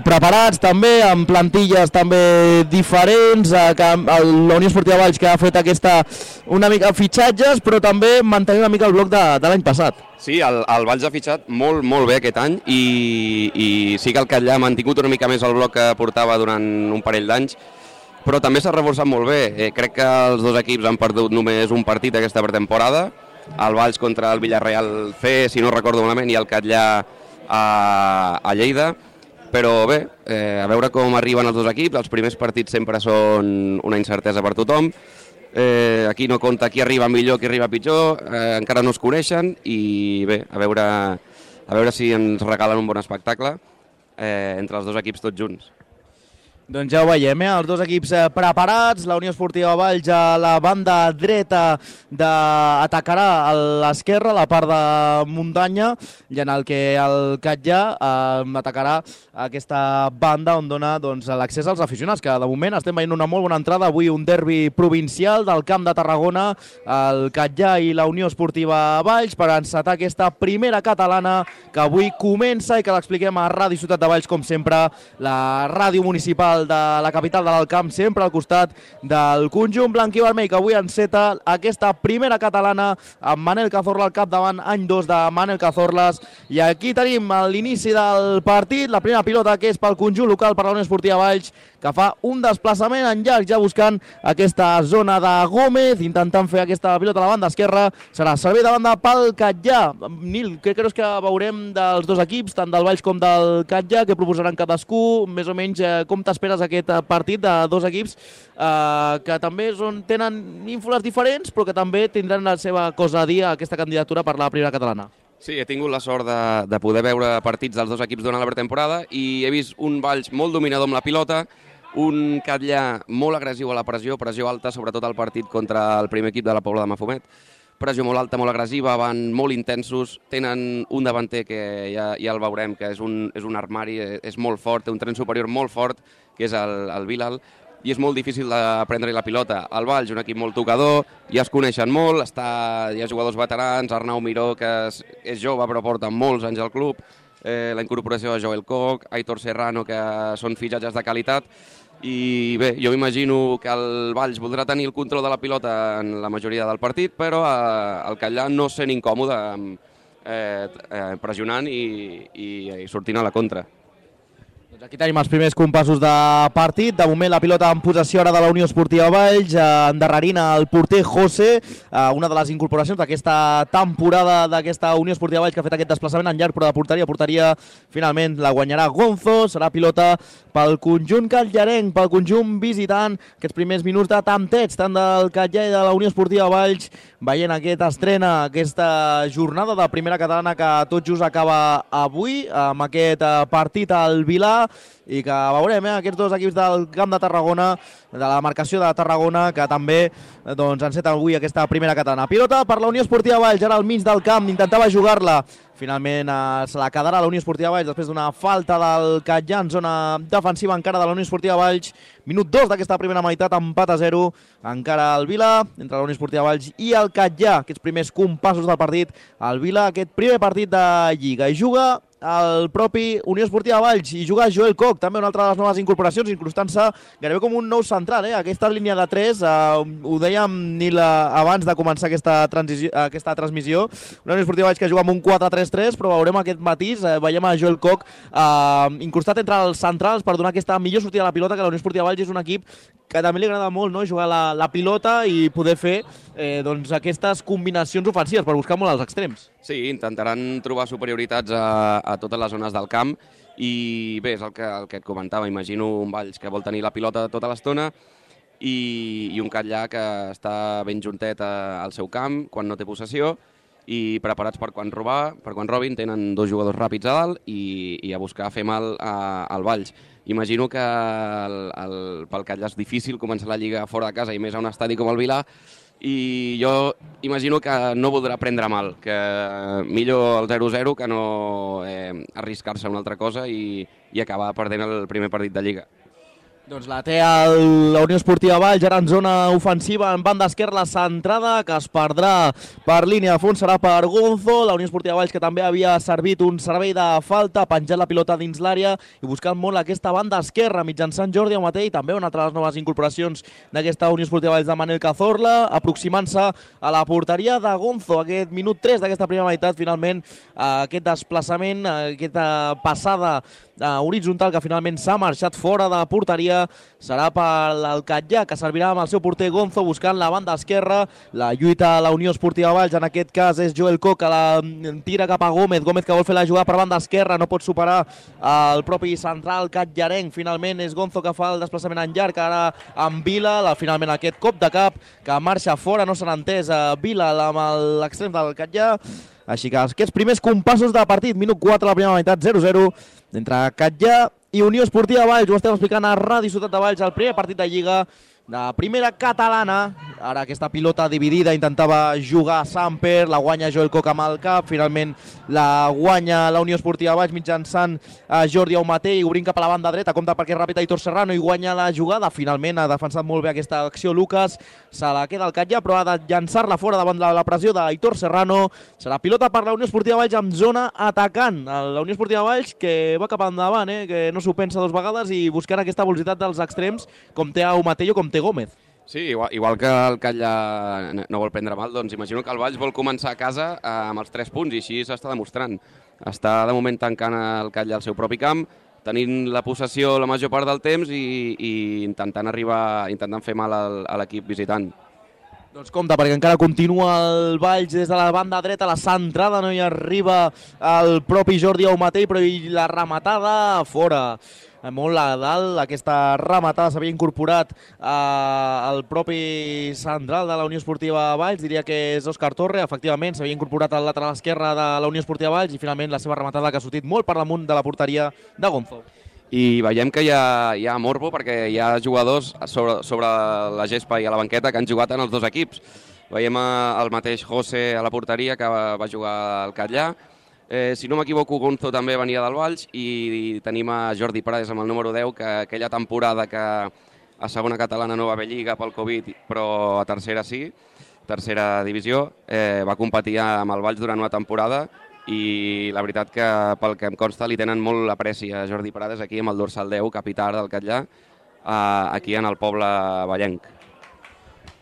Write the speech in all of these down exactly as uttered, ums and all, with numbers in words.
preparats també, amb plantilles també diferents, eh, que la Unió Esportiva Valls que ha fet aquesta una mica fitxatges, però també mantenir una mica el bloc de, de l'any passat. Sí, el, el Valls ha fitxat molt, molt bé aquest any i, i sí que el Catllà ha mantingut una mica més el bloc que portava durant un parell d'anys, però també s'ha reforçat molt bé. Eh, crec que els dos equips han perdut només un partit aquesta pretemporada, el Valls contra el Villarreal C, si no recordo malament, i el Catllà a, a Lleida. Però bé, eh, a veure com arriben els dos equips, els primers partits sempre són una incertesa per tothom. Eh, aquí no compta qui arriba millor, qui arriba pitjor, eh, encara no es coneixen i bé, a veure, a veure si ens regalen un bon espectacle eh, entre els dos equips tots junts. Doncs ja ho veiem, eh? Els dos equips eh, preparats, la Unió Esportiva Valls a la banda dreta de... atacarà a l'esquerra, la part de muntanya, i en el que el Catllà eh, atacarà aquesta banda on dona doncs, l'accés als aficionats, que de moment estem veient una molt bona entrada, avui un derbi provincial del Camp de Tarragona, el Catllà i la Unió Esportiva Valls, per encetar aquesta primera catalana que avui comença i que l'expliquem a Ràdio Ciutat de Valls, com sempre, la ràdio municipal de la capital de l'Alt Camp, sempre al costat del conjunt blanc i vermell, que avui enceta aquesta primera catalana amb Manel Cazorla al capdavant, any dos de Manel Cazorlas, i aquí tenim l'inici del partit, la primera pilota que és pel conjunt local, per la Unió Esportiva Valls, que fa un desplaçament en llarg, ja buscant aquesta zona de Gómez, intentant fer aquesta pilota a la banda esquerra, serà servei de banda pel Catllà. Nil, què creus que veurem dels dos equips, tant del Valls com del Catllà, que proposaran cadascú, més o menys eh, com t'esperes aquest partit de dos equips eh, que també són, tenen ínfoles diferents, però que també tindran la seva cosa a dir a aquesta candidatura per la primera catalana? Sí, he tingut la sort de, de poder veure partits dels dos equips durant la pretemporada i he vist un Valls molt dominador amb la pilota, un Catllà molt agressiu a la pressió, pressió alta, sobretot al partit contra el primer equip de la Pobla de Mafumet. Pressió molt alta, molt agressiva, van molt intensos, tenen un davanter que ja, ja el veurem, que és un, és un armari, és molt fort, té un tren superior molt fort, que és el, el Bilal, i és molt difícil de prendre-hi la pilota. El Valls, un equip molt tocador, ja es coneixen molt, està, hi ha jugadors veterans, Arnau Miró, que és, és jove però porta molts anys al club, eh, la incorporació de Joel Koch, Aitor Serrano, que són fitxatges de qualitat, i bé, jo m'imagino que el Valls voldrà tenir el control de la pilota en la majoria del partit, però eh, el Catllà no sent incòmode eh, eh, pressionant i, i, i sortint a la contra. Doncs aquí tenim els primers compassos de partit. De moment la pilota en possessió ara de la Unió Esportiva Valls, endarrerint el porter José, una de les incorporacions d'aquesta temporada d'aquesta Unió Esportiva Valls, que ha fet aquest desplaçament en llarg, però de porteria. Porteria finalment la guanyarà Gonzo, serà pilota pel conjunt catllarenc, pel conjunt visitant. Aquests primers minuts de tanteig, tant del Catllà i de la Unió Esportiva Valls, veient aquesta estrena, aquesta jornada de primera catalana que tot just acaba avui, amb aquest partit al Vilà, i que veurem eh, aquests dos equips del Camp de Tarragona, de la marcació de Tarragona, que també doncs, enceten avui aquesta primera catalana. Pilota per la Unió Esportiva Valls, ara al mig del camp, intentava jugar-la, finalment eh, se la quedarà la Unió Esportiva Valls després d'una falta del Catllà en zona defensiva encara de la Unió Esportiva Valls. Minut dos d'aquesta primera meitat, empat a zero, encara el Vila, entre la Unió Esportiva Valls i el Catllà, aquests primers compassos del partit. El Vila, aquest primer partit de Lliga, i juga el propi Unió Esportiva Valls, i juga Joel Koch, també una altra de les noves incorporacions, incrustant-se gairebé com un nou central, eh? Aquesta línia de tres, eh, ho dèiem Nil abans de començar aquesta, aquesta transmissió, una Unió Esportiva Valls que juga amb un quatre tres tres, però veurem aquest matís, eh, veiem a Joel Koch eh, incrustat entre els centrals per donar aquesta millor sortida de la pilota, que la Unió Esportiva Valls és un equip que també li agrada molt, no? Jugar la, la pilota i poder fer eh, doncs, aquestes combinacions ofensives per buscar molt els extrems. Sí, intentaran trobar superioritats a, a totes les zones del camp i bé, és el que, el que et comentava, imagino un Valls que vol tenir la pilota tota l'estona i, i un Catllà que està ben juntet a, al seu camp quan no té possessió i preparats per quan robar, per quan robin, tenen dos jugadors ràpids a dalt i, i a buscar fer mal a, al Valls. Imagino que el, el, pel Catllà és difícil començar la Lliga fora de casa i més a un estadi com el Vilà, i jo imagino que no voldrà prendre mal, que millor el zero zero que no eh, arriscar-se a una altra cosa i, i acabar perdent el primer partit de Lliga. Doncs la té el, la Unió Esportiva Valls, ara en zona ofensiva, en banda esquerra, la centrada, que es perdrà per línia de fons, serà per Gonzo. La Unió Esportiva Valls, que també havia servit un servei de falta, penjat la pilota dins l'àrea i buscant molt aquesta banda esquerra, mitjançant Jordi Aumatell, també una altra de les noves incorporacions d'aquesta Unió Esportiva Valls de Manel Cazorla, aproximant-se a la porteria de Gonzo. Aquest minut tres d'aquesta primera meitat, finalment, aquest desplaçament, aquesta passada horitzontal que finalment s'ha marxat fora de la porteria, serà per l'Alcatllà, que servirà amb el seu porter Gonzo buscant la banda esquerra. La lluita a la Unió Esportiva Valls, en aquest cas és Joel Coc, que la tira cap a Gómez, Gómez que vol fer la jugada per banda esquerra, no pot superar el propi central catllarenc. Finalment és Gonzo que fa el desplaçament en llarg, ara amb Vila, la, finalment aquest cop de cap que marxa fora, no s'han entès a Vila amb l'extrem del Catllà. Així que aquests primers compassos de partit, minut quatre, la primera meitat, zero zero, entre Catllà i Unió Esportiva Valls. Ho estem explicant a Ràdio Ciutat de Valls, el primer partit de Lliga de primera catalana. Ara aquesta pilota dividida, intentava jugar Samper, la guanya Joel Coc amb el cap, finalment la guanya la Unió Esportiva Valls mitjançant Jordi Aumatell, obrint cap a la banda dreta, compta perquè és ràpid Aitor Serrano i guanya la jugada. Finalment ha defensat molt bé aquesta acció Lucas, se la queda el Catllà, però ha de llançar-la fora davant de la pressió d'Aitor Serrano. Serà pilota per la Unió Esportiva Valls amb zona atacant. La Unió Esportiva Valls que va cap endavant, eh? que no s'ho pensa dues vegades i buscarà aquesta velocitat dels extrems, com té Aumatell o com té Gómez. Sí, igual, igual que el Catllà no vol prendre mal, doncs imagino que el Valls vol començar a casa eh, amb els tres punts i així s'està demostrant. Està de moment tancant el Catllà al seu propi camp, tenint la possessió la major part del temps i, i intentant arribar, intentant fer mal al, a l'equip visitant. Doncs compte, perquè encara continua el Valls des de la banda dreta, la centrada no hi arriba el propi Jordi Aumatell, però la rematada fora. Molt a dalt, aquesta rematada s'havia incorporat eh, el propi central de la Unió Esportiva Valls, diria que és Òscar Torre, efectivament s'havia incorporat al lateral esquerre de la Unió Esportiva Valls i finalment la seva rematada que ha sortit molt per damunt de la porteria de Gonzo. I veiem que hi ha, hi ha morbo perquè hi ha jugadors sobre, sobre la gespa i a la banqueta que han jugat en els dos equips. Veiem el mateix José a la porteria que va, va jugar al Catllà. Eh, si no m'equivoco, Gonzo també venia del Valls i tenim a Jordi Prades amb el número deu, que aquella temporada que a segona catalana no va haver lliga pel Covid, però a tercera sí, tercera divisió, eh, va competir amb el Valls durant una temporada i la veritat que pel que em consta li tenen molt apreci a Jordi Prades aquí amb el dorsal deu, capità del Catllà, eh, aquí en el poble vallenc.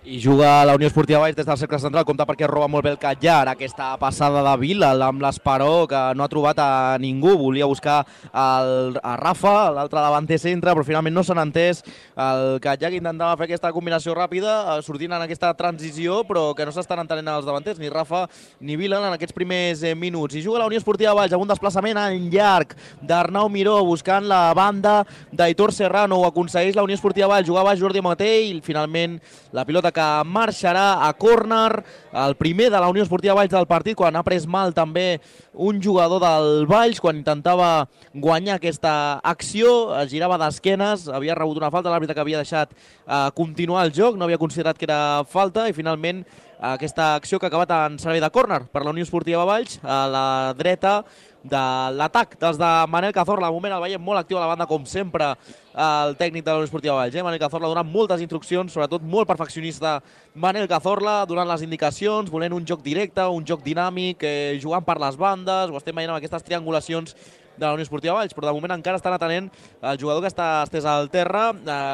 I juga la Unió Esportiva Valls des del cercle central, compta perquè roba molt bé el Catllà. Ara aquesta passada de Vila amb l'Esperó, que no ha trobat a ningú, volia buscar el, a Rafa, l'altre davanter centre, però finalment no s'han entès. El Catllà que intentava fer aquesta combinació ràpida, sortint en aquesta transició, però que no s'estan entenent els davanters, ni Rafa ni Vila en aquests primers eh, minuts. I juga la Unió Esportiva Valls amb un desplaçament en llarg d'Arnau Miró, buscant la banda d'Aitor Serrano. Ho aconsegueix la Unió Esportiva Valls, jugava Jordi Aumatell i finalment la pilota que marxarà a córner, el primer de la Unió Esportiva Valls del partit, quan ha pres mal també un jugador del Valls, quan intentava guanyar aquesta acció, es girava d'esquenes, havia rebut una falta, l'àrbitre que havia deixat eh, continuar el joc, no havia considerat que era falta, i finalment aquesta acció que ha acabat en servei de córner per la Unió Esportiva Valls, a la dreta de l'atac dels de Manel Cazorla. Al moment el veiem molt actiu a la banda, com sempre, el tècnic de la Unió Esportiva Valls. Eh? Manel Cazorla donant moltes instruccions, sobretot molt perfeccionista Manel Cazorla, donant les indicacions, volent un joc directe, un joc dinàmic, eh, jugant per les bandes, ho estem veient amb aquestes triangulacions de la Unió Esportiva Valls, però de moment encara estan atenent el jugador que està estès al terra.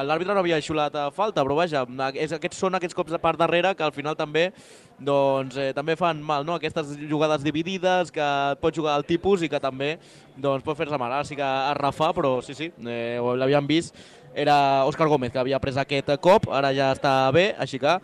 L'àrbitre no havia xiulat falta, però vaja, aquests són aquests cops per darrere que al final també doncs, eh, també fan mal, no? Aquestes jugades dividides que pot jugar el tipus i que també doncs, pot fer-se mal. Ara sí que es refà, però sí, sí, eh, l'havíem vist, era Òscar Gómez que havia pres aquest cop, ara ja està bé, així que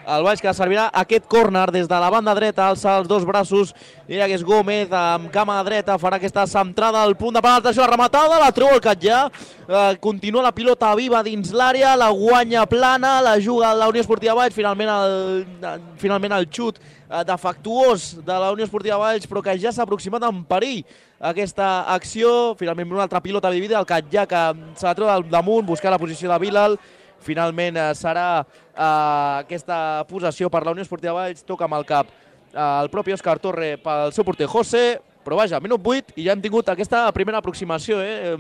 el Valls que servirà aquest córner des de la banda dreta, alça els dos braços, diria que és Gómez amb cama dreta, farà aquesta centrada al punt de penal, la rematada, la treu el Catllà, eh, continua la pilota viva dins l'àrea, la guanya plana, la juga la Unió Esportiva Valls, finalment el, finalment el xut eh, defectuós de la Unió Esportiva Valls, però que ja s'ha aproximat en perill aquesta acció, finalment una altra pilota dividida, el Catllà que se la treu del damunt, buscar la posició de Bilal. Finalment eh, serà eh, aquesta possessió per la Unió Esportiva Valls, toca amb el cap eh, el propi Òscar Torre pel seu porter José, Però vaja, minut vuit i ja hem tingut aquesta primera aproximació, eh?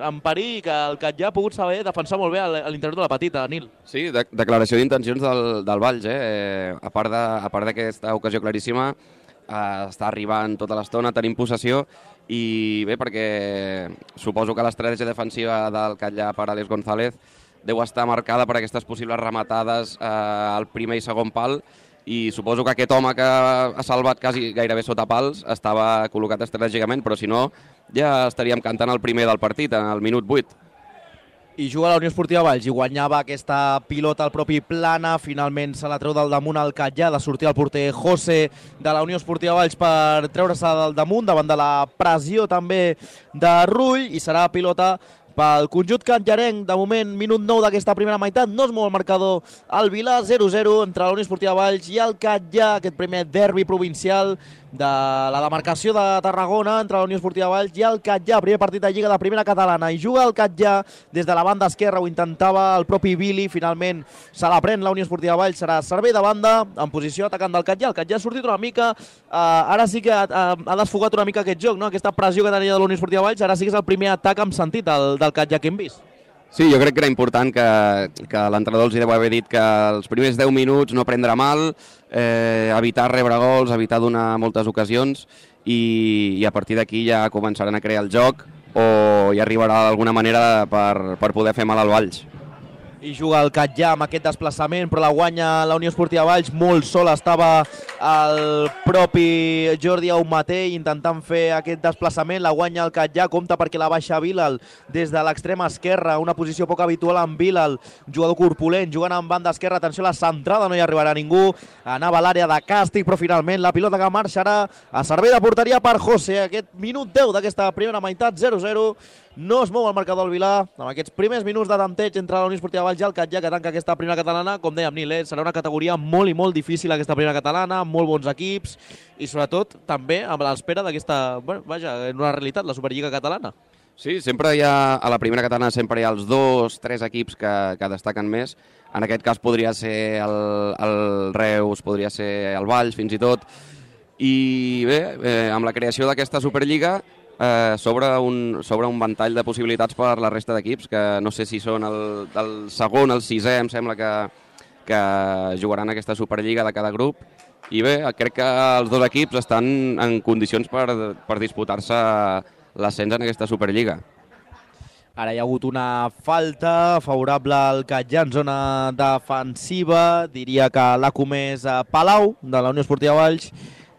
En perill, que el Catllà ha pogut saber defensar molt bé a l'interior de la petita, Nil. Sí, de declaració d'intencions del, del Valls, eh? eh a part d'aquesta ocasió claríssima, eh, està arribant tota l'estona, tenim possessió, i bé, perquè suposo que l'estratègia defensiva del Catllà per Àlex González deu estar marcada per aquestes possibles rematades eh, al primer i segon pal, i suposo que aquest home que ha salvat quasi gairebé sota pals estava col·locat estratègicament, però si no ja estaríem cantant el primer del partit, en el minut vuit. I juga la Unió Esportiva Valls i guanyava aquesta pilota al propi Plana, finalment se la treu del damunt al Catllà, de sortir el porter José de la Unió Esportiva Valls per treure-se del damunt davant de la pressió també de Rull, i serà pilota pel conjunt catllarenc. De moment, minut nou d'aquesta primera meitat, no es mou el marcador al Vilà, zero zero entre la Unió Esportiva Valls i el Catllà, aquest primer derbi provincial de la demarcació de Tarragona entre la Unió Esportiva Valls i el Catllà, primer partit de Lliga de Primera Catalana, i juga el Catllà des de la banda esquerra, ho intentava el propi Billy, finalment se la pren la Unió Esportiva Valls, serà servei de banda en posició atacant del Catllà. El Catllà ha sortit una mica, eh, ara sí que ha, ha desfogat una mica aquest joc, no? Aquesta pressió que tenia de la Unió Esportiva Valls, ara sí que és el primer atac amb sentit del, del Catllà que hem vist. Sí, jo crec que era important que, que l'entrenador els hi deu haver dit que els primers deu minuts no prendre mal, eh, evitar rebre gols, evitar donar moltes ocasions, i, i a partir d'aquí ja començaran a crear el joc, o hi arribarà d'alguna manera per, per poder fer mal al Valls. I juga el Catllà amb aquest desplaçament, però la guanya la Unió Esportiva Valls. Molt sol estava el propi Jordi Aumaté intentant fer aquest desplaçament, la guanya el Catllà, compta perquè la baixa Bilal des de l'extrema esquerra, una posició poc habitual en Bilal, jugador corpulent, jugant en banda esquerra. Atenció a la centrada, no hi arribarà ningú, anava a l'àrea de càstig, però finalment la pilota que marxarà a servei de porteria per José. Aquest minut deu d'aquesta primera meitat, zero zero. No es mou el marcador del Vilà, amb aquests primers minuts de tanteig entre la Unió Esportiva Valls i el Catllà, que tanca aquesta primera catalana. Com dèiem, Nil, eh? serà una categoria molt i molt difícil aquesta primera catalana, amb molt bons equips, i sobretot també amb l'espera d'aquesta, bueno, vaja, en una realitat, la Superliga catalana. Sí, sempre hi ha, a la primera catalana sempre hi ha els dos, tres equips que, que destaquen més. En aquest cas podria ser el, el Reus, podria ser el Valls, fins i tot. I bé, eh, amb la creació d'aquesta Superliga, Eh, sobre, un, sobre un ventall de possibilitats per la resta d'equips, que no sé si són el, el segon, el sisè, em sembla que, que jugaran aquesta Superliga de cada grup. I bé, crec que els dos equips estan en condicions per, per disputar-se l'ascens en aquesta Superliga. Ara hi ha hagut una falta favorable al Catllà en zona defensiva, diria que l'ha comès Palau, de la Unió Esportiva Valls,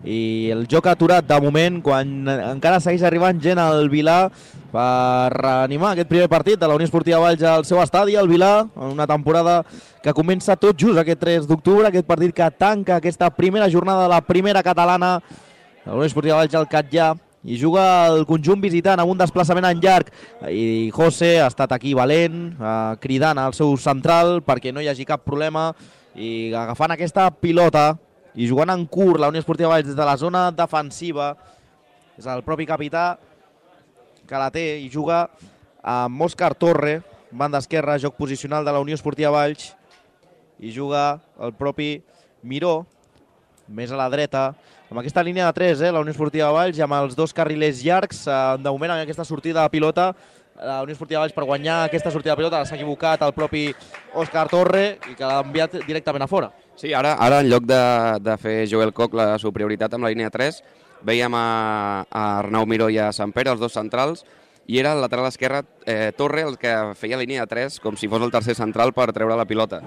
i el joc ha aturat de moment quan encara segueix arribant gent al Vilà per reanimar aquest primer partit de la Unió Esportiva Valls al seu estadi, al Vilà, en una temporada que comença tot just aquest tres d'octubre, aquest partit que tanca aquesta primera jornada de la primera catalana, la Unió Esportiva Valls al Catllà, i juga el conjunt visitant amb un desplaçament en llarg, i José ha estat aquí valent, eh, cridant al seu central perquè no hi hagi cap problema, i agafant aquesta pilota i jugant en curt la Unió Esportiva Valls des de la zona defensiva. És el propi capità que la té i juga amb Òscar Torre, banda esquerra, joc posicional de la Unió Esportiva Valls, i juga el propi Miró, més a la dreta, amb aquesta línia de tres, eh, la Unió Esportiva Valls, i amb els dos carrilers llargs. De moment, en aquesta sortida de pilota, la Unió Esportiva Valls, per guanyar aquesta sortida de pilota, s'ha equivocat el propi Òscar Torre, i que l'ha enviat directament a fora. Sí, ara, ara en lloc de, de fer Joel Koch la superioritat amb la línia tres, veiem a, a Arnau Miró i a Sant Pere, els dos centrals, i era el lateral esquerre eh, Torre el que feia línia tres, com si fos el tercer central, per treure la pilota.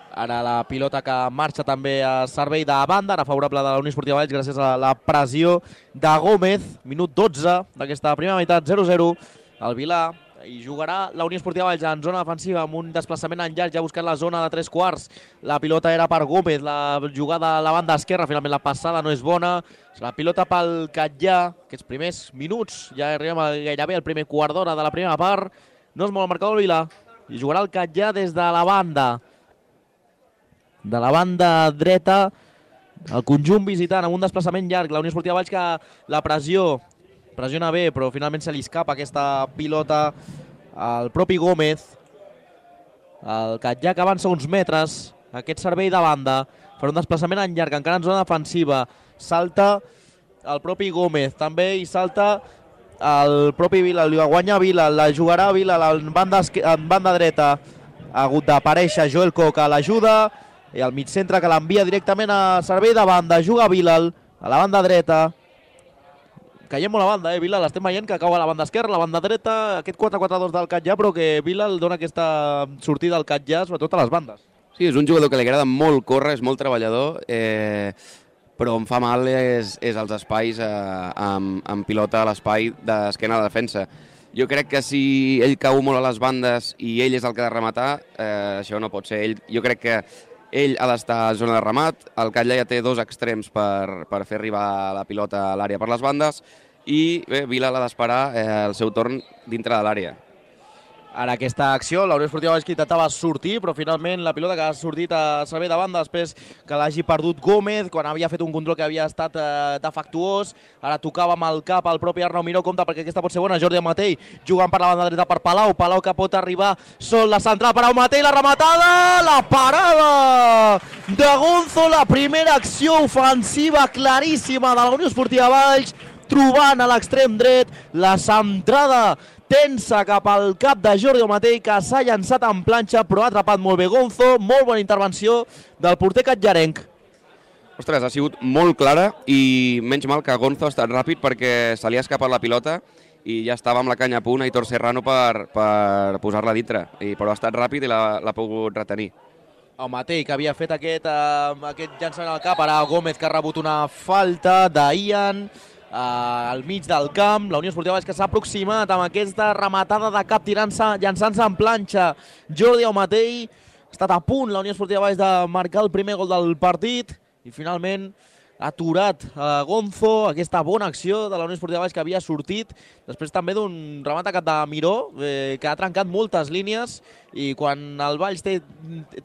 Ara la pilota que marxa també a servei de banda, ara favorable de la Unió Esportiva Valls gràcies a la pressió de Gómez. Minut dotze d'aquesta primera meitat, zero zero. El Vilà, i jugarà la Unió Esportiva Valls en zona defensiva amb un desplaçament en llarg, ja buscant la zona de tres quarts. La pilota era per Gómez, la jugada a la banda esquerra, finalment la passada no és bona. La pilota pel Catllà, aquests primers minuts, ja arribem gairebé al primer quart d'hora de la primera part. No es mou el marcador del Vilà, i jugarà el Catllà des de la banda. De la banda dreta, el conjunt visitant amb un desplaçament llarg. La Unió Esportiva Valls que la pressió pressiona bé, però finalment se li escapa aquesta pilota al propi Gómez. El Catllà que avança uns metres, aquest servei de banda, per un desplaçament en llarg, encara en zona defensiva. Salta el propi Gómez. També hi salta el propi Vila, li guanya Vila, la jugarà Vila en banda, en banda dreta. Ha hagut d'aparèixer Joel Koch a l'ajuda, i el mig centre que l'envia directament a servei de banda. Juga Vilal a la banda dreta. Caiem molt a banda, eh, Vilal. Estem veient que cau a la banda esquerra, a la banda dreta, aquest quatre quatre dos del Catllà, però que Vilal dona aquesta sortida al Catllà, sobretot a les bandes. Sí, és un jugador que li agrada molt córrer, és molt treballador, eh, però on fa mal és, és els espais eh, amb, amb pilota a l'espai d'esquena a la defensa. Jo crec que si ell cau molt a les bandes i ell és el que ha de rematar, eh, això no pot ser. Ell, jo crec que ell ha d'estar a zona de remat, el Catllà ja té dos extrems per, per fer arribar la pilota a l'àrea per les bandes, i bé, Vila l'ha d'esperar eh, el seu torn dintre de l'àrea. Ara aquesta acció, la Unió Esportiva Valls que intentava sortir, però finalment la pilota que ha sortit a servei de banda després que l'hagi perdut Gómez, quan havia fet un control que havia estat eh, defectuós. Ara tocava amb el cap el propi Arnau Miró, compte perquè aquesta pot ser bona. Jordi Amatell jugant per la banda dreta per Palau, Palau que pot arribar sol la central per Amatell, la rematada, la parada de Gonzo, la primera acció ofensiva claríssima de la Unió Esportiva Valls, trobant a l'extrem dret la centrada tensa cap al cap de Jordi Amatell, que s'ha llançat en planxa, però ha atrapat molt bé Gonzo. Molt bona intervenció del porter catllarenc. Ostres, ha sigut molt clara i menys mal que Gonzo ha estat ràpid perquè se li ha escapat la pilota i ja estava amb la canya a punt Aitor Serrano per, per posar-la dintre, I, però ha estat ràpid i l'ha pogut retenir. Amatell, que havia fet aquest, uh, aquest llançament al cap, ara Gómez, que ha rebut una falta d'Ian, Uh, al mig del camp. La Unió Esportiva Valls que s'ha aproximat amb aquesta rematada de cap tirant-se, llançant-se en planxa. Jordi Amatell ha estat a punt la Unió Esportiva Valls de marcar el primer gol del partit i finalment ha aturat uh, Gonzo, aquesta bona acció de la Unió Esportiva Valls que havia sortit després també d'un remat a cap de Miró, eh, que ha trencat moltes línies, i quan el Valls té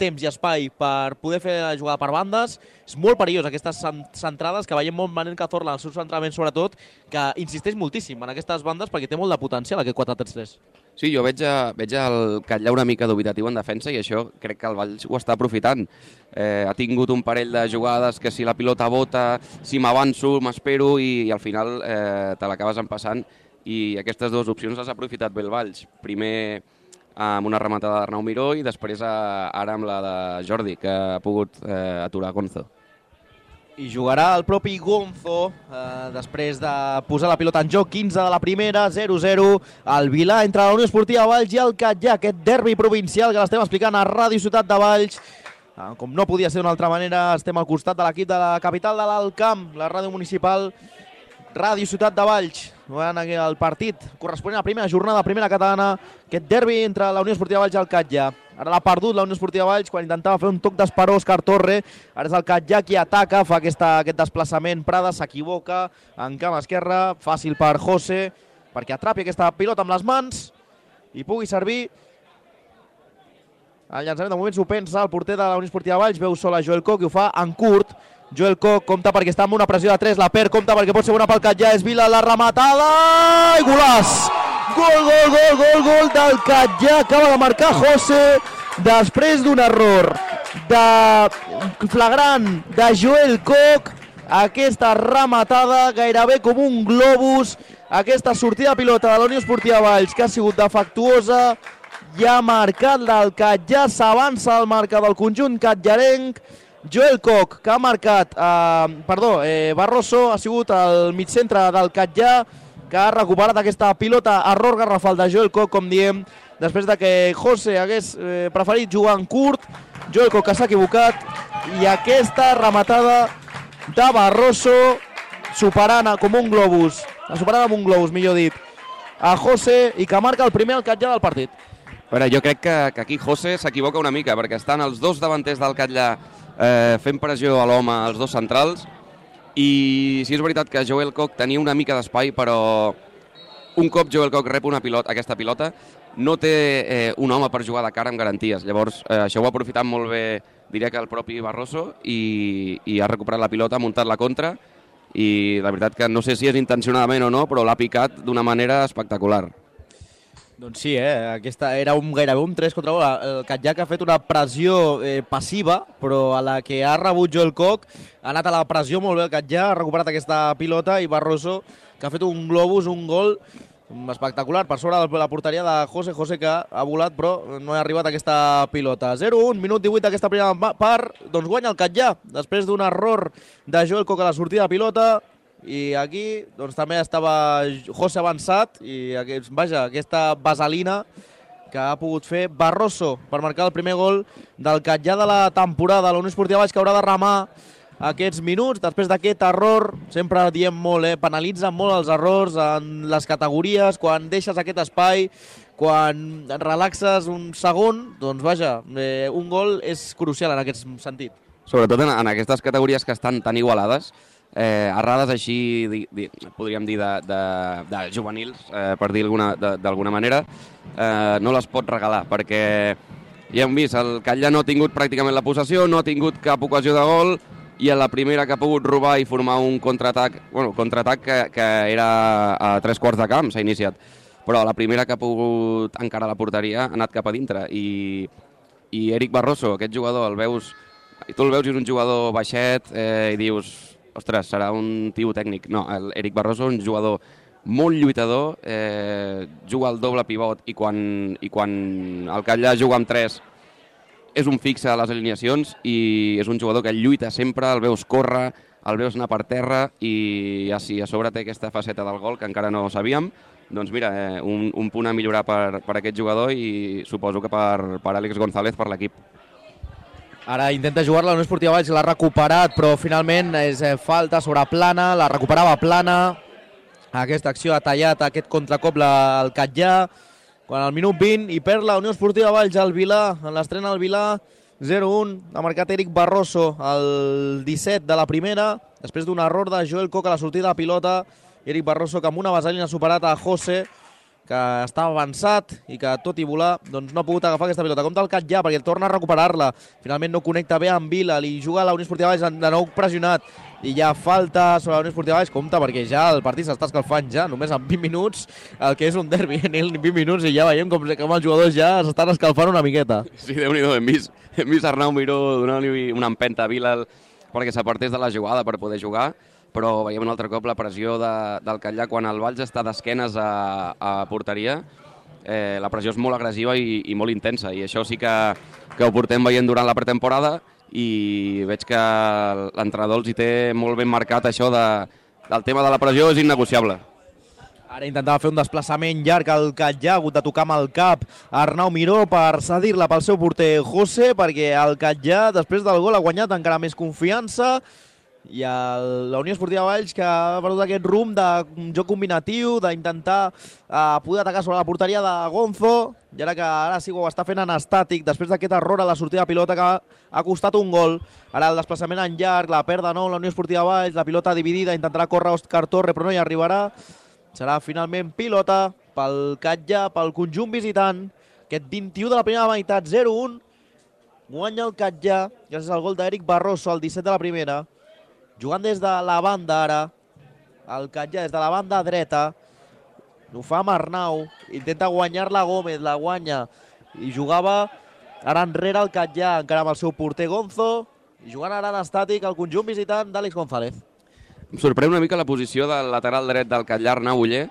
temps i espai per poder fer la jugada per bandes, és molt perillós aquestes centrades que veiem molt Manel Cazorla en els seus entrenaments, sobretot, que insisteix moltíssim en aquestes bandes perquè té molt de potencial aquest quatre tres tres. Sí, jo veig, a, veig el Catllà una mica dubitatiu en defensa i això crec que el Valls ho està aprofitant. Eh, ha tingut un parell de jugades que si la pilota bota, si m'avanço, m'espero i, i al final eh, te l'acabes empassant, i aquestes dues opcions les ha aprofitat bé el Valls. Primer amb una rematada d'Arnau Miró i després a, ara amb la de Jordi, que ha pogut eh, aturar Gonzo. I jugarà el propi Gonzo eh, després de posar la pilota en joc. Quinze de la primera, zero zero. El Vilà entre la Unió Esportiva Valls i el Catllà, aquest derbi provincial que l'estem explicant a Ràdio Ciutat de Valls. Eh, com no podia ser d'una altra manera, estem al costat de l'equip de la capital de l'Alt Camp, la ràdio municipal Ràdio Ciutat de Valls. Jugant el partit corresponent a la primera jornada, primera catalana, aquest derbi entre la Unió Esportiva Valls i el Catllà. Ara l'ha perdut la Unió Esportiva Valls quan intentava fer un toc d'esperó Òscar Torre. Ara és el Catllà qui ataca, fa aquesta, aquest desplaçament. Prada s'equivoca en camp esquerre, fàcil per José perquè atrapi aquesta pilota amb les mans i pugui servir. El llançament de moment s'ho pensa el porter de la Unió Esportiva Valls, veu sol a Joel Koch i ho fa en curt. Joel Koch compta perquè està amb una pressió de tres, la perd, compta perquè pot ser bona pel Catllà, és Vila, la rematada i golaç! Gol, gol, gol, gol, gol del Catllà, acaba de marcar José després d'un error de flagrant de Joel Koch. Aquesta rematada gairebé com un globus, aquesta sortida de pilota de la Unió Esportiva Valls que ha sigut defectuosa i ha marcat del Catllà, s'avança al marca del conjunt catllarenc. Joel Koch, que ha marcat, eh, perdó, eh, Barroso ha sigut el migcentre del Catllà, que ha recuperat aquesta pilota, error garrafal de Joel Koch, com diem, després de que José hagués eh, preferit jugar en curt. Joel Koch que s'ha equivocat, i aquesta rematada de Barroso superant com un globus, superant amb un globus, millor dit, a José, i que marca el primer al Catllà del partit. A veure, jo crec que, que aquí José s'equivoca una mica, perquè estan els dos davanters del Catllà eh, fent pressió a l'home, els dos centrals, i sí és veritat que Joel Koch tenia una mica d'espai, però un cop Joel Koch rep una pilota, aquesta pilota, no té eh, un home per jugar de cara amb garanties. Llavors, eh, això ho ha aprofitat molt bé, diria que el propi Barroso, i, i ha recuperat la pilota, ha muntat la contra, i la veritat que no sé si és intencionadament o no, però l'ha picat d'una manera espectacular. Doncs sí, eh? Aquesta era un, gairebé un tres contra un. El Catllà que ha fet una pressió eh, passiva, però a la que ha rebut Joel Koch ha anat a la pressió molt bé el Catllà, ha recuperat aquesta pilota i Barroso que ha fet un globus, un gol espectacular per sobre de la porteria de José, José que ha volat però no ha arribat a aquesta pilota. zero un, minut divuit d'aquesta primera part, doncs guanya el Catllà, després d'un error de Joel Koch a la sortida de pilota, i aquí doncs, també estava José avançat i aquest, vaja, aquesta vaselina que ha pogut fer Barroso per marcar el primer gol del Catllà de la temporada. La Unió Esportiva Valls que haurà de remar aquests minuts, després d'aquest error, sempre diem molt, eh? Penalitzen molt els errors en les categories, quan deixes aquest espai, quan relaxes un segon, doncs vaja, eh, un gol és crucial en aquest sentit. Sobretot en, en aquestes categories que estan tan igualades, eh, errades així, di, di, podríem dir, de, de, de juvenils, eh, per dir d'alguna manera, eh, no les pot regalar, perquè ja hem vist, el Catllà no ha tingut pràcticament la possessió, no ha tingut cap ocasió de gol, i a la primera que ha pogut robar i formar un contraatac, bueno, contraatac que, que era a tres quarts de camp, s'ha iniciat, però la primera que ha pogut encarar la porteria ha anat cap a dintre, i, i Eric Barroso, aquest jugador, el veus, tu el veus i és un jugador baixet, eh, i dius, ostres, serà un tio tècnic. No, Eric Barroso és un jugador molt lluitador, eh, juga al doble pivot, i quan, i quan el Catllà juga amb tres, és un fixe a les alineacions i és un jugador que lluita sempre, el veus córrer, el veus anar per terra i ja sí, a sobre té aquesta faceta del gol que encara no sabíem. Doncs mira, eh, un, un punt a millorar per, per aquest jugador i suposo que per, per Àlex González, per l'equip. Ara intenta jugar la Unió Esportiva Valls, l'ha recuperat, però finalment és eh, falta sobre plana, la recuperava plana. Aquesta acció ha tallat aquest contracop la, el Catllà. Quan al minut vint i perd la Unió Esportiva Valls al Vilà, en l'estrena al Vilà, zero un, ha marcat Eric Barroso al disset de la primera, després d'un error de Joel Koch a la sortida de pilota. Eric Barroso que amb una vaselina ha superat a José, que està avançat i que tot i volar doncs no ha pogut agafar aquesta pilota. Compte el Catllà perquè torna a recuperar-la, finalment no connecta bé amb Vila, li juga a la Unió Esportiva Valls de nou pressionat i ja falta sobre la Unió Esportiva Valls. Compte perquè ja el partit s'està escalfant ja, només en vint minuts, el que és un derbi en vint minuts, i ja veiem com, com els jugadors ja s'estan escalfant una miqueta. Sí, Déu-n'hi-do, hem vist, hem vist Arnau Miró donant-li una empenta a Vila perquè s'apartés de la jugada per poder jugar, però veiem un altre cop la pressió de, del Catllà quan el Valls està d'esquenes a, a porteria. Eh, la pressió és molt agressiva i, i molt intensa, i això sí que, que ho portem veient durant la pretemporada, i veig que l'entrenador els hi té molt ben marcat això de, del tema de la pressió, és innegociable. Ara intentava fer un desplaçament llarg al Catllà, ha hagut de tocar amb el cap Arnau Miró per cedir-la pel seu porter José, perquè el Catllà després del gol ha guanyat encara més confiança, i el, la Unió Esportiva Valls que ha perdut aquest rumb de joc combinatiu, d'intentar uh, poder atacar sobre la porteria de Gonzo, i ara que ara sí que ho està fent en estàtic després d'aquest error a la sortida de pilota que ha, ha costat un gol. Ara el desplaçament en llarg, la perd de nou la Unió Esportiva Valls, la pilota dividida, intentarà córrer Òscar Torre però no hi arribarà. Serà finalment pilota pel Catllà, pel conjunt visitant. Aquest vint-i-u de la primera meitat, zero un, guanya el Catllà gràcies al gol d'Eric Barroso al disset de la primera. Jugant des de la banda ara, el Catllà des de la banda dreta, ho fa amb Arnau, intenta guanyar-la Gómez, la guanya, i jugava ara enrere el Catllà, encara amb el seu porter Gonzo, i jugant ara en estàtic el conjunt visitant d'Àlex González. Em sorprèn una mica la posició del lateral dret del Catllà, Arnau Oller,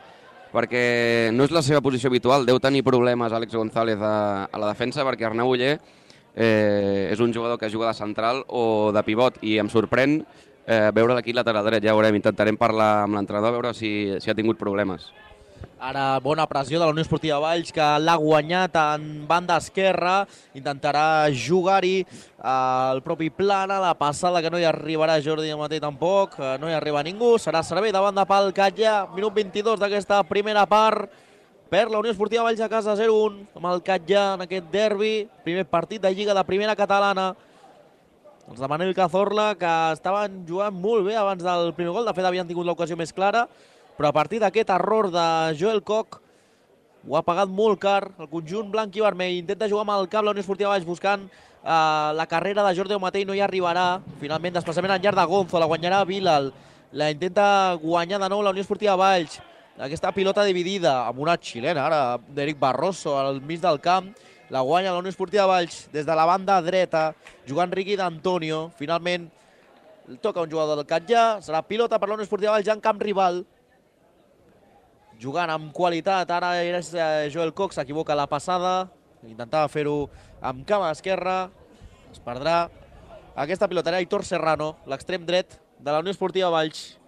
perquè no és la seva posició habitual, deu tenir problemes Àlex González a, a la defensa, perquè Arnau Oller eh, és un jugador que juga de central o de pivot, i em sorprèn Eh, veure aquí lateral dret, ja veurem, intentarem parlar amb l'entrenador a veure si, si ha tingut problemes. Ara bona pressió de la Unió Esportiva Valls que l'ha guanyat en banda esquerra, intentarà jugar-hi al propi plana, la passada que no hi arribarà Jordi Amatell tampoc, no hi arriba ningú, serà servei de banda pel Catllà, minut vint-i-dos d'aquesta primera part, perd la Unió Esportiva Valls a casa zero un amb el Catllà en aquest derbi, primer partit de Lliga de Primera Catalana. Els de Manel Cazorla, que estaven jugant molt bé abans del primer gol. De fet, havien tingut l'ocasió més clara, però a partir d'aquest error de Joel Koch ho ha pagat molt car. El conjunt blanc i vermell intenta jugar amb el cap la Unió Esportiva Valls buscant eh, la carrera de Jordi Amatell, no hi arribarà. Finalment, desplaçament en llarg de Gonzo, la guanyarà Vila. La intenta guanyar de nou la Unió Esportiva Valls. aquesta pilota dividida amb una xilena, ara, d'Eric Barroso al mig del camp. La guanya la Unió Esportiva Valls des de la banda dreta, jugant Riqui d'Antonio. Finalment toca un jugador del Catllà, serà pilota per la Unió Esportiva Valls ja en camp rival. Jugant amb qualitat, ara és Joel Cox, s'equivoca la passada, intentava fer-ho amb cama esquerra, es perdrà. Aquesta pilota era Aitor Serrano, l'extrem dret de la Unió Esportiva Valls.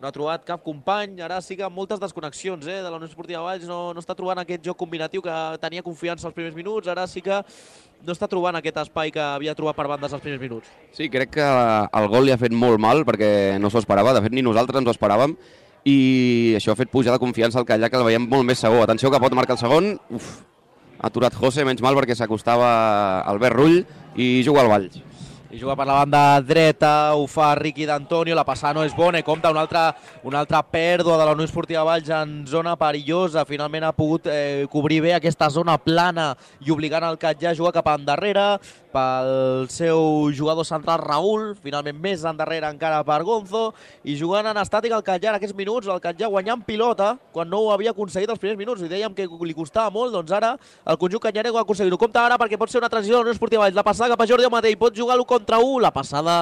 No ha trobat cap company, ara sí que amb moltes desconnexions eh, de la Unió Esportiva Valls, no, no està trobant aquest joc combinatiu que tenia confiança als primers minuts, ara sí que no està trobant aquest espai que havia trobat per bandes als primers minuts. Sí, crec que el gol li ha fet molt mal perquè no s'ho esperava, de fet ni nosaltres ens ho esperàvem, i això ha fet pujar de confiança al Catllà, que el veiem molt més segur. Atenció que pot marcar el segon, uf, ha aturat José, menys mal perquè s'acostava Albert Rull i juga al Valls. I juga per la banda dreta, ho fa Riqui d'Antonio, la passada no és bona, i compta una altra, una altra pèrdua de la Unió Esportiva Valls en zona perillosa. Finalment ha pogut eh, cobrir bé aquesta zona plana i obligant el Catllà a jugar cap endarrere pel seu jugador central Raül, finalment més endarrere encara per Gonzo, i jugant en estàtic el Catllà en aquests minuts, el Catllà guanyant pilota quan no ho havia aconseguit els primers minuts, i dèiem que li costava molt, doncs ara el conjunt catllarenc ho ha aconseguit. Ho compta ara perquè pot ser una transició de la Unió Esportiva Valls, la passada cap a Jordi Amatell, pot jugar l'u contra u, la passada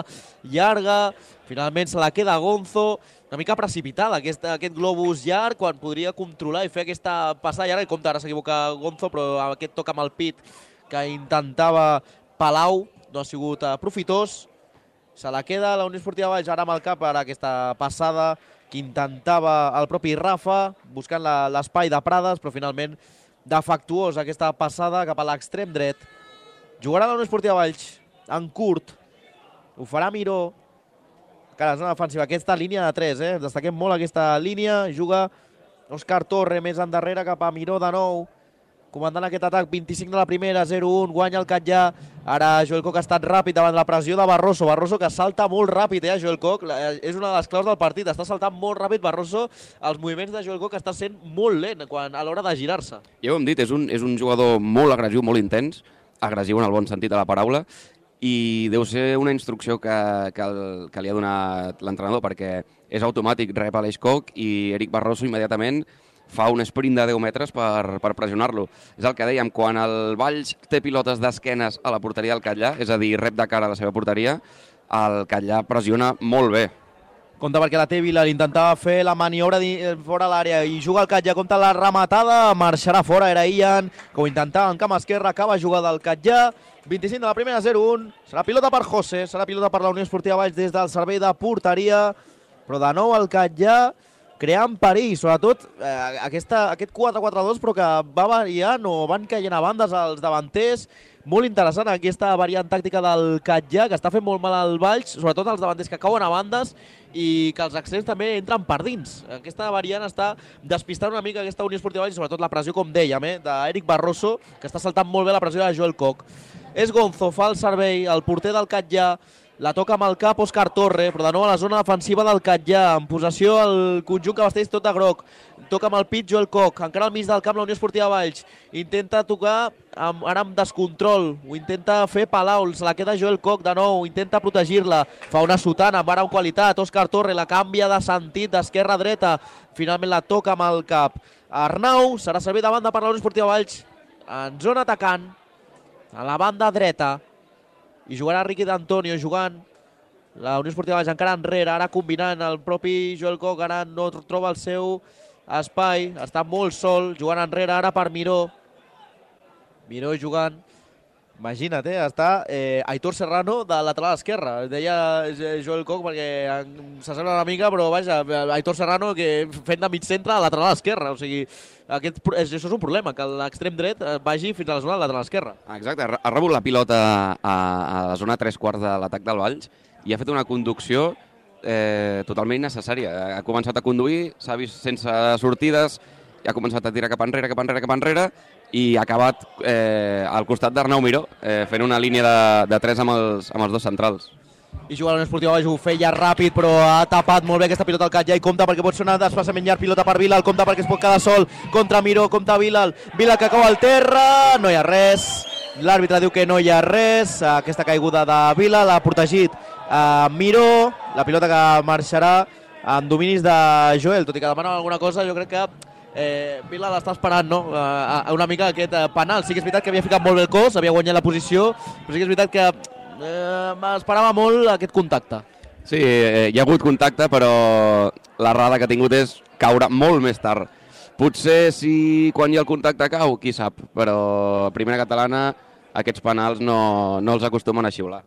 llarga, finalment se la queda Gonzo, una mica precipitada aquest, aquest globus llarg quan podria controlar i fer aquesta passada llarga, i compta ara s'equivoca Gonzo, però aquest toca amb el pit que intentava Palau, no ha sigut uh, profitós. Se la queda la Unió Esportiva Valls ara amb el cap per aquesta passada que intentava el propi Rafa, buscant l'espai de Prades, però finalment defectuós aquesta passada cap a l'extrem dret. Jugarà la Unió Esportiva Valls en curt, ho farà Miró, que a la zona defensiva, aquesta línia de tres, eh? Destaquem molt aquesta línia, juga Òscar Torre més endarrere cap a Miró de nou, comandant aquest atac, vint-i-cinc de la primera, zero un, guanya el Catllà. Ara Joel Coc ha estat ràpid davant la pressió de Barroso. Barroso que salta molt ràpid, eh, Joel Coc. És una de les claus del partit, està saltant molt ràpid Barroso. Els moviments de Joel Coc està sent molt lent quan, a l'hora de girar-se. Ja ho hem dit, és un, és un jugador molt agressiu, molt intens, agressiu en el bon sentit de la paraula, i deu ser una instrucció que, que, el, que li ha donat l'entrenador, perquè és automàtic, rep a l'Eix Coc i Eric Barroso immediatament fa un sprint de deu metres per, per pressionar-lo. És el que dèiem, quan el Valls té pilotes d'esquenes a la porteria del Catllà, és a dir, rep de cara a la seva porteria, el Catllà pressiona molt bé. Compte perquè la té Vila, intentava fer la maniobra fora l'àrea i juga el Catllà, compte la rematada, marxarà fora, era Ian, que ho intentava en camp esquerra, acaba jugada del Catllà, vint-i-cinc de la primera, zero un, serà pilota per José, serà pilota per la Unió Esportiva Valls des del servei de porteria, però de nou el Catllà creant perill, sobretot eh, aquesta, aquest quatre quatre dos, però que va variant o van caient a bandes els davanters. Molt interessant aquesta variant tàctica del Catllà, que està fent molt mal al Valls, sobretot els davanters que cauen a bandes i que els extrems també entren per dins. Aquesta variant està despistant una mica aquesta Unió Esportiva Valls, sobretot la pressió, com dèiem, eh, d'Eric Barroso, que està saltant molt bé la pressió de Joel Coc. És Gonzo, fa el servei, el porter del Catllà, la toca amb el cap Òscar Torre, però de nou a la zona defensiva del Catllà, en possessió el conjunt que vesteix tot de groc. Toca amb el pit Joel Coc, encara al mig del camp la Unió Esportiva Valls. Intenta tocar amb, ara amb descontrol, ho intenta fer Palau, se la queda Joel Coc de nou, intenta protegir-la, fa una sotana amb ara amb qualitat, Òscar Torre la canvia de sentit d'esquerra a dreta, finalment la toca amb el cap. Arnau serà servit de banda per la Unió Esportiva Valls, en zona atacant, a la banda dreta, i jugarà Riqui d'Antonio jugant la Unió Esportiva Valls encara enrere, ara combinant el propi Joel Coc, ara no troba el seu espai, està molt sol, jugant enrere ara per Miró. Miró jugant, imagina't, eh, està eh, Aitor Serrano de lateral esquerra, deia Joel Coc perquè s'assembla una mica, però vaja, Aitor Serrano que fent de mig centre a lateral esquerra, o sigui, aquest, això és un problema, que l'extrem dret vagi fins a la zona de lateral esquerra. Exacte, ha rebut la pilota a, a la zona tres quarts de l'atac del Valls i ha fet una conducció eh, totalment innecessària. Ha començat a conduir, s'ha vist sense sortides, ha començat a tirar cap enrere, cap enrere, cap enrere, i ha acabat eh, al costat d'Arnau Miró, eh, fent una línia de, de tres amb els, amb els dos centrals. I juga la Unió Esportiva Valls, ho feia ràpid, però ha tapat molt bé aquesta pilota al Catllà i compta perquè pot sonar desplaçament llarg, pilota per Vila, el compta perquè es pot quedar sol contra Miró, compta Vila, Vila que cau al terra, no hi ha res, l'àrbitre diu que no hi ha res, aquesta caiguda de Vila l'ha protegit uh, Miró, la pilota que marxarà amb dominis de Joel, tot i que demana alguna cosa, jo crec que eh, Vila l'està esperant, no? Eh, una mica aquest eh, penal. Sí que és veritat que havia ficat molt bé el cos, havia guanyat la posició, però sí que és veritat que eh, m'esperava molt aquest contacte. Sí, eh, hi ha hagut contacte, però l'errada que ha tingut és caure molt més tard. Potser si quan hi ha el contacte cau, qui sap, però a primera catalana aquests penals no, no els acostumen a xiular.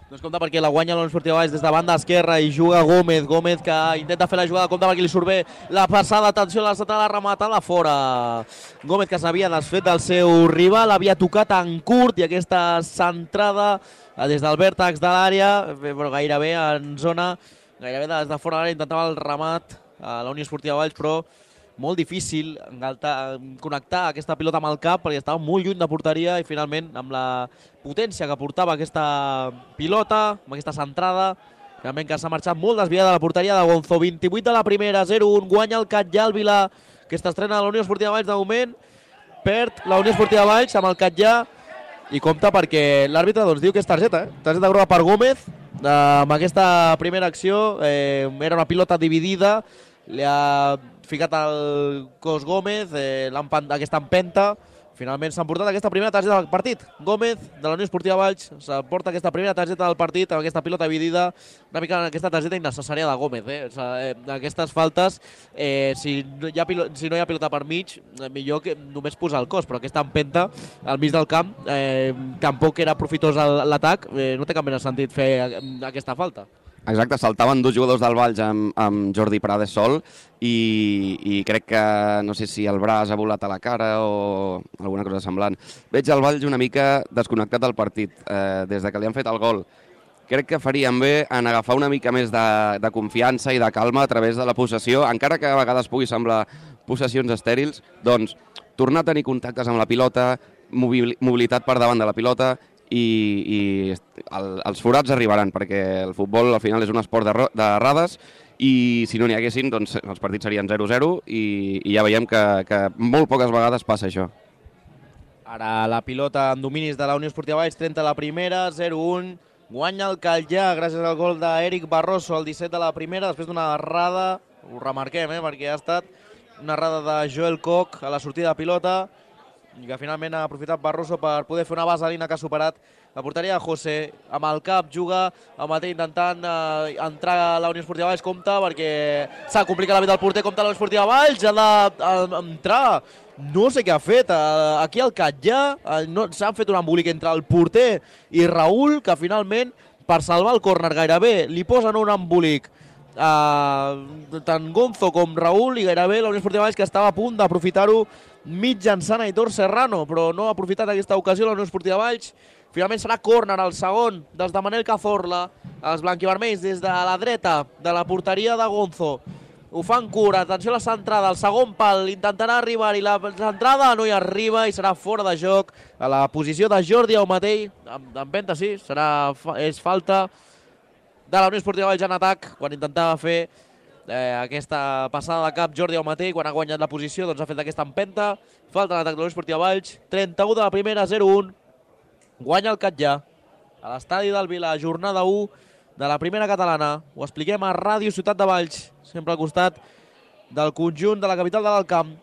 Doncs compte perquè la guanya l'Unió Esportiva Valls des de banda esquerra i juga Gómez, Gómez que intenta fer la jugada, compte perquè li surt bé la passada, atenció a la centrada rematada fora. Gómez que s'havia desfet del seu rival, havia tocat en curt i aquesta centrada des del vèrtex de l'àrea, però gairebé en zona, gairebé des de fora de l'àrea intentava el remat a la Unió Esportiva Valls, però molt difícil engaltar, connectar aquesta pilota amb el cap perquè estava molt lluny de porteria i finalment amb la potència que portava aquesta pilota, amb aquesta centrada, finalment que s'ha marxat molt desviada de la porteria de Gonzo. vint-i-vuit de la primera, zero un, guanya el Catllà, el Vila, que s'estrena a la Unió Esportiva Valls de moment, perd la Unió Esportiva Valls amb el Catllà i compta perquè l'àrbitre doncs, diu que és targeta, eh? targeta groga per Gómez, eh, amb aquesta primera acció, eh, era una pilota dividida, li ha ficat el cos Gómez, eh, aquesta empenta. Finalment s'ha emportat aquesta primera targeta del partit. Gómez, de la Unió Esportiva Valls, s'emporta aquesta primera targeta del partit amb aquesta pilota dividida, una mica aquesta targeta innecessària de Gómez. Eh? O sigui, eh, aquestes faltes, eh, si, no hi ha pilota, si no hi ha pilota per mig, eh, millor que només posar el cos, però aquesta empenta al mig del camp, eh, tampoc era profitós l'atac, eh, no té cap mena de sentit fer aquesta falta. Exacte, saltaven dos jugadors del Valls amb, amb Jordi Prades sol i, i crec que no sé si el braç ha volat a la cara o alguna cosa semblant. Veig el Valls una mica desconnectat del partit eh, des de que li han fet el gol. Crec que farien bé en agafar una mica més de, de confiança i de calma a través de la possessió, encara que a vegades pugui semblar possessions estèrils, doncs tornar a tenir contactes amb la pilota, mobilitat per davant de la pilota, i, i el, els forats arribaran, perquè el futbol al final és un esport d'errades i si no n'hi haguessin doncs els partits serien zero zero i, i ja veiem que, que molt poques vegades passa això. Ara la pilota en dominis de la Unió Esportiva Valls, trenta la primera, zero un, guanya el Catllà gràcies al gol d'Eric Barroso al disset de la primera, després d'una errada, ho remarquem eh, perquè ha estat una errada de Joel Koch a la sortida de pilota, i que finalment ha aprofitat Barroso per poder fer una vaselina que ha superat la porteria de José. Amb el cap juga el mateix intentant eh, entrar a la Unió Esportiva Valls, compta perquè s'ha complicat la vida del porter, compta la Unió Esportiva Valls, ha d'entrar, no sé què ha fet, eh, aquí al Catllà eh, no, s'han fet un embolic entre el porter i Raül, que finalment per salvar el córner gairebé li posen un embolic Uh, tant Gonzo com Raül i gairebé la Unió Esportiva Valls que estava a punt d'aprofitar-ho mitjançant Aitor Serrano, però no ha aprofitat aquesta ocasió la Unió Esportiva Valls. Finalment serà córner el segon dels de Manel Cazorla, els blanquivermells des de la dreta de la porteria de Gonzo. Ho fan cura, atenció a la centrada, el segon pal intentarà arribar i la centrada no hi arriba i serà fora de joc a la posició de Jordi Aumatell, d'empenta sí, serà, és falta de la Unió Esportiva Valls en atac, quan intentava fer eh, aquesta passada de cap Jordi Aumatell, quan ha guanyat la posició, doncs ha fet aquesta empenta. Falta en atac de la Unió Esportiva Valls, trenta-u de la primera, zero un. Guanya el Catllà a l'estadi del Vila, jornada u de la primera catalana. Ho expliquem a Ràdio Ciutat de Valls, sempre al costat del conjunt de la capital de l'Alt Camp.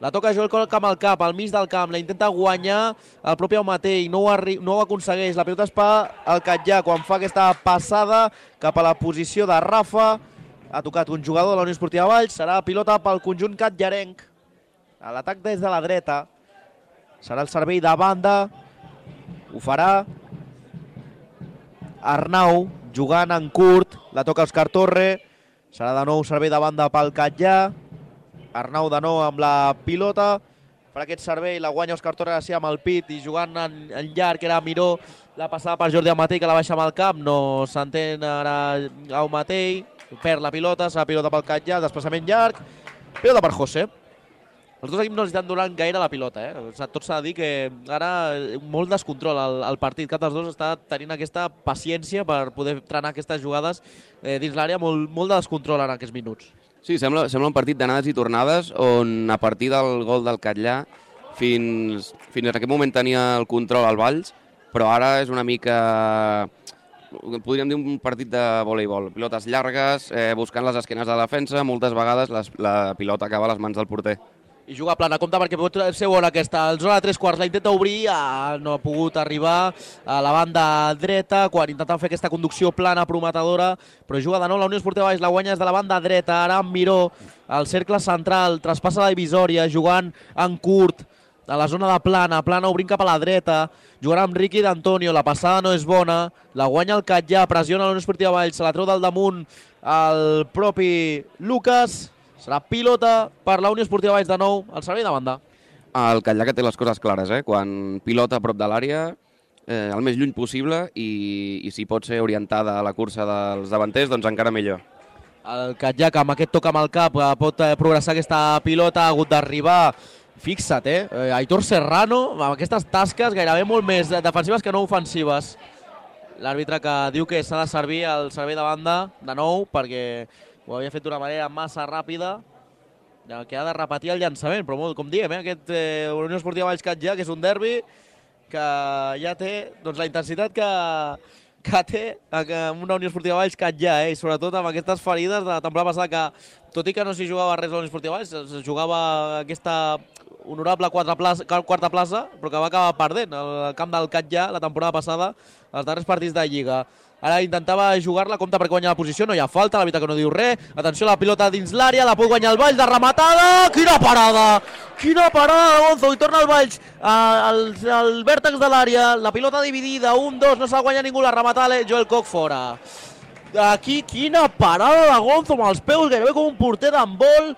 La toca Joel Koch amb el cap, al mig del camp, la intenta guanyar el propi Aumatell, no ho, no ho aconsegueix. La pilota es fa al Catllà quan fa aquesta passada cap a la posició de Rafa. Ha tocat un jugador de la Unió Esportiva Valls, serà pilota pel conjunt catllarenc. A l'atac des de la dreta, serà el servei de banda, ho farà Arnau, jugant en curt, la toca Òscar Torre, serà de nou servei de banda pel Catllà. Arnau de nou amb la pilota, per aquest servei la guanya Òscar Torre Garcia amb el pit i jugant en, en llarg era Miró, la passada per Jordi Aumatell que la baixa amb el cap, no s'entén ara Aumatell, perd la pilota, serà pilota pel Catllà, desplaçament llarg, pilota per José. Els dos equips no estan donant gaire la pilota, eh? Tot s'ha de dir que ara molt descontrol al, al partit, cap dels dos està tenint aquesta paciència per poder trenar aquestes jugades eh, dins l'àrea, molt, molt de descontrol en aquests minuts. Sí, sembla, sembla un partit d'anades i tornades on a partir del gol del Catllà fins, fins a aquest moment tenia el control al Valls, però ara és una mica podríem dir un partit de voleibol. Pilotes llargues, eh, buscant les esquenes de la defensa, moltes vegades les, la pilota acaba a les mans del porter. I juga plana, compte perquè pot ser bona aquesta. El zona de tres quarts la intenta obrir, ah, no ha pogut arribar a la banda dreta, quan intenten fer aquesta conducció plana prometedora, però juga de nou la Unió Esportiva Valls, la guanya des de la banda dreta, ara amb Miró, al cercle central, traspassa la divisòria, jugant en curt, a la zona de plana, plana obrint cap a la dreta, jugarà amb Ricky D'Antonio, la passada no és bona, la guanya el Catllà, pressiona la Unió Esportiva Valls, se la treu del damunt el propi Lucas. Serà pilota per la Unió Esportiva Valls de nou, al servei de banda. El Catllà que té les coses clares, eh? Quan pilota a prop de l'àrea, eh, el més lluny possible, i, i si pot ser orientada a la cursa dels davanters, doncs encara millor. El Catllà, que amb aquest toc amb el cap pot progressar aquesta pilota, ha hagut d'arribar. Fixa't, eh? Aitor Serrano, amb aquestes tasques gairebé molt més defensives que no ofensives. L'àrbitre que diu que s'ha de servir al servei de banda de nou, perquè ho havia fet d'una manera massa ràpida, que ha de repetir el llançament, però molt, com diem, eh, aquest eh, Unió Esportiva Valls Catllà, que és un derbi que ja té doncs, la intensitat que, que té una Unió Esportiva Valls Catllà, eh, i sobretot amb aquestes ferides de la temporada passada, que tot i que no s'hi jugava res a la Unió Esportiva Valls, es jugava aquesta honorable quarta plaça, quarta plaça, però que va acabar perdent al camp del Catllà la temporada passada, els darrers partits de Lliga. Ara intentava jugar-la, compta perquè guanya la posició, no hi ha falta, l'àrbitre que no diu res. Atenció a la pilota dins l'àrea, la pot guanyar el Valls, de rematada! Quina parada! Quina parada de Gonzo! I torna el Valls al, al vèrtex de l'àrea, la pilota dividida, un, dos, no s'ha guanyat ningú, la rematada Joel Koch fora. Aquí, quina parada de Gonzo amb els peus, gairebé com un porter d'handbol.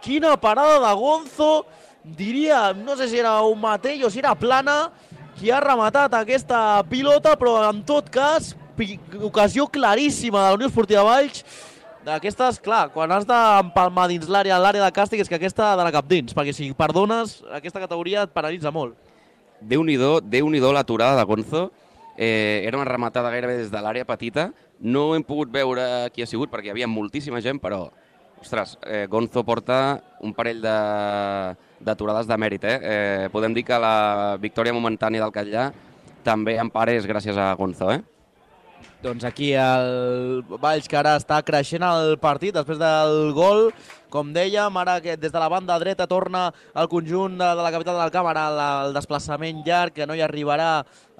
Quina parada de Gonzo, diria, no sé si era un matell o si era plana, qui ha rematat aquesta pilota, però en tot cas, ocasió claríssima de la Unió Esportiva Valls. D'aquestes, clar, quan has d'empalmar dins l'àrea, l'àrea de càstig, és que aquesta ha d'anar cap dins, perquè si perdones, aquesta categoria et penalitza molt. Déu-n'hi-do, Déu-n'hi-do l'aturada de Gonzo. Eh, era una rematada gairebé des de l'àrea petita. No hem pogut veure qui ha sigut, perquè hi havia moltíssima gent, però, ostres, eh, Gonzo porta un parell d'aturades de, de mèrit. Eh? Eh, podem dir que la victòria momentània del Catllà també en part és gràcies a Gonzo, eh? Doncs aquí el Valls, que ara està creixent el partit després del gol. Com dèiem, ara que des de la banda dreta torna el conjunt de, de la capital del camp, ara el desplaçament llarg, que no hi arribarà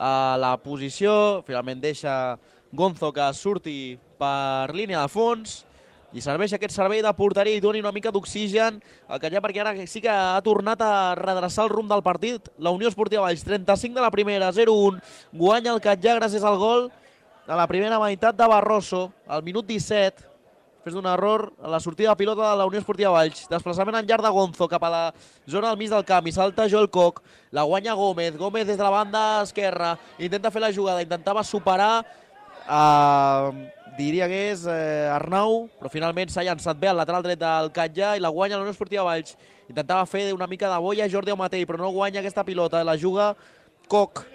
a la posició. Finalment deixa Gonzo que surti per línia de fons i serveix aquest servei de porteria i doni una mica d'oxigen al Catllà, perquè ara sí que ha tornat a redreçar el rumb del partit. La Unió Esportiva Valls, trenta-cinc de la primera, zero un, guanya el Catllà gràcies al gol de la primera meitat de Barroso, al minut disset, després d'un error a la sortida de pilota de la Unió Esportiva Valls. Desplaçament en llarg de Gonzo cap a la zona del mig del camp i salta Joel Koch, la guanya Gómez, Gómez des de la banda esquerra, intenta fer la jugada, intentava superar a, diria que és eh, Arnau, però finalment s'ha llançat bé al lateral dret del Catllà i la guanya la Unió Esportiva Valls. Intentava fer una mica de boia Jordi Amatell, però no guanya aquesta pilota, la juga Koch.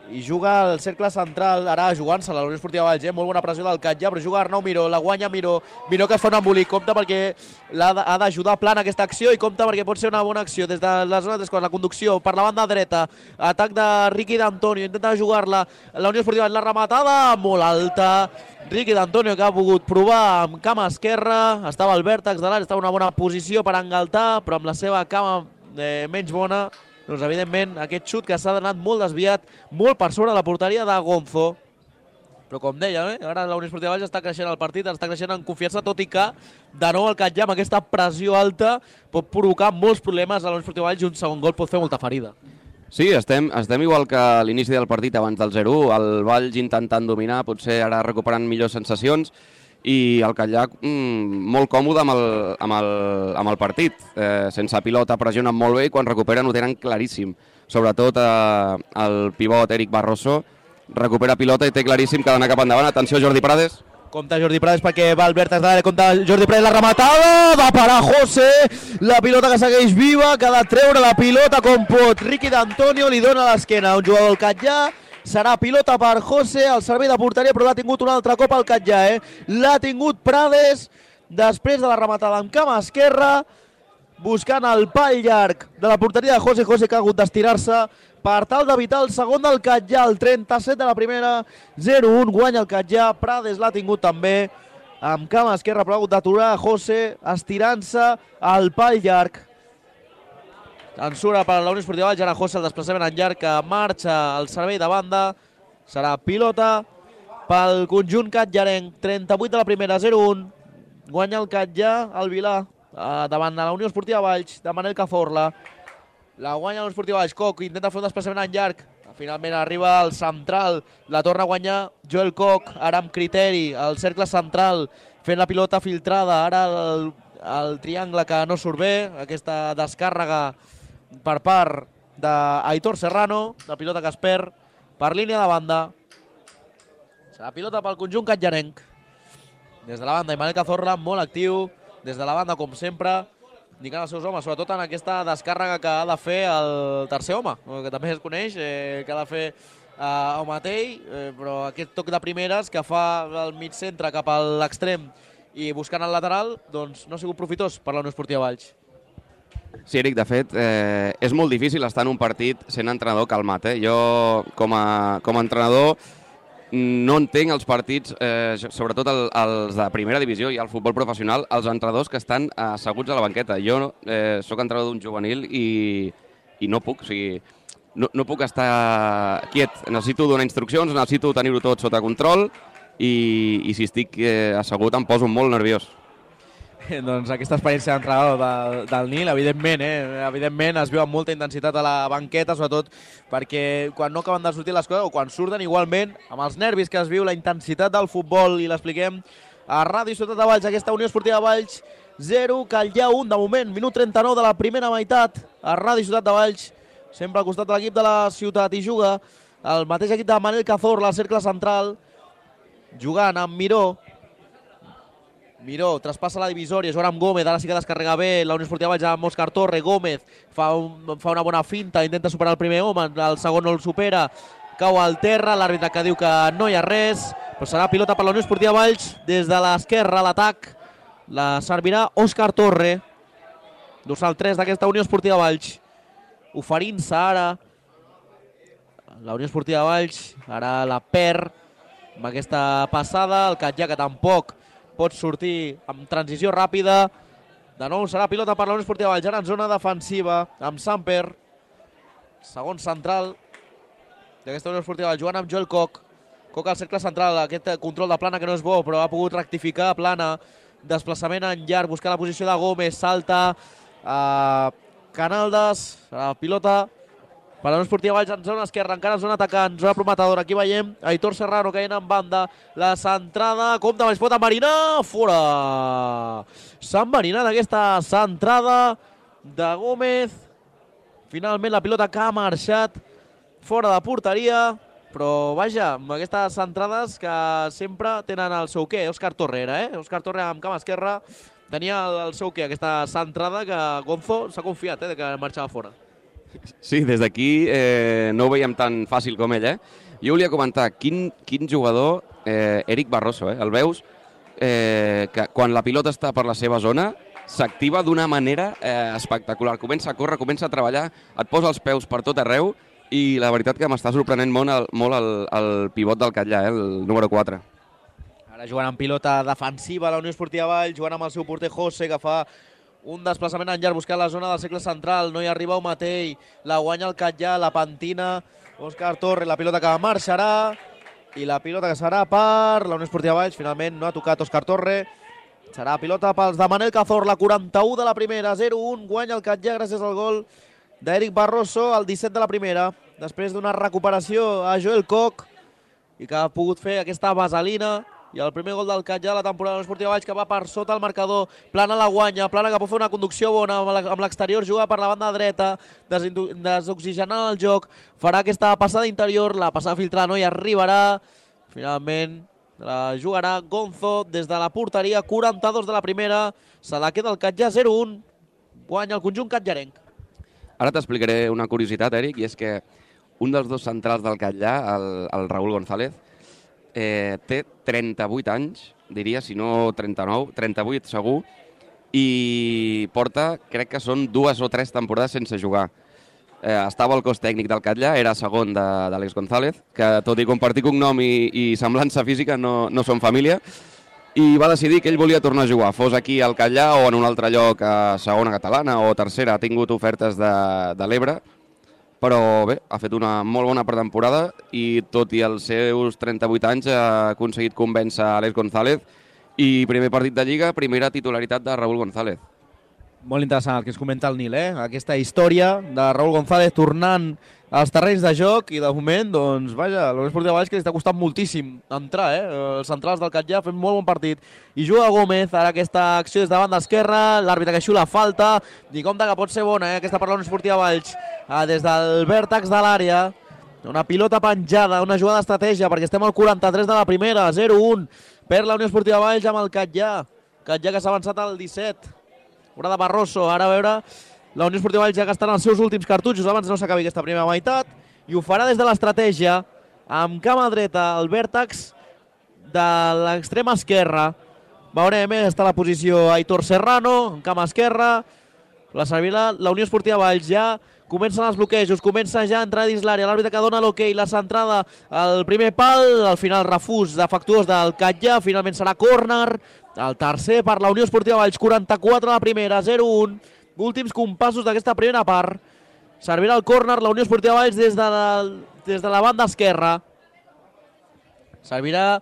I juga al cercle central, ara jugant-se la Unió Esportiva Valls, eh? Molt bona pressió del Catllà, però juga Arnau Miró, la guanya Miró, Miró que es fa un embolic, compta perquè ha d'ajudar plana aquesta acció i compta perquè pot ser una bona acció des de la zona de la conducció per la banda dreta, atac de Ricky D'Antonio, intenta jugar-la la Unió Esportiva Valls, la rematada molt alta, Ricky D'Antonio que ha pogut provar amb cama esquerra, estava al vèrtex de l'àrea, estava en una bona posició per engaltar, però amb la seva cama eh, menys bona, doncs evidentment aquest xut que s'ha anat molt desviat, molt per sobre de la porteria de Gonzo. Però com deia, eh? Ara la Unió Esportiva Valls està creixent el partit, està creixent en confiança, tot i que de nou el Catllà amb aquesta pressió alta pot provocar molts problemes a la Unió Esportiva Valls i un segon gol pot fer molta ferida. Sí, estem, estem igual que a l'inici del partit abans del zero u, el Valls intentant dominar, potser ara recuperant millors sensacions, i el Catllà mmm, molt còmode amb el, amb el, amb el partit. Eh, sense pilota pressionen molt bé i quan recuperen ho tenen claríssim. Sobretot eh, el pivot Eric Barroso recupera pilota i té claríssim que ha d'anar cap endavant. Atenció Jordi Prades. Compte Jordi Prades perquè va al vèrtex de l'àrea, compte Jordi Prades, la rematada, va parar José, la pilota que segueix viva, que ha de treure la pilota com pot. Ricky D'Antonio li dona a l'esquena a un jugador del Catllà. Serà pilota per José, al servei de porteria, però l'ha tingut un altre cop al Catllà, eh? L'ha tingut Prades, després de la rematada amb cama esquerra, buscant el pal llarg de la porteria de José José, que ha hagut d'estirar-se per tal d'evitar el segon del Catllà, el trenta-set de la primera, zero un, guanya el Catllà. Prades l'ha tingut també amb cama esquerra, però ha hagut d'aturar José estirant-se al pal llarg. Censura per la Unió Esportiva Valls, ara José, el desplaçament en llarg que marxa al servei de banda. Serà pilota pel conjunt catllarenc, trenta-vuit de la primera, zero un. Guanya el Catllà, el Vilà, davant de la Unió Esportiva Valls, de Manel Cazorla. La guanya la Unió Esportiva Valls, Coc intenta fer un desplaçament en llarg. Finalment arriba al central, la torna a guanyar Joel Coc, ara amb criteri, al cercle central, fent la pilota filtrada. Ara el, el triangle que no surt bé, aquesta descàrrega per part d'Aitor Serrano, la pilota que es perd per línia de banda. Serà pilota pel conjunt catllarenc. Des de la banda, Imanel Cazorla molt actiu, des de la banda com sempre, indicant els seus homes, sobretot en aquesta descàrrega que ha de fer el tercer home, que també es coneix, eh, que ha de fer eh, el mateix, eh, però aquest toc de primeres que fa el mig centre cap a l'extrem i buscant el lateral, doncs no ha sigut profitós per la Unió Esportiva Valls. Sí, Eric, de fet, eh, és molt difícil estar en un partit sent entrenador calmat. Eh? Jo, com a, com a entrenador, no entenc els partits, eh, sobretot el, els de primera divisió i el futbol professional, els entrenadors que estan asseguts a la banqueta. Jo eh, sóc entrenador d'un juvenil i, i no puc, o sigui, no, no puc estar quiet. Necessito donar instruccions, necessito tenir-ho tot sota control i, i si estic eh, assegut em poso molt nerviós. Doncs aquesta experiència d'entrenador del, del Nil, evidentment, eh? evidentment es viu amb molta intensitat a la banqueta, sobretot perquè quan no acaben de sortir les coses o quan surten igualment, amb els nervis que es viu, la intensitat del futbol, i l'expliquem a Ràdio Ciutat de Valls, aquesta Unió Esportiva Valls, zero, Catllà un, de moment, minut trenta-nou de la primera meitat, a Ràdio Ciutat de Valls, sempre al costat de l'equip de la ciutat, i juga el mateix equip de Manel Cazorla, al cercle central, jugant amb Miró. Miró traspassa la divisòria, jugant amb Gómez, ara sí que descarrega bé la Unió Esportiva Valls amb Òscar Torre. Gómez fa, un, fa una bona finta, intenta superar el primer home, el segon no el supera, cau al terra, l'àrbitre que diu que no hi ha res, però serà pilota per la Unió Esportiva Valls des de l'esquerra, l'atac la servirà Òscar Torre, dorsal tres d'aquesta Unió Esportiva Valls, oferint-se ara la Unió Esportiva Valls, ara la perd amb aquesta passada, el Catllà que tampoc pot sortir amb transició ràpida. De nou serà pilota per la Unió Esportiva Valls, ara en zona defensiva, amb Samper, segon central d'aquesta Unió Esportiva Valls, jugant amb Joel Coc. Coc al cercle central, aquest control de plana que no és bo, però ha pogut rectificar plana, desplaçament en llarg, buscar la posició de Gómez, salta a Canaldes, serà pilota per la Unió Esportiva Valls en zona esquerra, encara en zona atacant, zona prometedora. Aquí veiem Aitor Serrano caient en banda, la centrada, compte, es pot enverinar, fora! S'ha enverinat aquesta centrada de Gómez. Finalment la pilota que ha marxat fora de porteria, però vaja, amb aquestes centrades que sempre tenen el seu què. Òscar Torre era, eh? Òscar Torre amb cama esquerra tenia el seu què, aquesta centrada que Gonzo s'ha confiat, eh, de que marxava fora. Sí, des d'aquí eh, no ho veiem tan fàcil com ell, eh? Jo volia comentar, quin, quin jugador, eh, Eric Barroso, eh? El veus eh, que quan la pilota està per la seva zona s'activa d'una manera eh, espectacular. Comença a córrer, comença a treballar, et posa els peus per tot arreu i la veritat que m'està sorprenent molt el, molt el, el pivot del Catllà, eh? El número quatre. Ara jugant amb pilota defensiva la Unió Esportiva Valls, jugant amb el seu porter José, que fa un desplaçament en llarg buscant la zona del cercle central, no hi arriba Matei, la guanya el Catllà, la pentina Òscar Torre, la pilota que marxarà i la pilota que serà per la Unió Esportiva Valls. Finalment no ha tocat Òscar Torre, serà pilota pels de Manel Cazorla, quaranta-u de la primera, zero un, guanya el Catllà gràcies al gol d'Eric Barroso, al disset de la primera, després d'una recuperació a Joel Coc i que ha pogut fer aquesta vaselina. I el primer gol del Catllà de la temporada de la Unió Esportiva Valls, que va per sota el marcador, plana la guanya, plana que pot fer una conducció bona amb l'exterior, juga per la banda dreta, desoxigenant el joc, farà aquesta passada interior, la passada filtrada no hi arribarà, finalment la jugarà Gonzo des de la porteria, quaranta-dos de la primera, se la queda el Catllà, zero un, guanya el conjunt catllarenc. Ara t'explicaré una curiositat, Eric, i és que un dels dos centrals del Catllà, el, el Raúl González, Eh, té trenta-vuit anys, diria, si no trenta-nou, trenta-vuit segur, i porta, crec que són dues o tres temporades sense jugar. Eh, estava al cos tècnic del Catllà, era segon d'Àlex González, que tot i compartir cognom i, i semblança física no, no són família, i va decidir que ell volia tornar a jugar, fos aquí al Catllà o en un altre lloc a segona catalana o tercera. Ha tingut ofertes de, de l'Ebre, però bé, ha fet una molt bona pretemporada i tot i els seus trenta-vuit anys ha aconseguit convèncer Àlex González i primer partit de Lliga, primera titularitat de Raúl González. Molt interessant el que es comenta el Nil, eh? Aquesta història de Raúl González tornant als terrenys de joc i de moment, doncs, vaja, l'Unió Esportiva Valls que li està costant moltíssim entrar, eh? Els centrals del Catllà fent molt bon partit. I juga Gómez, ara aquesta acció des de banda esquerra, l'àrbitre que xiula falta, i compte que pot ser bona, eh? Aquesta per la Unió Esportiva Valls, ah, des del vèrtex de l'àrea, una pilota penjada, una jugada d'estratègia, perquè estem al quaranta-tres de la primera, zero un, per la Unió Esportiva Valls amb el Catllà. Catllà que s'ha avançat al disset. Una de Barroso, ara a veure, la Unió Esportiva Valls ja gastant els seus últims cartutxos abans no s'acabi aquesta primera meitat, i ho farà des de l'estratègia, amb cama dreta, el vèrtex de l'extrema esquerra. Veurem, eh, està a la posició Aitor Serrano, en cama esquerra, la servirà la Unió Esportiva Valls, ja comencen els bloquejos, comença ja a entrar dins l'àrea, l'àrbitre que dona l'hoquei, la centrada al primer pal, al final refús defectuós del Catllà, finalment serà córner, el tercer per la Unió Esportiva Valls, quaranta-quatre a la primera, zero un, últims compassos d'aquesta primera part, servirà el córner la Unió Esportiva Valls des de la, des de la banda esquerra, servirà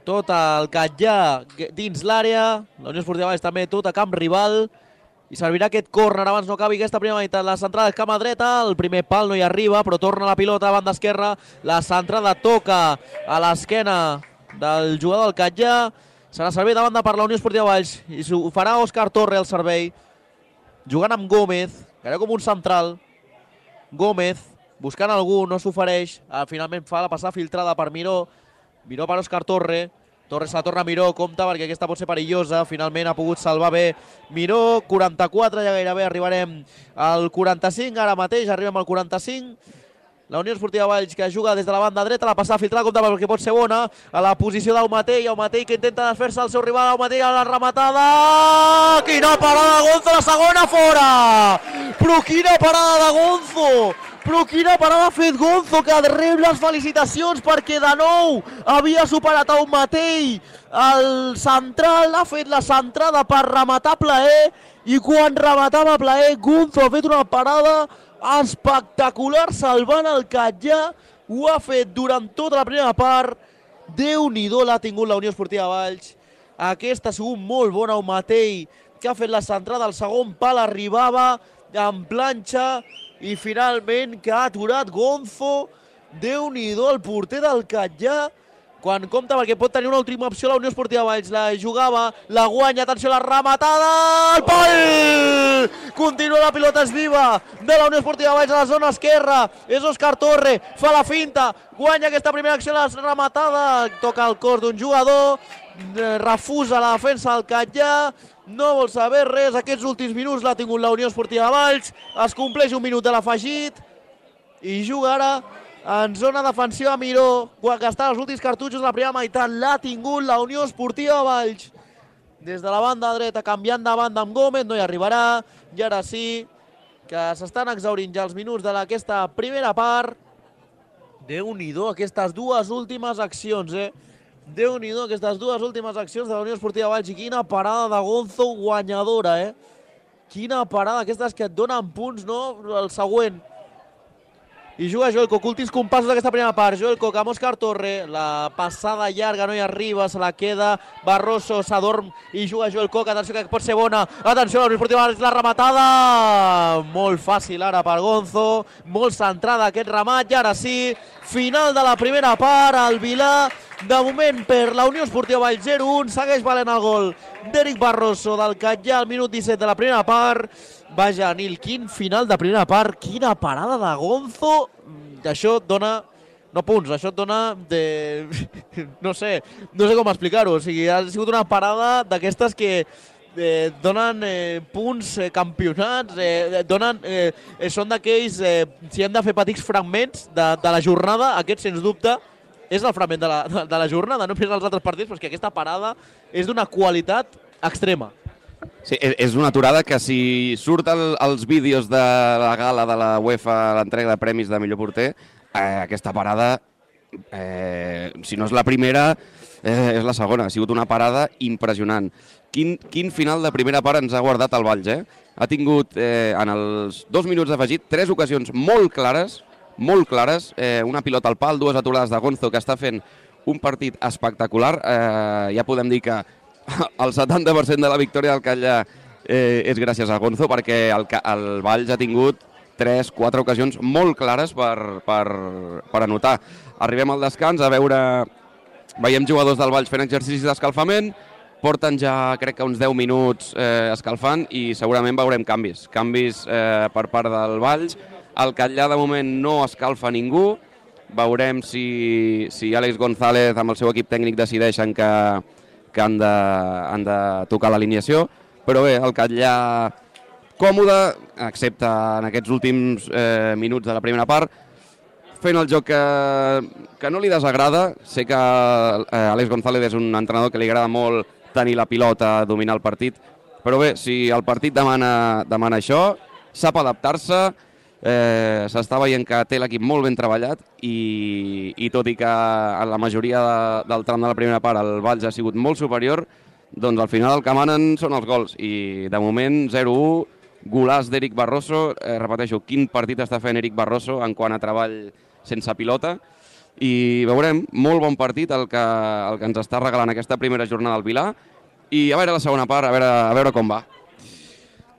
tot el Catllà dins l'àrea, la Unió Esportiva Valls també tot a camp rival, i servirà aquest córner abans no acabi aquesta primera meitat. La centrada és cama dreta, el primer pal no hi arriba, però torna la pilota a banda esquerra, la centrada toca a l'esquena del jugador del Catllà, serà servei de banda per la Unió Esportiva Valls, i ho farà Òscar Torre el servei, jugant amb Gómez, que era com un central. Gómez, buscant algú, no s'ofereix, finalment fa la passada filtrada per Miró, Miró per Òscar Torre, Torre se la torna a Miró, compta perquè aquesta pot ser perillosa, finalment ha pogut salvar bé Miró, quaranta-quatre, ja gairebé arribarem al quaranta-cinc, ara mateix arribem al quaranta-cinc, la Unió Esportiva Valls que juga des de la banda dreta, la passada filtrada, compta perquè pot ser bona, a la posició d'Aumatell, Aumatell que intenta desfer-se al seu rival, Aumatell a la rematada, quina parada de Gonzo, la segona fora, però quina parada de Gonzo, però quina parada ha fet Gonzo, que rep les felicitacions perquè de nou havia superat a un Matei. El central ha fet la centrada per rematar plaer i quan rematava plaer Gonzo ha fet una parada espectacular salvant el Catllà. Ho ha fet durant tota la primera part. Déu-n'hi-do l'ha tingut la Unió Esportiva Valls. Aquesta ha sigut molt bona, un Matei que ha fet la centrada al segon pal, arribava en planxa i finalment que ha aturat Gonzo. Déu-n'hi-do el porter del Catllà, quan compta perquè pot tenir una última opció la Unió Esportiva Valls. La jugava, la guanya, atenció, la rematada al pal! Continua la pilota, és viva de la Unió Esportiva Valls a la zona esquerra, és Òscar Torre, fa la finta, guanya aquesta primera acció, la rematada, toca el cos d'un jugador, refusa la defensa del Catllà, no vol saber res, aquests últims minuts l'ha tingut la Unió Esportiva Valls, es compleix un minut de l'afegit i juga ara en zona defensiva Miró, que està als últims cartutxos de la primera meitat, l'ha tingut la Unió Esportiva Valls. Des de la banda dreta, canviant de banda amb Gómez, no hi arribarà, i ara sí, que s'estan exhaurint ja els minuts d'aquesta primera part. Déu-n'hi-do aquestes dues últimes accions, eh? Déu-n'hi-do aquestes dues últimes accions de la Unió Esportiva Valls i quina parada de Gonzo guanyadora, eh? Quina parada, aquestes que et donen punts, no? El següent. I juga Joel Coc, últims compassos d'aquesta primera part. Joel Coc amb Òscar Torre, la passada llarga no hi arriba, se la queda Barroso, s'adorm i juga Joel Coc, atenció que pot ser bona, atenció, la Unió Esportiva Valls, la rematada, molt fàcil ara per Gonzo, molt centrada aquest remat, i ara sí, final de la primera part, al Vilà, de moment per la Unió Esportiva Valls zero un, segueix valent el gol d'Eric Barroso del Catllà al minut disset de la primera part. Vaja, Nil, quin final de primera part, quina parada de Gonzo, això et dona, no punts, això et dona de, no sé, no sé com explicar-ho, o sigui, ha sigut una parada d'aquestes que eh, donen eh, punts, eh, campionats, eh, donen, eh, són d'aquells, eh, si hem de fer petits fragments de, de la jornada, aquest sens dubte és el fragment de la, de, de la jornada, no només els altres partits, però és que aquesta parada és d'una qualitat extrema. Sí, és una aturada que si surt el, els vídeos de la gala de la UEFA, l'entrega de premis de millor porter, eh, aquesta parada, eh, si no és la primera, eh, és la segona. Ha sigut una parada impressionant. Quin, quin final de primera part ens ha guardat el Valls, eh? Ha tingut, eh, en els dos minuts d'afegit, tres ocasions molt clares, molt clares, eh, una pilota al pal, dues aturades de Gonzo, que està fent un partit espectacular. Eh, ja podem dir que el setanta per cent de la victòria del Catllà eh, és gràcies a Gonzo, perquè el, el Valls ha tingut tres, quatre ocasions molt clares per, per, per anotar. Arribem al descans a veure... Veiem jugadors del Valls fent exercicis d'escalfament, porten ja, crec que uns deu minuts eh, escalfant i segurament veurem canvis. Canvis eh, per part del Valls. El Catllà de moment no escalfa ningú. Veurem si, si Àlex González amb el seu equip tècnic decideixen que, que han, de, han de tocar l'alineació. Però bé, el Catllà còmode, excepte en aquests últims eh, minuts de la primera part, fent el joc que, que no li desagrada. Sé que eh, Àlex González és un entrenador que li agrada molt tenir la pilota, dominar el partit, però bé, si el partit demana, demana això, sap adaptar-se, eh, s'està veient que té l'equip molt ben treballat i, i tot i que en la majoria de, del tram de la primera part el Valls ha sigut molt superior, doncs al final el que manen són els gols i de moment zero u, golaç d'Eric Barroso. Eh, repeteixo, quin partit està fent Eric Barroso en quant a treball sense pilota, i veurem, molt bon partit el que, el que ens està regalant aquesta primera jornada al Vilar, i a veure la segona part, a veure, a veure com va.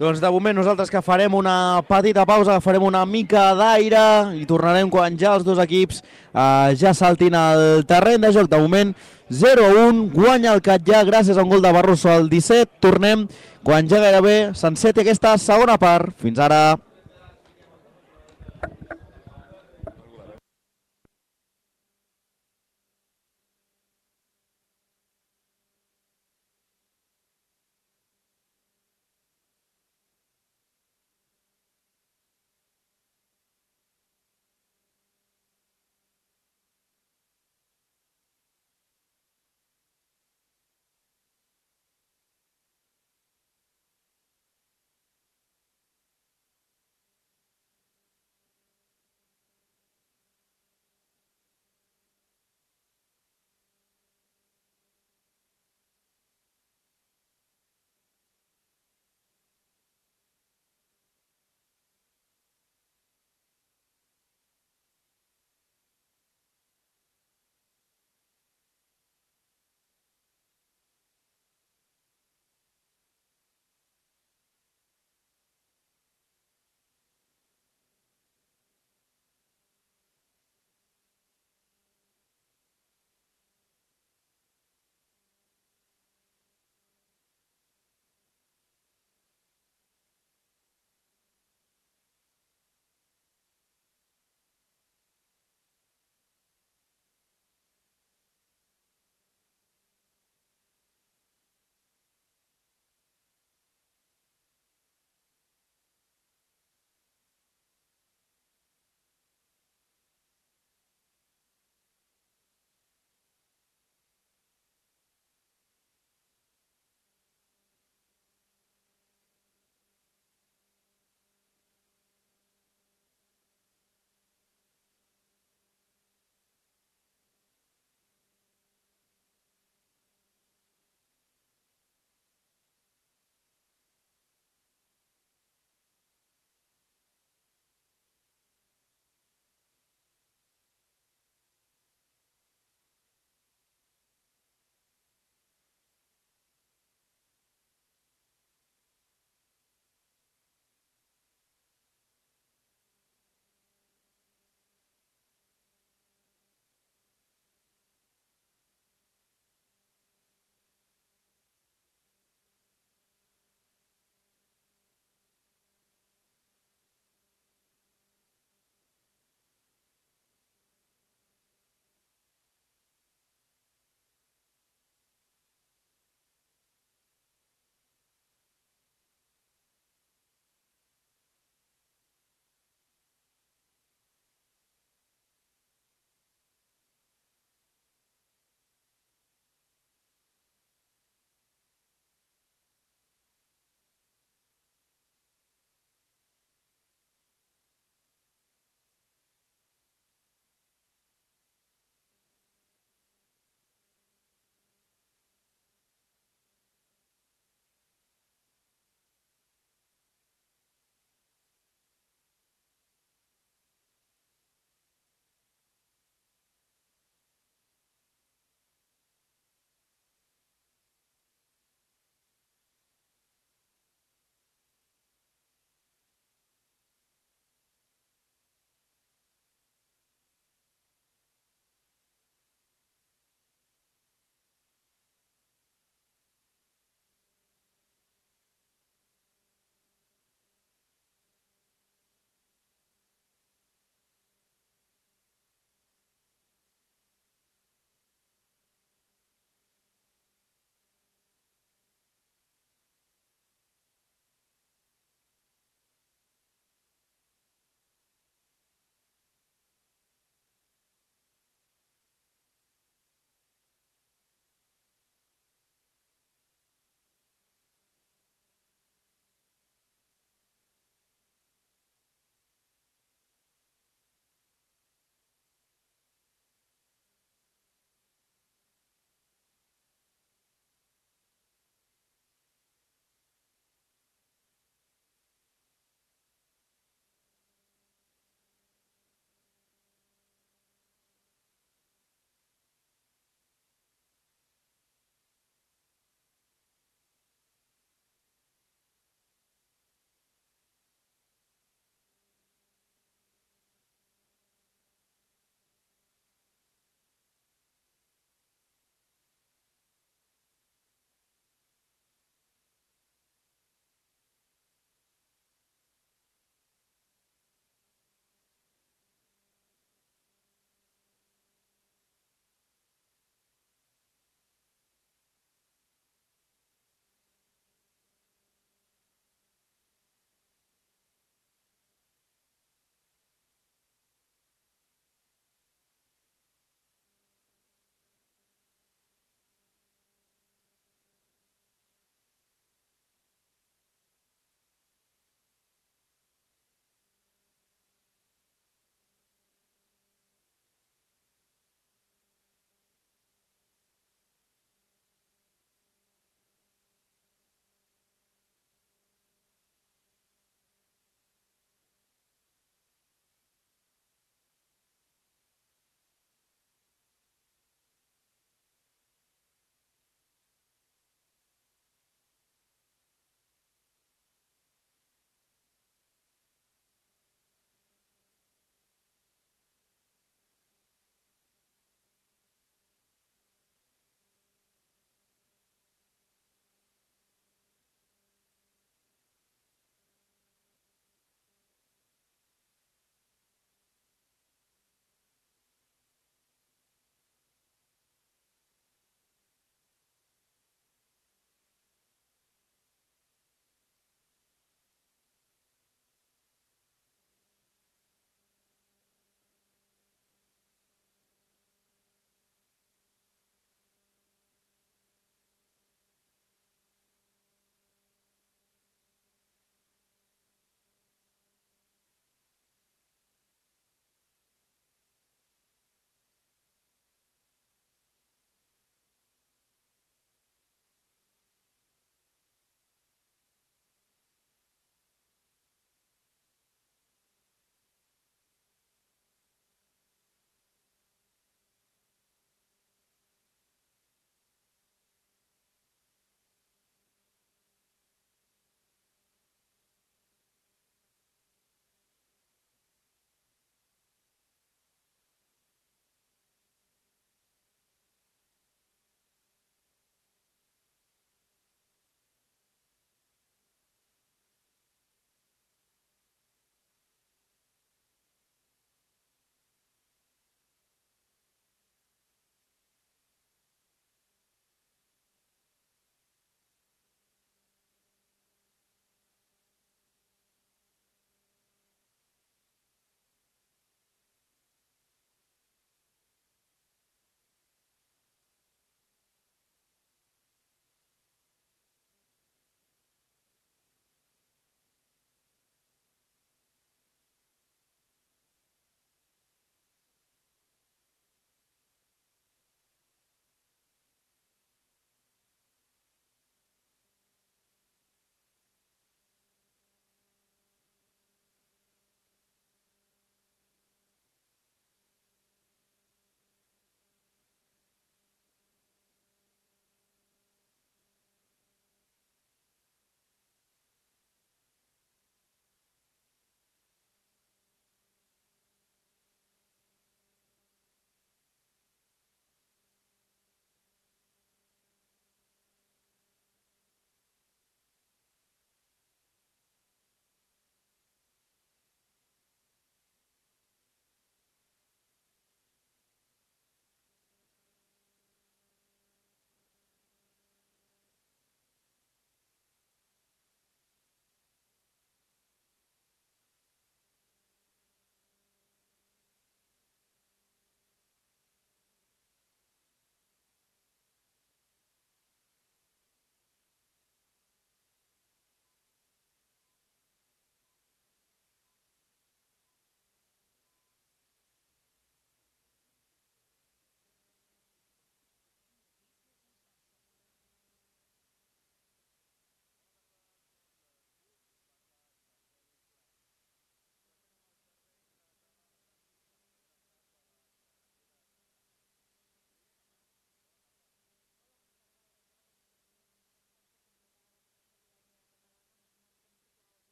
Doncs de moment nosaltres que farem una petita pausa, farem una mica d'aire i tornarem quan ja els dos equips eh, ja saltin al terreny de joc. De moment zero a un, guanya el Catllà gràcies a un gol de Barroso al disset. Tornem quan ja gairebé s'enceti aquesta segona part. Fins ara.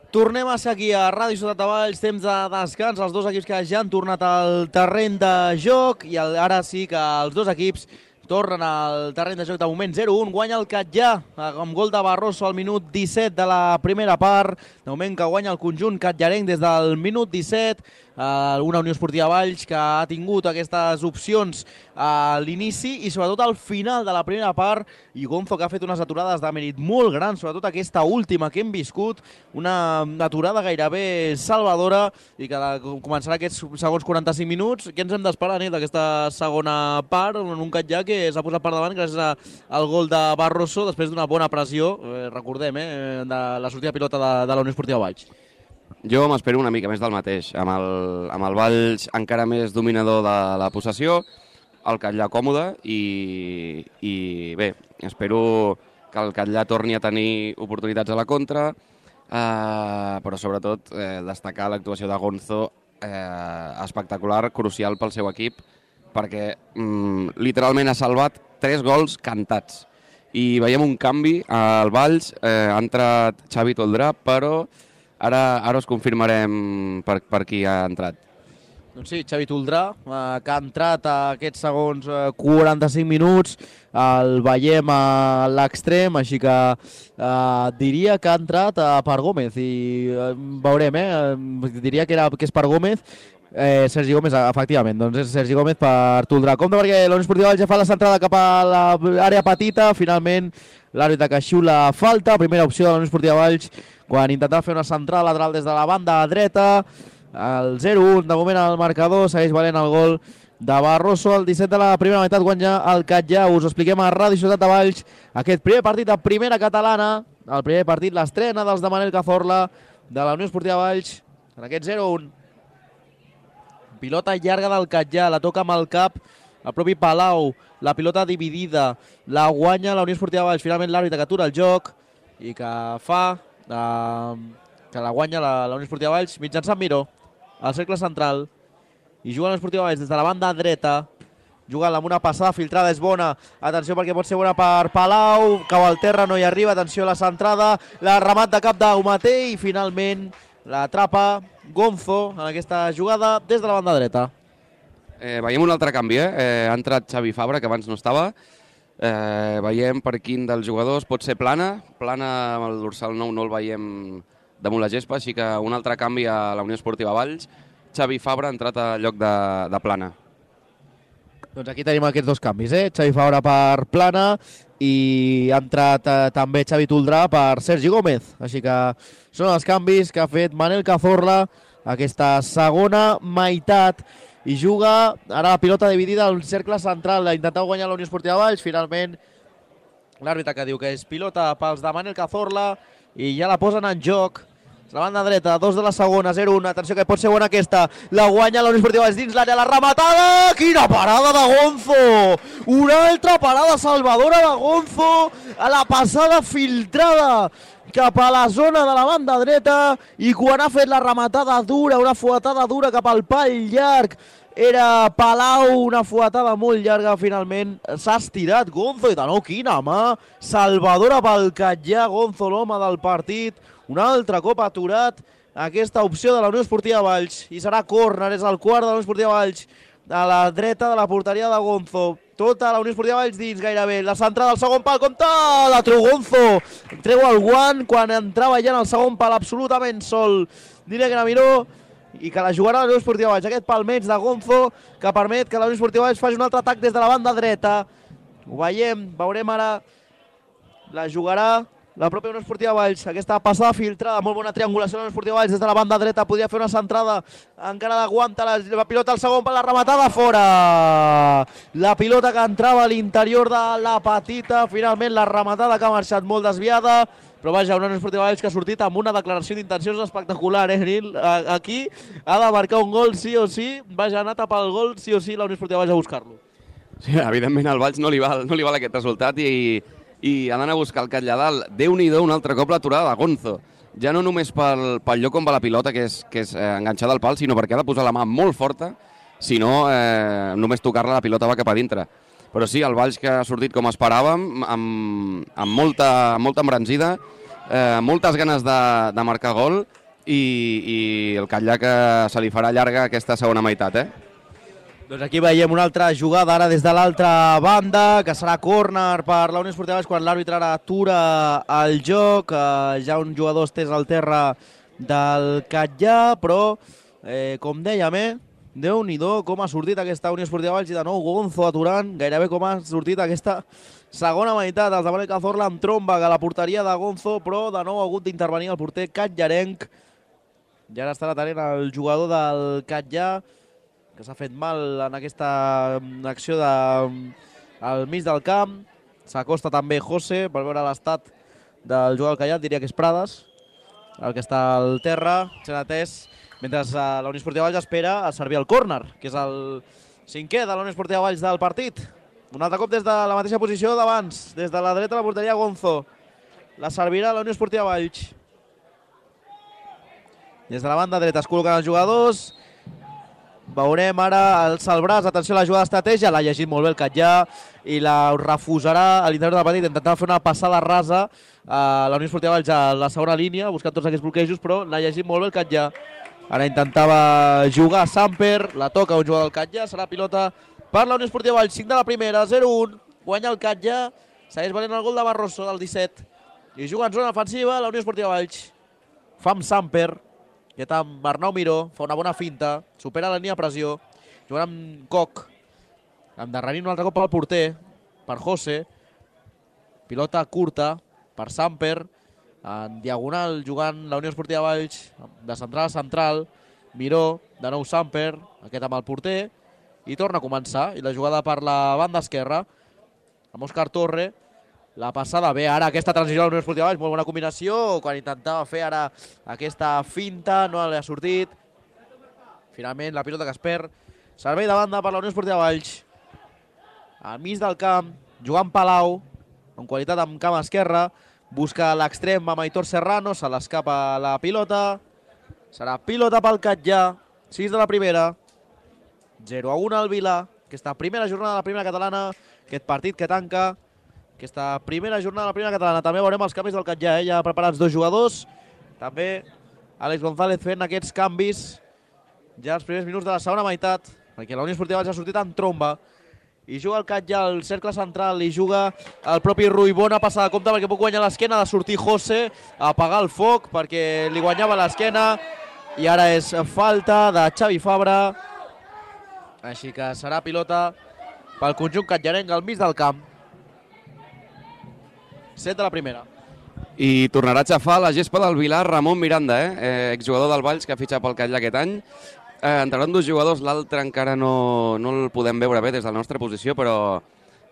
Tornem a ser aquí a Ràdio Ciutat de Valls, temps de descans, els dos equips que ja han tornat al terreny de joc i ara sí que els dos equips tornen al terreny de joc. De moment zero un, guanya el Catllà amb gol de Barroso al minut disset de la primera part. De moment que guanya el conjunt catllarenc des del minut disset. Uh, una Unió Esportiva Valls que ha tingut aquestes opcions a l'inici i sobretot al final de la primera part, i Gonzo que ha fet unes aturades de mèrit molt grans, sobretot aquesta última que hem viscut, una aturada gairebé salvadora, i que començarà aquests segons quaranta-cinc minuts. Què ens hem d'esperar, Nil, d'aquesta segona part, en un Catllà que s'ha posat per davant gràcies al gol de Barroso després d'una bona pressió, eh, recordem, eh, de la sortida pilota de, de la Unió Esportiva Valls. Jo m'espero una mica més del mateix, amb el, amb el Valls encara més dominador de la possessió, el Catllà còmode i, i bé, espero que el Catllà torni a tenir oportunitats a la contra, eh, però sobretot eh, destacar l'actuació de Gonzo, eh, espectacular, crucial pel seu equip, perquè mm, literalment ha salvat tres gols cantats. I veiem un canvi al Valls, eh, ha entrat Xavi Toldrà, però Ara, ara us confirmarem per, per qui ha entrat. Doncs sí, Xavi Toldrà, eh, que ha entrat a aquests segons eh, quaranta-cinc minuts, el veiem a l'extrem, així que eh, diria que ha entrat a Per Gómez, i eh, veurem, eh, diria que, era, que és Per Gómez, eh, Sergi Gómez, efectivament, doncs és Sergi Gómez per Toldrà. Compte perquè la Unió Esportiva Valls ja fa la centrada cap a l'àrea petita, finalment l'àrbitre que xiula falta, primera opció de la Unió Esportiva Valls, quan intentava fer una centrada lateral des de la banda dreta. El zero un, de moment al marcador, segueix valent el gol de Barroso. El disset de la primera meitat guanya el Catllà. Us ho expliquem a Ràdio Ciutat de Valls. Aquest primer partit de primera catalana, el primer partit, l'estrena dels de Manel Cazorla, de la Unió Esportiva Valls, en aquest zero un. Pilota llarga del Catllà, la toca amb el cap el propi Palau, la pilota dividida, la guanya la Unió Esportiva Valls. Finalment l'àrbitre que atura el joc i que fa Uh, que la guanya la, la Unió Esportiva Valls mitjançant Miró al cercle central, i juga la Unió Esportiva Valls des de la banda dreta, jugant amb una passada filtrada, és bona, atenció perquè pot ser bona per Palau, cau al terra, no hi arriba, atenció a la centrada, la remat de cap d'Aumaté i finalment l'atrapa Gonzo en aquesta jugada des de la banda dreta. Eh, veiem un altre canvi, eh? eh? Ha entrat Xavi Fabra, que abans no estava. Eh, veiem per quin dels jugadors pot ser Plana. Plana amb el dorsal nou no el veiem damunt la gespa, així que un altre canvi a la Unió Esportiva Valls. Xavi Fabra ha entrat al lloc de, de Plana. Doncs aquí tenim aquests dos canvis, eh? Xavi Fabra per Plana i ha entrat eh, també Xavi Toldrà per Sergi Gómez. Així que són els canvis que ha fet Manel Cazorla aquesta segona meitat. I juga ara la pilota dividida al cercle central. Ha intentat guanyar la Unió Esportiva Valls. Finalment l'àrbitre que diu que és pilota pels de Manel Cazorla i ja la posen en joc. La banda dreta, dos de la segona, zero un. Atenció que pot ser bona aquesta. La guanya la Unió Esportiva Valls dins l'àrea, la rematada. Quina parada de Gonzo! Una altra parada salvadora de Gonzo a la passada filtrada cap a la zona de la banda dreta, i quan ha fet la rematada dura, una fuetada dura cap al pal llarg, era Palau, una fuetada molt llarga, finalment s'ha estirat Gonzo, i de nou quina mà salvadora pel Catllà. Gonzo, l'home del partit, un altre cop aturat aquesta opció de la Unió Esportiva Valls, i serà córner, és el quart de la Unió Esportiva Valls, a la dreta de la porteria de Gonzo. Tota la Unió Esportiva Valls dins gairebé. La centrada al segon pal, compte! La treu Gonzo. Treu el guant quan entrava ja en el segon pal absolutament sol. Diria que era Miró, i que la jugarà la Unió Esportiva Valls. Aquest palmeig de Gonzo que permet que la Unió Esportiva Valls faci un altre atac des de la banda dreta. Ho veiem, veurem ara. La jugarà la pròpia Unió Esportiva Valls. Aquesta passada filtrada, molt bona triangulació de la Unió Esportiva Valls des de la banda dreta. Podria fer una centrada, encara d'aguanta la, la pilota al segon per la rematada, fora. La pilota que entrava a l'interior de la petita, finalment la rematada que ha marxat molt desviada. Però vaja, una Unió Esportiva Valls que ha sortit amb una declaració d'intencions espectacular, eh, Nil? Aquí ha de marcar un gol sí o sí. Vaja, ha anat a pel gol sí o sí la Unió Esportiva Valls a buscar-lo. Sí, evidentment al Valls no li val, no li val aquest resultat, i i ha d'anar a buscar el Catllà dalt. Déu-n'hi-do un altre cop l'aturada de Gonzo. Ja no només pel, pel lloc on va la pilota, que és, que és eh, enganxada al pal, sinó perquè ha de posar la mà molt forta, si no, eh, només tocar-la la pilota va cap a dintre. Però sí, el Valls que ha sortit com esperàvem, amb, amb, molta, amb molta embranzida, eh, moltes ganes de, de marcar gol i, i el Catllà que se li farà llarga aquesta segona meitat, eh? Doncs aquí veiem una altra jugada ara des de l'altra banda, que serà córner per la Unió Esportiva Valls quan l'àrbitre ara atura el joc. Eh, ja un jugador estès al terra del Catllà, però, eh, com dèiem, eh, Déu-n'hi-do com ha sortit aquesta Unió Esportiva Valls i de nou Gonzo aturant gairebé com ha sortit aquesta segona meitat. Els de Manuel Cazorla amb tromba que la porteria de Gonzo, però de nou ha hagut d'intervenir el porter catllarenc. I ara estarà atenent el jugador del Catllà, que s'ha fet mal en aquesta acció de, al mig del camp. S'acosta també José per veure l'estat del jugador del Catllà, diria que és Prades, el que està al terra, sent atès, mentre la Unió Esportiva Valls espera a servir el córner, que és el cinquè de la Unió Esportiva Valls del partit. Un altre cop des de la mateixa posició d'abans, des de la dreta de la porteria Gonzo. La servirà la Unió Esportiva Valls. Des de la banda dreta es col·loquen els jugadors. Veurem ara el Salbràs, atenció a la jugada d'estratègia, l'ha llegit molt bé el Catllà i la refusarà a l'interior del partit, intentant fer una passada rasa a la Unió Esportiva Valls a la segona línia, buscant tots aquests bloquejos, però l'ha llegit molt bé el Catllà. Ara intentava jugar Samper, la toca un jugador del Catllà, serà pilota per la Unió Esportiva Valls, cinc de la primera, zero un, guanya el Catllà, segueix valent el gol de Barroso del disset, i juga en zona ofensiva la Unió Esportiva Valls. Fa amb Samper, que amb Arnau Miró, fa una bona finta, supera la línia de pressió, jugant amb Koch, endarrerint un altre cop al porter, per José, pilota curta per Samper, en diagonal jugant la Unió Esportiva Valls, de central a central, Miró, de nou Samper, aquest amb el porter, i torna a començar, i la jugada per la banda esquerra, amb Òscar Torre, la passada bé, ara aquesta transició a la Unió Esportiva Valls, molt bona combinació, quan intentava fer ara aquesta finta, no li ha sortit. Finalment la pilota que es perd, servei de banda per la Unió Esportiva Valls. Al mig del camp, jugant Palau, en qualitat amb camp esquerra, busca l'extrem amb Aitor Serrano, se l'escapa la pilota, serà pilota pel Catllà, sis de la primera, zero a un al Vila, aquesta primera jornada de la primera catalana, aquest partit que tanca aquesta primera jornada de la primera catalana. També veurem els canvis del Catllà, eh? Ja preparats dos jugadors. També Àlex González fent aquests canvis ja els primers minuts de la segona meitat, perquè la Unió Esportiva Valls ha sortit en tromba. I juga el Catllà al cercle central, i juga el propi Rui. Bona passada de compte perquè pot guanyar l'esquena, ha de sortir José a apagar el foc perquè li guanyava l'esquena. I ara és falta de Xavi Fabra. Així que serà pilota pel conjunt catllarenc al mig del camp. set de la primera. I tornarà a xafar la gespa del Vilar Ramon Miranda, eh? eh exjugador del Valls que ha fitxat pel Catllà aquest any. Eh, entraran dos jugadors, l'altre encara no, no el podem veure bé des de la nostra posició, però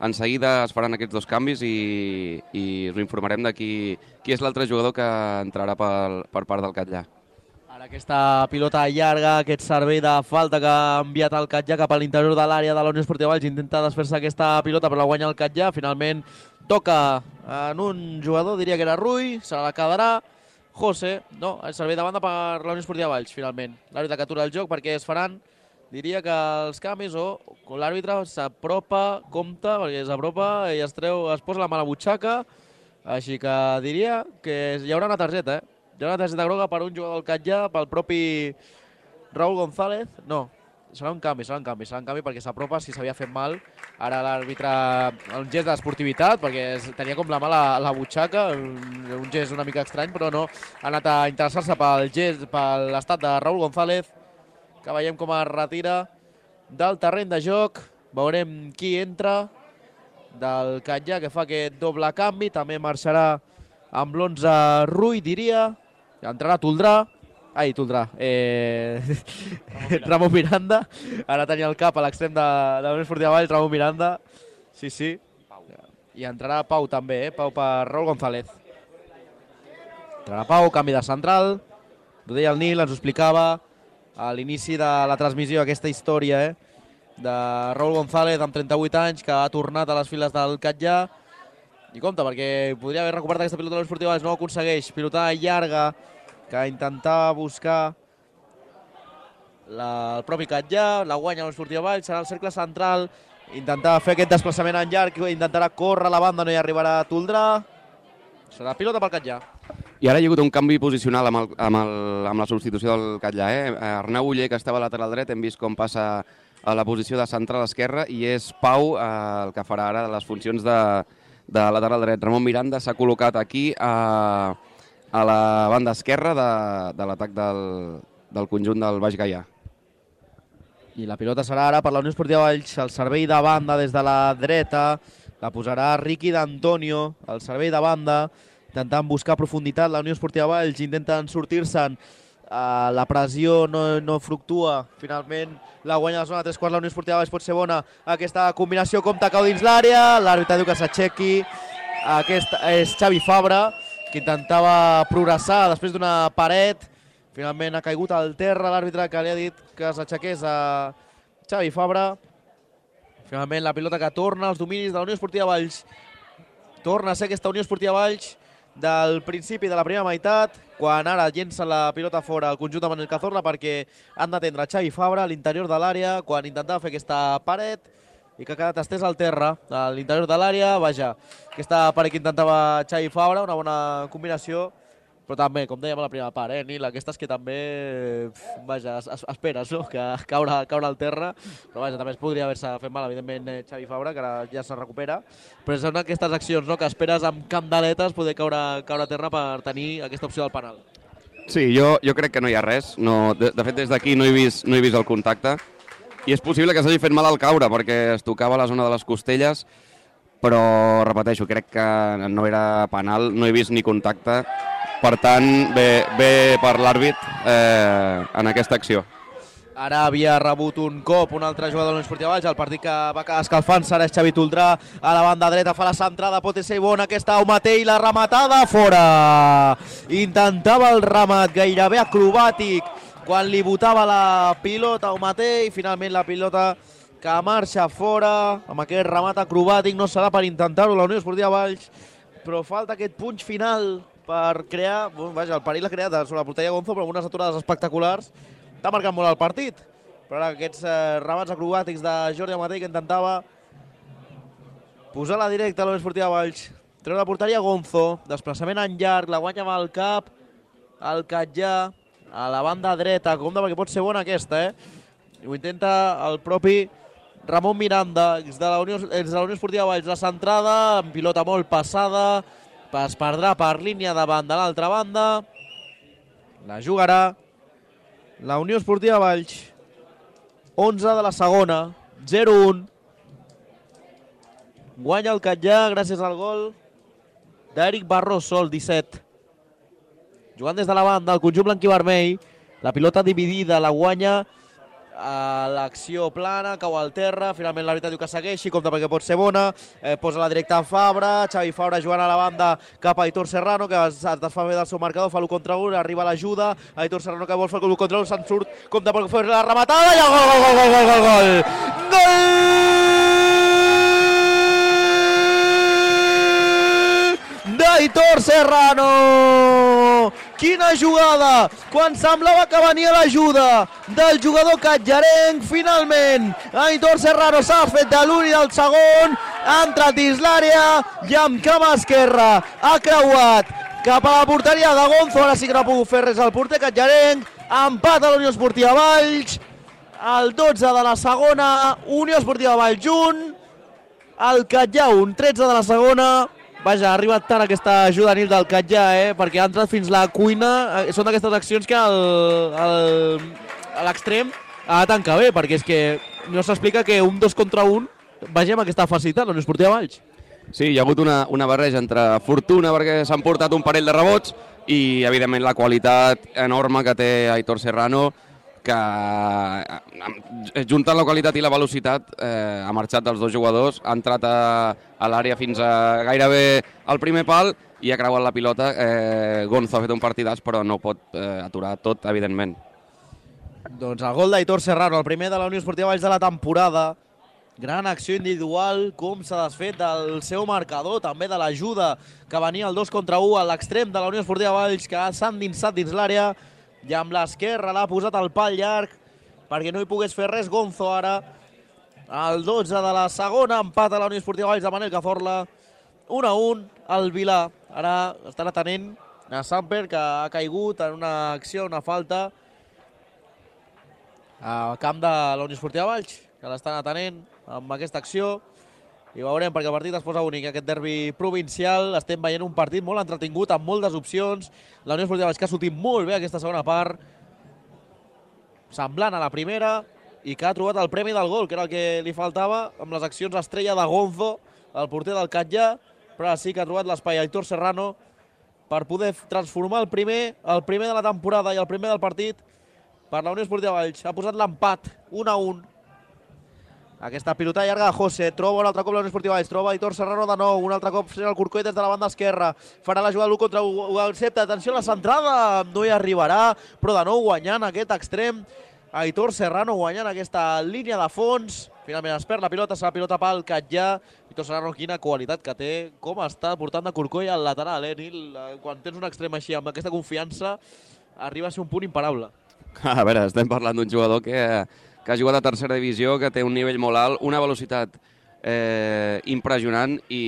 en seguida es faran aquests dos canvis i, i us informarem de qui, qui és l'altre jugador que entrarà per, per part del Catllà. Ara aquesta pilota llarga, aquest servei de falta que ha enviat el Catllà cap a l'interior de l'àrea de la Unió Esportiva Valls, intenta desfer-se aquesta pilota però la guanya el Catllà, finalment toca en un jugador, diria que era Rui, se la quedarà José, no, el servei de banda per la Unió Esportiva Valls, finalment. L'àrbitre que atura el joc perquè es faran, diria que els canvis o l'àrbitre s'apropa, compta, perquè s'apropa i es treu, es posa la mà a la butxaca, així que diria que hi haurà una targeta, eh? Hi ha una targeta groga per un jugador del Catllà, pel propi Raúl González. No, serà un canvi, serà un canvi, serà un canvi perquè s'apropa si s'havia fet mal. Ara l'àrbitre, un gest d'esportivitat, perquè tenia com la mà a la, la butxaca, un, un gest una mica estrany, però no. Ha anat a interessar-se pel gest, per l'estat de Raúl González, que veiem com es retira del terreny de joc. Veurem qui entra del Catllà, que fa aquest doble canvi. També marxarà amb l'onze Rui, diria. Entrarà Toldrà. Ai, Toldrà. Eh... Ramon Miranda. Ara tenia el cap a l'extrem de, de la Unió Esportiva Valls, Ramon Miranda. Sí, sí. I entrarà Pau també, eh? Pau per Raúl González. Entrarà Pau, canvi de central. Ho deia el Nil, ens ho explicava a l'inici de la transmissió, aquesta història, eh? De Raúl González, amb trenta-vuit anys, que ha tornat a les files del Catllà. I compte, perquè podria haver recuperat aquesta pilota de l'Unió Esportiva Valls, no ho aconsegueix. Pilotada llarga, que intentava buscar la, el propi Catllà, la guanya l'Unió Esportiva Valls, serà el cercle central, intentava fer aquest desplaçament en llarg, intentarà córrer a la banda, no hi arribarà Toldrà. Serà pilota pel Catllà. I ara hi ha hagut un canvi posicional amb, el, amb, el, amb la substitució del Catllà. Eh? Arnau Uller, que estava a lateral dret, hem vist com passa a la posició de central esquerra, i és Pau eh, el que farà ara les funcions de, de lateral dret. Ramon Miranda s'ha col·locat aquí a, a la banda esquerra de, de l'atac del, del conjunt del Baix Gaià. I la pilota serà ara per la Unió Esportiva Valls, el servei de banda des de la dreta, la posarà Riqui d'Antonio, el servei de banda, intentant buscar profunditat. La Unió Esportiva Valls intenten sortir-se'n, uh, la pressió no, no fructua, finalment la guanya la zona de tres quarts. La Unió Esportiva Valls pot ser bona, aquesta combinació compta cau dins l'àrea, l'àrbitre diu que s'aixequi. Aquest és Xavi Fabra, que intentava progressar després d'una paret, finalment ha caigut al terra l'àrbitre, que li ha dit que s'aixequés a Xavi Fabra. Finalment la pilota que torna als dominis de la Unió Esportiva Valls, torna a ser aquesta Unió Esportiva Valls del principi de la primera meitat, quan ara llença la pilota fora el conjunt de Manel Cazorla, perquè han d'atendre Xavi Fabra a l'interior de l'àrea, quan intentava fer aquesta paret i que ha quedat estès al terra a l'interior de l'àrea. Vaja, aquesta paret que intentava Xavi Fabra, una bona combinació, però també, com dèiem a la primera part, eh, Nil, aquestes que també, vaja, es, es, esperes, no?, que caure, caure al terra, però vaja, també es podria haver-se fet mal, evidentment, eh, Xavi Fabra, que ara ja se recupera, però són aquestes accions, no?, que esperes amb candeletes poder caure, caure a terra per tenir aquesta opció del penal. Sí, jo, jo crec que no hi ha res, no, de, de fet des d'aquí no, he vist, no he vist el contacte, i és possible que s'hagi fet mal al caure, perquè es tocava la zona de les costelles, però, repeteixo, crec que no era penal, no he vist ni contacte. Per tant, bé, bé per l'àrbit eh, en aquesta acció. Ara havia rebut un cop un altre jugador de la Unió Esportiva Valls, el partit que va quedar escalfant-se, ara és Xavi Toldrà, a la banda dreta, fa la centrada, pot ser bona aquesta Aumatell, la rematada fora. Intentava el remat gairebé acrobàtic quan li botava la pilota Aumatell, finalment la pilota que marxa fora, amb aquest remat acrobàtic, no serà per intentar-ho la Unió Esportiva Valls, però falta aquest punx final per crear, vaja, el perill l'ha creat sobre la porteria Gonzo, però amb unes aturades espectaculars. Està marcant molt el partit, però ara aquests eh, remats acrobàtics de Jordi Amatell, que intentava posar la directa a la Unió Esportiva Valls. Treu la porteria Gonzo, desplaçament en llarg, la guanya amb el cap, el Catllà, a la banda dreta, compte perquè pot ser bona aquesta, eh? I ho intenta el propi Ramon Miranda, ex de la Unió, ex de la Unió Esportiva Valls, la centrada, amb pilota molt passada, es perdrà per línia davant de l'altra banda, la jugarà la Unió Esportiva Valls, onze de la segona, zero un, guanya el Catllà gràcies al gol d'Eric Barroso, el disset, jugant des de la banda, el conjunt blanc i vermell, la pilota dividida, la guanya a l'acció plana, cau al terra, finalment l'àrbitre diu que segueixi, compta perquè pot ser bona, eh, posa la directa a Fabra, Xavi Fabra jugant a la banda cap a Aitor Serrano, que es, es desfà bé del seu marcador, fa l'u contra un, arriba l'ajuda, Aitor Serrano que vol fer l'u contra un, se'n surt, compta perquè fer la rematada, i el gol, gol, gol, gol, gol, gol, gol, gol d'Aitor Serrano! Quina jugada! Quan semblava que venia l'ajuda del jugador catllarenc, finalment Aitor Serrano s'ha fet de l'un i del segon, ha entrat dins l'àrea i amb cama esquerra ha creuat cap a la porteria de Gonzo. Ara sí que no ha pogut fer res al porter catllarenc. Empat a la Unió Esportiva Valls, el dotze de la segona, Unió Esportiva Valls un, el Catllà un, tretze de la segona. Vaja, ha arribat tard aquesta juvenil del Catllà, eh? Perquè ha entrat fins la cuina. Són d'aquestes accions que el, el, a l'extrem ha de tancar bé, perquè és que no s'explica que un dos contra un vegem aquesta facilitat, la Unió Esportiva Valls. Sí, hi ha hagut una, una barreja entre fortuna, perquè s'han portat un parell de rebots, i evidentment la qualitat enorme que té Aitor Serrano, que juntant la qualitat i la velocitat eh, ha marxat dels dos jugadors, ha entrat a, a l'àrea fins a gairebé al primer pal i ha creuat la pilota. eh, Gonzo ha fet un partidàs, però no pot eh, aturar tot, evidentment. Doncs el gol d'Aitor Serrano, el primer de la Unió Esportiva Valls de la temporada. Gran acció individual, com s'ha desfet del seu marcador, també de l'ajuda que venia el dos contra u a l'extrem de la Unió Esportiva Valls, que s'ha endinsat dins l'àrea, i amb l'esquerra l'ha posat al pal llarg perquè no hi pogués fer res Gonzo. Ara el dotze de la segona, empat a la Unió Esportiva Valls de Manel Cazorla, un a un, el Vilà. Ara estan atenent a Samper, que ha caigut en una acció, una falta al camp de la Unió Esportiva Valls, que l'estan atenent amb aquesta acció. I veurem, perquè el partit es posa únic, aquest derbi provincial. Estem veient un partit molt entretingut, amb moltes opcions. La Unió Esportiva Valls que ha sortit molt bé aquesta segona part, semblant a la primera, i que ha trobat el premi del gol, que era el que li faltava, amb les accions estrella de Gonzo, el porter del Catllà, però ara sí que ha trobat l'espai Aitor Serrano per poder transformar el primer, el primer de la temporada i el primer del partit per la Unió Esportiva Valls. Ha posat l'empat, un a un. Aquesta pilota llarga de José, troba un altre cop la Unió Esportiva Valls, troba Aitor Serrano de nou, un altre cop frena el Corcoll des de la banda esquerra, farà la jugada l'u contra u, accepta, atenció a la centrada, no hi arribarà, però de nou guanyant aquest extrem, Aitor Serrano guanyant aquesta línia de fons, finalment es perd la pilota, serà pilota pel Catllà. Aitor Serrano, quina qualitat que té, com està portant de Corcoll al lateral, eh, Nil? Quan tens un extrem així, amb aquesta confiança, arriba a ser un punt imparable. A veure, estem parlant d'un jugador que, que ha jugat a tercera divisió, que té un nivell molt alt, una velocitat eh, impressionant i,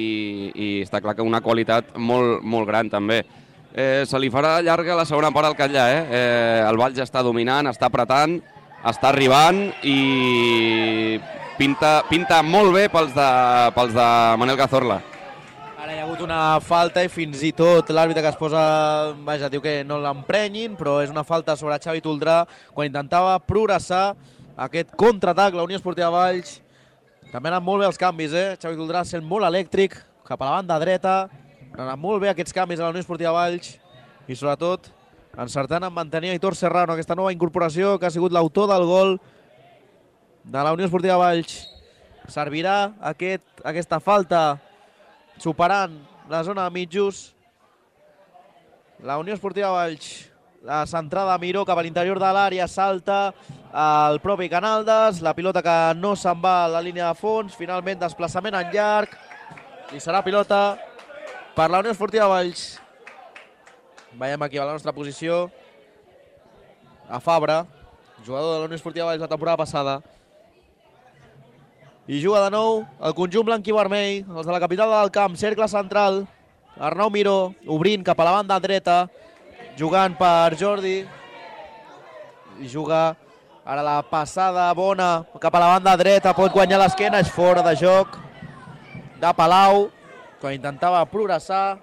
i està clar que una qualitat molt, molt gran també. Eh, se li farà llarga la segona part al Catllà, eh? eh? El Valls està dominant, està apretant, està arribant i pinta, pinta molt bé pels de, pels de Manel Cazorla. Ara hi ha hagut una falta i fins i tot l'àrbitre que es posa, vaja, diu que no l'emprenyin, però és una falta sobre Xavi Toldrà quan intentava progressar aquest contraatac, la Unió Esportiva Valls. També han anat molt bé els canvis, eh? Xavi Toldrà sent molt elèctric, cap a la banda dreta. Han anat molt bé aquests canvis a la Unió Esportiva Valls i sobretot encertant en mantenir Aitor Serrano, aquesta nova incorporació que ha sigut l'autor del gol de la Unió Esportiva Valls. Servirà aquest, aquesta falta superant la zona de mitjos. La Unió Esportiva Valls, la centrada de Miró cap a l'interior de l'àrea, salta el propi Canaldes, la pilota que no se'n va a la línia de fons, finalment desplaçament en llarg i serà pilota per la Unió Esportiva Valls. Veiem aquí a la nostra posició a Fabra, jugador de la Unió Esportiva Valls la temporada passada. I juga de nou el conjunt blanc i vermell, els de la capital del camp, cercle central. Arnau Miró obrint cap a la banda dreta, jugant per Jordi. I juga ara la passada bona cap a la banda dreta, pot guanyar l'esquena, és fora de joc de Palau, quan intentava progressar.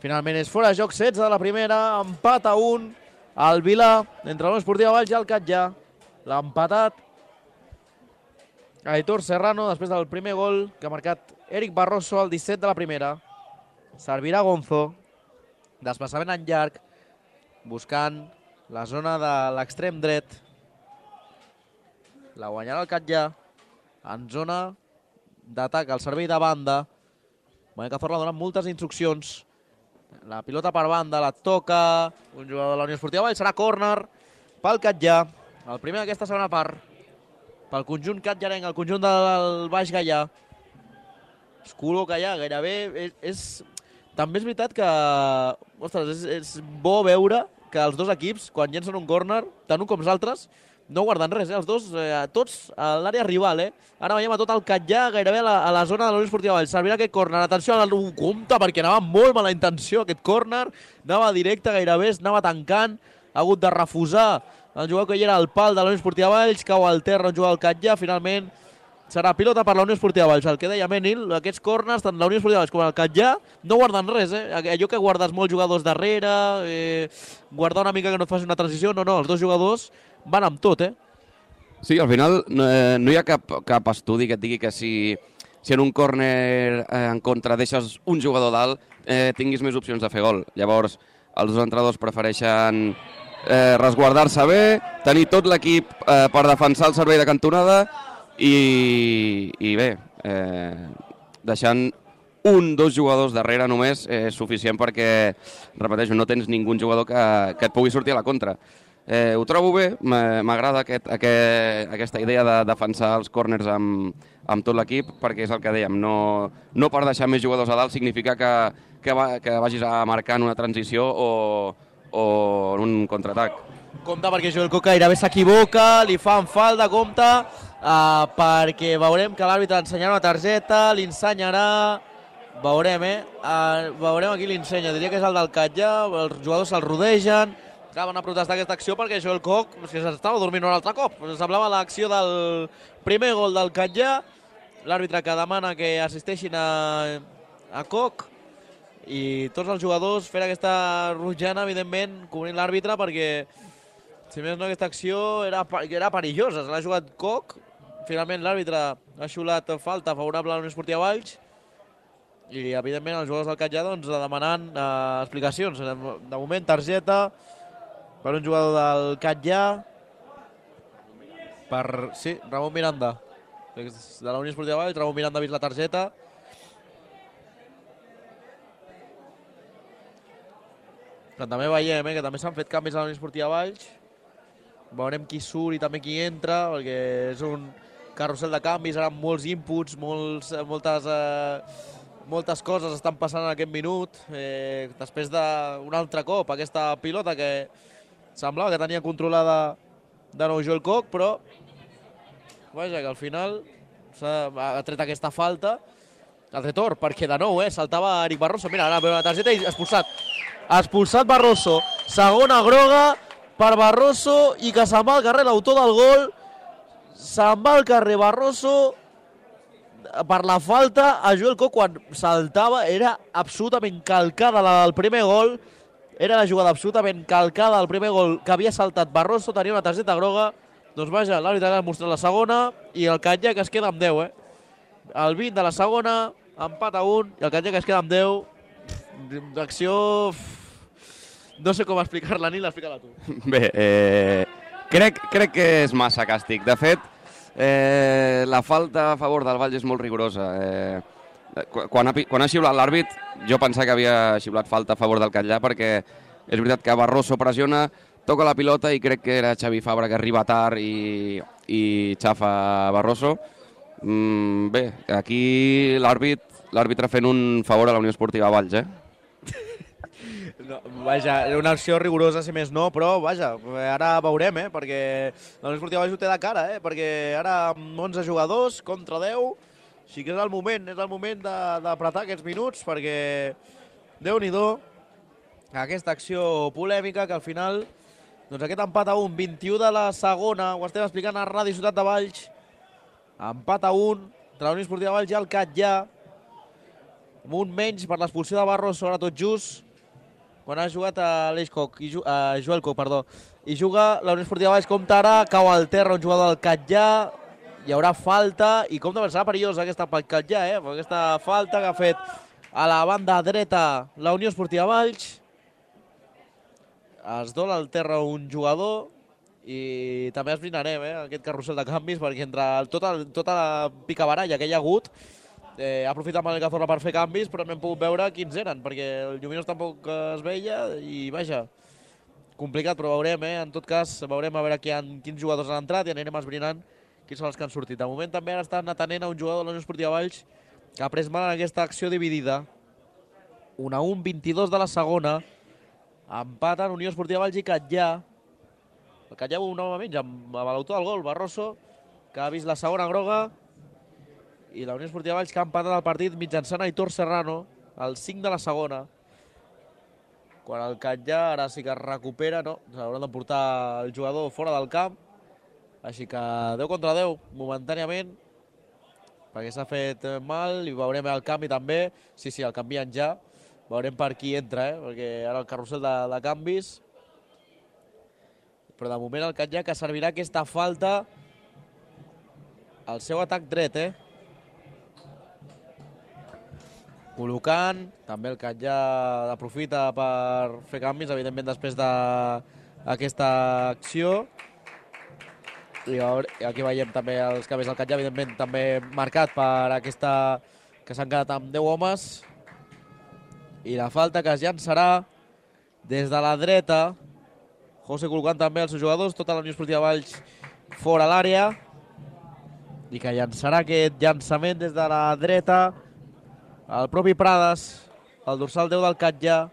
Finalment és fora de joc, setze de la primera, empat a un al Vilà, entre la Unió Esportiva Valls i el Catllà. L'ha empatat Aitor Serrano després del primer gol que ha marcat Eric Barroso al disset de la primera. Servirà Gonzo, desplaçament en llarg, buscant la zona de l'extrem dret. La guanyarà el Catllà en zona d'atac al servei de banda. Manel Cazorla dona moltes instruccions. La pilota per banda, la toca un jugador de la Unió Esportiva Valls, serà córner pel Catllà. El primer d'aquesta segona part pel conjunt catllarenc, el conjunt del Baix Gaià. Es col·loca allà gairebé. És, és, també és veritat que ostres, és, és bo veure que els dos equips, quan llencen un córner, tant un com els altres, no guarden res, eh? Els dos, eh, tots a l'àrea rival, eh? Ara veiem a tot el Catllà gairebé a la, a la zona de la Unió Esportiva Valls. Servirà aquest córner. Atenció al compte, perquè anava molt mala intenció aquest córner. Anava directe gairebé, anava tancant. Ha hagut de refusar el jugador que hi era al pal de la Unió Esportiva Valls, cau al terra un jugador del Catllà, finalment serà pilota per la Unió Esportiva Valls. El que deia Menil, aquests córners, tant la Unió Esportiva Valls com el Catllà, no guarden res, eh? Allò que guardes molts jugadors darrere, eh, guardar una mica que no et faci una transició, no, no, els dos jugadors van amb tot, eh? Sí, al final no, eh, no hi ha cap, cap estudi que et digui que si, si en un córner eh, en contra deixes un jugador dalt, eh, tinguis més opcions de fer gol. Llavors, els dos entrenadors prefereixen Eh, resguardar-se bé, tenir tot l'equip eh, per defensar el servei de cantonada i, i bé, eh, deixant un, dos jugadors darrere només és eh, suficient perquè, repeteixo, no tens ningú jugador que, que et pugui sortir a la contra. Eh, ho trobo bé, m'agrada aquest, aquest, aquesta idea de defensar els córners amb, amb tot l'equip, perquè és el que dèiem, no, no per deixar més jugadors a dalt significa que, que, va, que vagis a marcar en una transició o o en un contraatac. Compte perquè Joel Coca gairebé s'equivoca, li fan falta, compte, uh, perquè veurem que l'àrbitre ensenyarà una targeta, li ensenyarà Veurem, eh? Uh, veurem aquí l'ensenya. Diria que és el del Catllà, els jugadors se'l rodegen, acaben a protestar aquesta acció perquè Joel Koch si s'estava dormint un altre cop. Semblava l'acció del primer gol del Catllà, l'àrbitre que demana que assisteixin a, a Koch i tots els jugadors fent aquesta rotjana, evidentment, cobrint l'àrbitre perquè, si més no, aquesta acció era, era perillosa. Se l'ha jugat Koch, finalment l'àrbitre ha xiulat falta favorable a la Unió Esportiva Valls i, evidentment, els jugadors del Catllà doncs, demanant eh, explicacions. De moment, targeta per un jugador del Catllà, per, sí, Ramon Miranda. De la Unió Esportiva Valls, Ramon Miranda ha vist la targeta. Però també veiem eh, que també s'han fet canvis a la Unió Esportiva Valls. Veurem qui surt i també qui entra, perquè és un carrusel de canvis, ara amb molts inputs, molts, moltes, eh, moltes coses estan passant en aquest minut. Eh, després d'un altre cop, aquesta pilota que semblava que tenia controlada de nou Joel Koch, però vaja, que al final ha tret aquesta falta. Ha tret or, perquè de nou eh, saltava Eric Barroso. Mira, ara veu la targeta i expulsat. Expulsat Barroso. Segona groga per Barroso i que se'n va al carrer l'autor del gol. Se'n va al carrer Barroso per la falta a Joel Koch quan saltava. Era absolutament calcada la del primer gol. Era la jugada absolutament calcada del primer gol que havia saltat Barroso. Tenia una targeta groga. Doncs vaja, l'àrbitre ha mostrat la segona i el Catllà que es queda amb deu. Eh? El vint de la segona, empat a un, i el Catllà que es queda amb deu. D'acció... No sé com explicar-la, ni l'explica-la tu. Bé, eh, crec, crec que és massa càstig. De fet, eh, la falta a favor del Valls és molt rigorosa. Eh, quan, ha, quan ha xiulat l'àrbit, jo pensava que havia xiulat falta a favor del Catllà, perquè és veritat que Barroso pressiona, toca la pilota i crec que era Xavi Fabra que arriba tard i, i xafa Barroso. Mm, bé, aquí l'àrbitre fent un favor a la Unió Esportiva Valls, eh? No, vaja, una acció rigorosa, si més no, però vaja, ara veurem, eh, perquè la Unió Esportiva Valls ho té de cara, eh, perquè ara amb onze jugadors contra deu, sí que és el moment, és el moment d'apretar aquests minuts, perquè Déu-n'hi-do, aquesta acció polèmica que al final, doncs aquest empat a un, vint-i-u de la segona, ho estem explicant a Ràdio Ciutat de Valls, empat a un, entre la Unió Esportiva Valls i el Catllà, amb un menys per l'expulsió de Barroso, ara tot just, quan ha jugat a l'Eix Koch, a Joel Koch, perdó, i juga la Unió Esportiva Valls, compta ara, cau al terra un jugador del Catllà, hi haurà falta, i compta serà perillosa aquesta pel Catllà, eh? Aquesta falta que ha fet a la banda dreta la Unió Esportiva Valls, es dona al terra un jugador, i també esbrinarem eh, aquest carrusel de canvis, perquè entre tota, tota la picabaralla que hi ha hagut, Eh, ha aprofitat Manel Cazorla per fer canvis, però no hem pogut veure quins eren, perquè el Lluminós tampoc es veia i vaja, complicat, però veurem, eh? En tot cas, veurem a veure qui han, quins jugadors han entrat i anirem esbrinant quins són els que han sortit. De moment també ara estan atenent a un jugador de la Unió Esportiva Valls que ha pres mal en aquesta acció dividida. un a un, vint-i-dos de la segona, empaten Unió Esportiva Valls i Catllà. El Catllà un home menys amb l'autor del gol, Barroso, que ha vist la segona groga, i la Unió Esportiva Valls que ha empatat el partit mitjançant Aitor Serrano, al cinc de la segona. Quan el Catllà ara sí que es recupera, no, s'hauran de portar el jugador fora del camp, així que deu contra deu, momentàniament, perquè s'ha fet mal, i veurem el canvi també, sí, sí, el canvien ja, veurem per qui entra, eh? Perquè ara el carrusel de, de canvis, però de moment el Catllà que servirà aquesta falta al seu atac dret, eh? Col·locant, també el Catllà aprofita per fer canvis, evidentment després d'aquesta acció. I aquí veiem també els canvis del Catllà, evidentment també marcat per aquesta que s'han quedat amb deu homes. I la falta que es llançarà des de la dreta. José col·locant també els seus jugadors, tota la Unió Esportiva Valls fora l'àrea. I que llançarà aquest llançament des de la dreta el propi Prades, el dorsal deu del Catllà.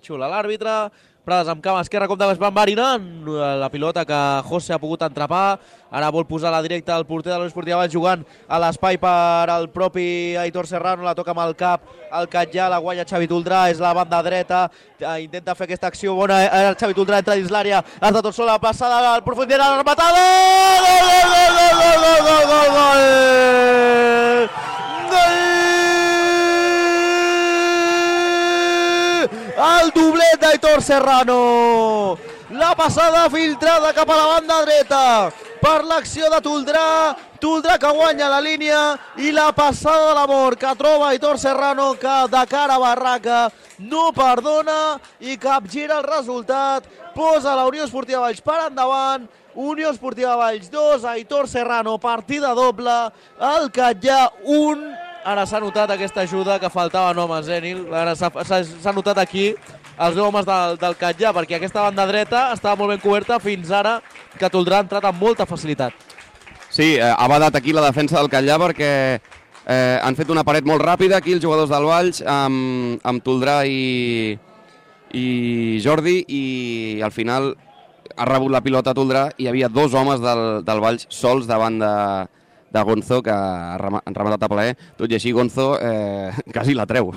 Xula l'àrbitre, Prades amb cama esquerra, com de va enverinant la pilota que José ha pogut entrapar. Ara vol posar la directa al porter de l'Unió Esportiva Valls, jugant a l'espai per al propi Aitor Serrano, la toca amb el cap, el Catllà, la guanya Xavi Toldrà, és la banda dreta, intenta fer aquesta acció bona, el Xavi Toldrà entra dins l'àrea, has de tot sol, la passada al profunditat, la rematada, gol, gol, gol, gol, gol, gol, gol, gol, gol, gol! El doblet d'Aitor Serrano, la passada filtrada cap a la banda dreta per l'acció de Toldrà, Toldrà que guanya la línia i la passada de l'amor que troba Aitor Serrano, que de cara a barraca no perdona i capgira el resultat, posa la Unió Esportiva Valls per endavant. Unió Esportiva Valls dos, Aitor Serrano, partida doble, el Catllà un. Ara s'ha notat aquesta ajuda que faltaven homes, eh, Nil? Ara s'ha notat aquí els deu homes del, del Catllà, perquè aquesta banda dreta estava molt ben coberta fins ara, que Toldrà ha entrat amb molta facilitat. Sí, eh, ha badat aquí la defensa del Catllà perquè eh, han fet una paret molt ràpida aquí els jugadors del Valls amb, amb Toldrà i, i Jordi, i al final ha rebut la pilota a Toldrà i hi havia dos homes del, del Valls sols davant de, de Gonzo, que ha rematat a plaer. Tot i així Gonzo eh, quasi la treu.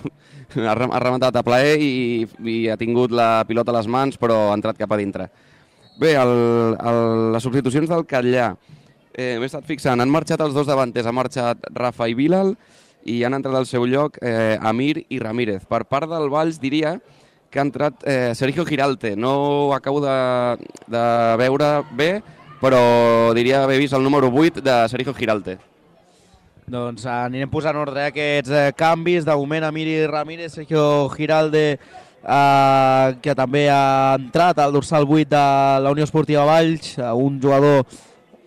Ha rematat a plaer i, i ha tingut la pilota a les mans, però ha entrat cap a dintre. Bé, el, el, les substitucions del Catllà, eh, m'he estat fixant, han marxat els dos davanters, ha marxat Rafa i Bilal i han entrat al seu lloc eh, Amir i Ramírez. Per part del Valls diria que ha entrat eh, Sergio Giralte. No ho acabo de, de veure bé, però diria haver vist el número vuit de Sergio Giralte. Doncs anirem posant ordre aquests eh, canvis. De moment Amir i Ramírez, Sergio Giralde, eh, que també ha entrat al dorsal vuit de la Unió Esportiva Valls, un jugador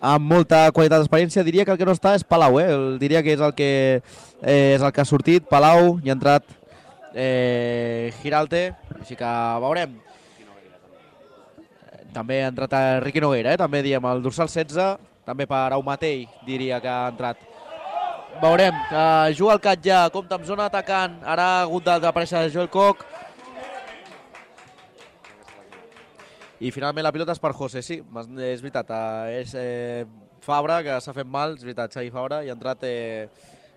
amb molta qualitat d'experiència. Diria que el que no està és Palau, eh? Diria que és el que, eh, és el que ha sortit. Palau, i ha entrat eh, Giralte, així que veurem. També ha entrat a Riqui Nogueira, eh? També diem el dorsal setze, també per Aumatell diria que ha entrat. Veurem, uh, juga el Catllà, compta amb zona atacant, ara ha hagut d'aparèixer Joel Koch. I finalment la pilota és per José, sí, és veritat, uh, és eh, Fabra, que s'ha fet mal, és veritat, Xavi Fabra, i ha entrat eh,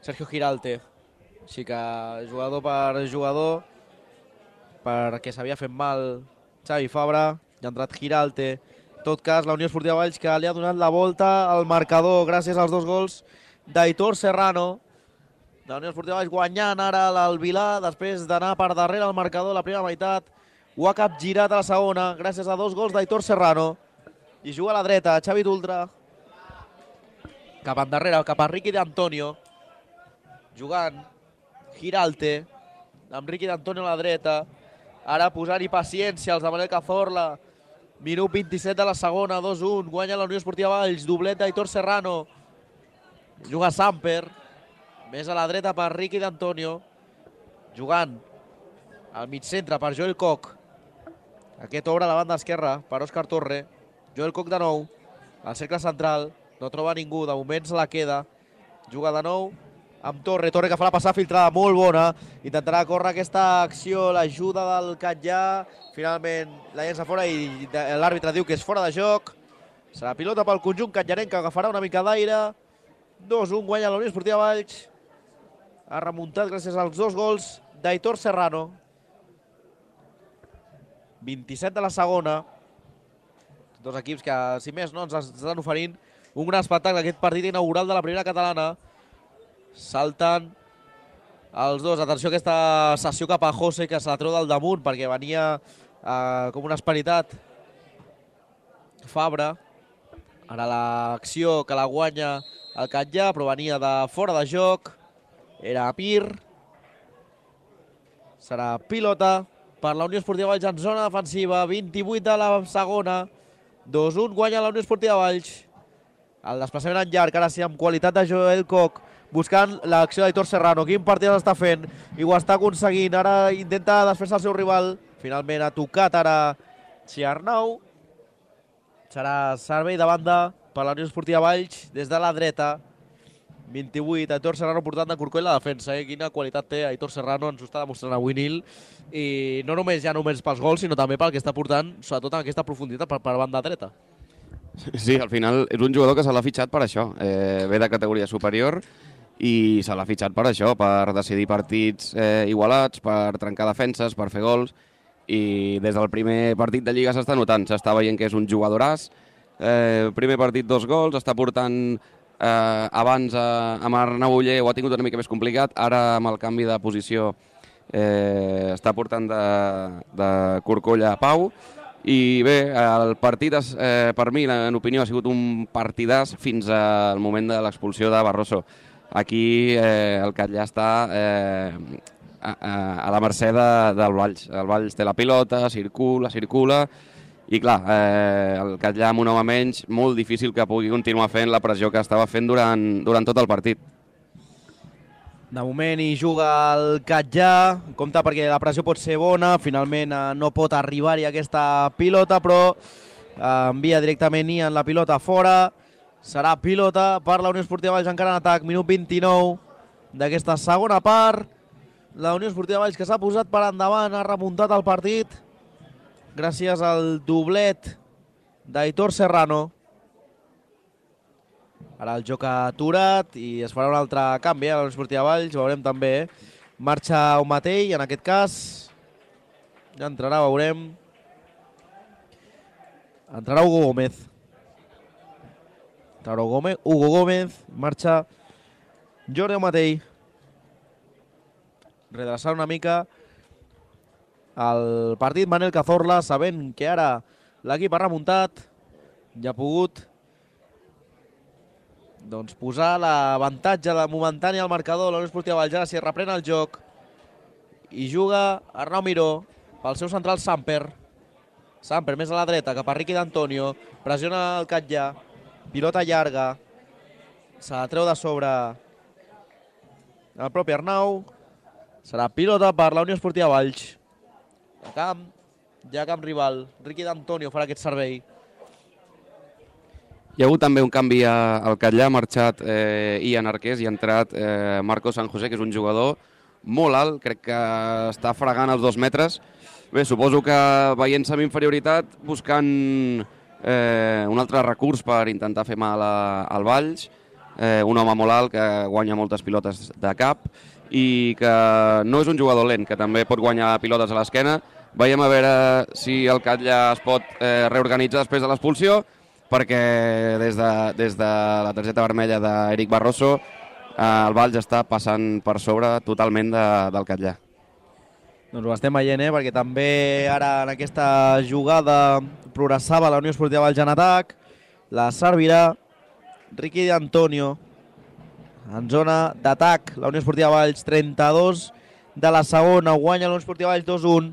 Sergio Giralte. Així que jugador per jugador, perquè s'havia fet mal Xavi Fabra, i ha entrat Giralte. En tot cas, la Unió Esportiva Valls, que li ha donat la volta al marcador gràcies als dos gols d'Aitor Serrano. La Unió Esportiva Valls guanyant ara l'Alvilà, després d'anar per darrere al marcador la primera meitat. Ho ha capgirat a la segona, gràcies a dos gols d'Aitor Serrano. I juga a la dreta, Xavi Toldrà. Cap endarrere, cap a Riqui d'Antonio. Jugant Giralte, amb Riqui d'Antonio a la dreta. Ara posant-hi paciència els de Manel Cazorla. Minut vint-i-set de la segona, dos un. Guanya la Unió Esportiva Valls, doblet d'Aitor Serrano. Juga Samper, més a la dreta per Riqui d'Antonio, jugant al mig centre per Joel Koch. Aquest obre a la banda esquerra per Òscar Torre. Joel Koch de nou, al cercle central, no troba ningú, de moment se la queda. Juga de nou amb Torre, Torre que fa la passada filtrada molt bona, intentarà córrer aquesta acció, l'ajuda del Catllà, finalment la llença fora i l'àrbitre diu que és fora de joc. Serà pilota pel conjunt catllarenc, que agafarà una mica d'aire. dos un, guanya la Unió Esportiva Valls. Ha remuntat gràcies als dos gols d'Aitor Serrano. vint-i-set de la segona. Dos equips que, si més no, ens estan oferint un gran espectacle, aquest partit inaugural de la primera catalana. Salten els dos. Atenció a aquesta sessió cap a José, que se la treu del damunt perquè venia eh, com una esperitat Fabra. Ara l'acció que la guanya el Catllà, però venia de fora de joc. Era Amir. Serà pilota per la Unió Esportiva Valls en zona defensiva. vint-i-vuit de la segona. dos un, guanya la Unió Esportiva Valls. El desplaçament en llarg, ara sí, amb qualitat de Joel Koch, buscant l'acció d'Aitor Serrano. Quin partit està fent i ho està aconseguint. Ara intenta desfer-se el seu rival. Finalment ha tocat ara Xiarnau. Serà servei de banda per la Unió Esportiva Valls des de la dreta. vint-i-vuit, Aitor Serrano portant de corcoll la defensa, eh? Quina qualitat té Aitor Serrano, ens ho està demostrant avui Nil, i no només ja només pels gols, sinó també pel que està portant, sobretot en aquesta profunditat per, per banda dreta. Sí, al final és un jugador que se l'ha fitxat per això, eh, ve de categoria superior i se l'ha fitxat per això, per decidir partits eh, igualats, per trencar defenses, per fer gols, i des del primer partit de Lliga s'està notant, s'està veient que és un jugadoràs, eh, primer partit dos gols, està portant eh, abans eh, amb Arnau Oller ho ha tingut una mica més complicat, ara amb el canvi de posició eh, està portant de, de Corcolla a Pau, i bé, el partit eh, per mi, en opinió, ha sigut un partidàs fins al moment de l'expulsió de Barroso. Aquí eh, el Catllà està eh, a, a, a la mercè de, del Valls. El Valls té la pilota, circula, circula, i clar, eh, el Catllà amb un home menys, molt difícil que pugui continuar fent la pressió que estava fent durant, durant tot el partit. De moment hi juga el Catllà, compta perquè la pressió pot ser bona, finalment eh, no pot arribar-hi aquesta pilota, però eh, envia directament Ian la pilota fora, serà pilota per la Unió Esportiva Valls encara en atac, minut vint-i-nou d'aquesta segona part, la Unió Esportiva Valls que s'ha posat per endavant, ha remuntat el partit, gràcies al doblet d'Aitor Serrano. Ara el joc ha aturat i es farà un altre canvi a la Unió Esportiva Valls, veurem també. Marxa un mateix, en aquest cas. Ja entrarà, veurem. Entrarà Hugo Gómez. Entrarà Hugo Gómez, Hugo Gómez, marxa Jordi Matei. Redreçar una mica el partit Manel Cazorla, sabent que ara l'equip ha remuntat, ja ha pogut doncs posar l'avantatge momentani al marcador. La Unió Esportiva Valls ara s'hi reprèn el joc i juga Arnau Miró pel seu central Samper. Samper més a la dreta cap a Riqui d'Antonio, pressiona el Catllà, pilota llarga, se la treu de sobre el propi Arnau, serà pilota per la Unió Esportiva Valls. A camp, ja camp rival, Riqui d'Antonio farà aquest servei. Hi ha hagut també un canvi al Catllà, ha marxat eh, Ian Arqués i ha entrat eh, Marco San José, que és un jugador molt alt, crec que està fregant els dos metres. Bé, suposo que veient-se amb inferioritat, buscant eh, un altre recurs per intentar fer mal a, al Valls, eh, un home molt alt que guanya moltes pilotes de cap i que no és un jugador lent, que també pot guanyar pilotes a l'esquena. Veiem a veure si el Catllà es pot eh, reorganitzar després de l'expulsió, perquè des de, des de la targeta vermella d'Eric Barroso eh, el Valls està passant per sobre totalment de, del Catllà. Doncs ho estem veient, eh? Perquè també ara en aquesta jugada progressava la Unió Esportiva Valls en atac, la servirà Riqui d'Antonio en zona d'atac. La Unió Esportiva Valls trenta-dos de la segona, guanya la Unió Esportiva Valls dos a un.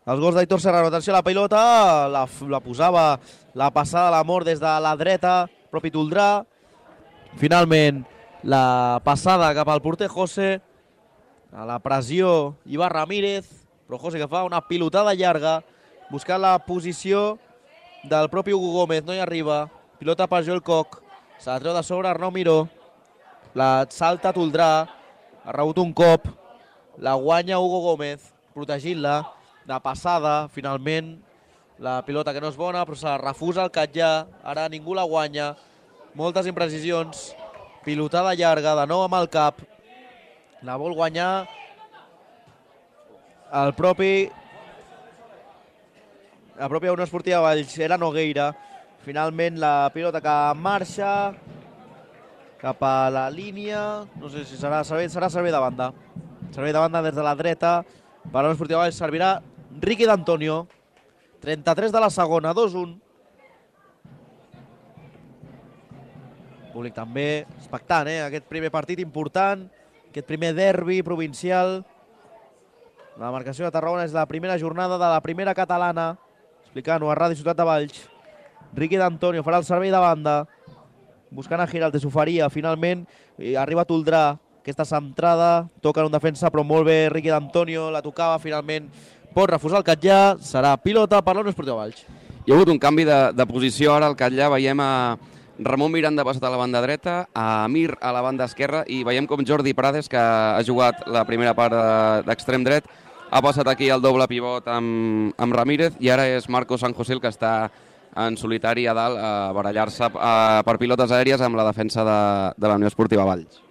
Els gols d'Aitor Serrano, atenció a la pilota, la, la posava la passada de l'amor des de la dreta, propi Toldrà. Finalment, la passada cap al porter José, a la pressió Ibar Ramírez, però José que fa una pilotada llarga, buscant la posició del propi Hugo Gómez, no hi arriba, pilota per Joel Koch, se la treu de sobre Arnau Miró, la salta Toldrà, ha rebut un cop, la guanya Hugo Gómez, protegint-la, de passada, finalment, la pilota que no és bona, però se la refusa el Catllà, ara ningú la guanya, moltes imprecisions, pilotada llarga, de nou amb el cap, la vol guanyar el propi la pròpia Unió Esportiva Valls, era Nogueira, finalment la pilota que marxa cap a la línia, no sé si serà servei, serà servei de banda, servei de banda des de la dreta, per la Unió Esportiva Valls servirà Riqui d'Antonio, trenta-tres de la segona, dos a un. Públic també expectant, eh? Aquest primer partit important, aquest primer derbi provincial. La marcació de Tarragona és la primera jornada de la primera catalana, explicant-ho a Ràdio Ciutat de Valls. Riqui d'Antonio farà el servei de banda, buscant a Giralt, s'oferia finalment, i arriba Toldrà, aquesta centrada, toca en un defensa, però molt bé Riqui d'Antonio, la tocava finalment, pot refusar el Catllà, serà pilota per la Unió Esportiva Valls. Hi ha hagut un canvi de, de posició ara al Catllà, veiem a, Ramon Miranda ha passat a la banda dreta, a Amir a la banda esquerra, i veiem com Jordi Prades, que ha jugat la primera part d'extrem dret, ha passat aquí el doble pivot amb, amb Ramírez, i ara és Marco San José el que està en solitari a dalt a barallar-se per pilotes aèries amb la defensa de, de la Unió Esportiva Valls.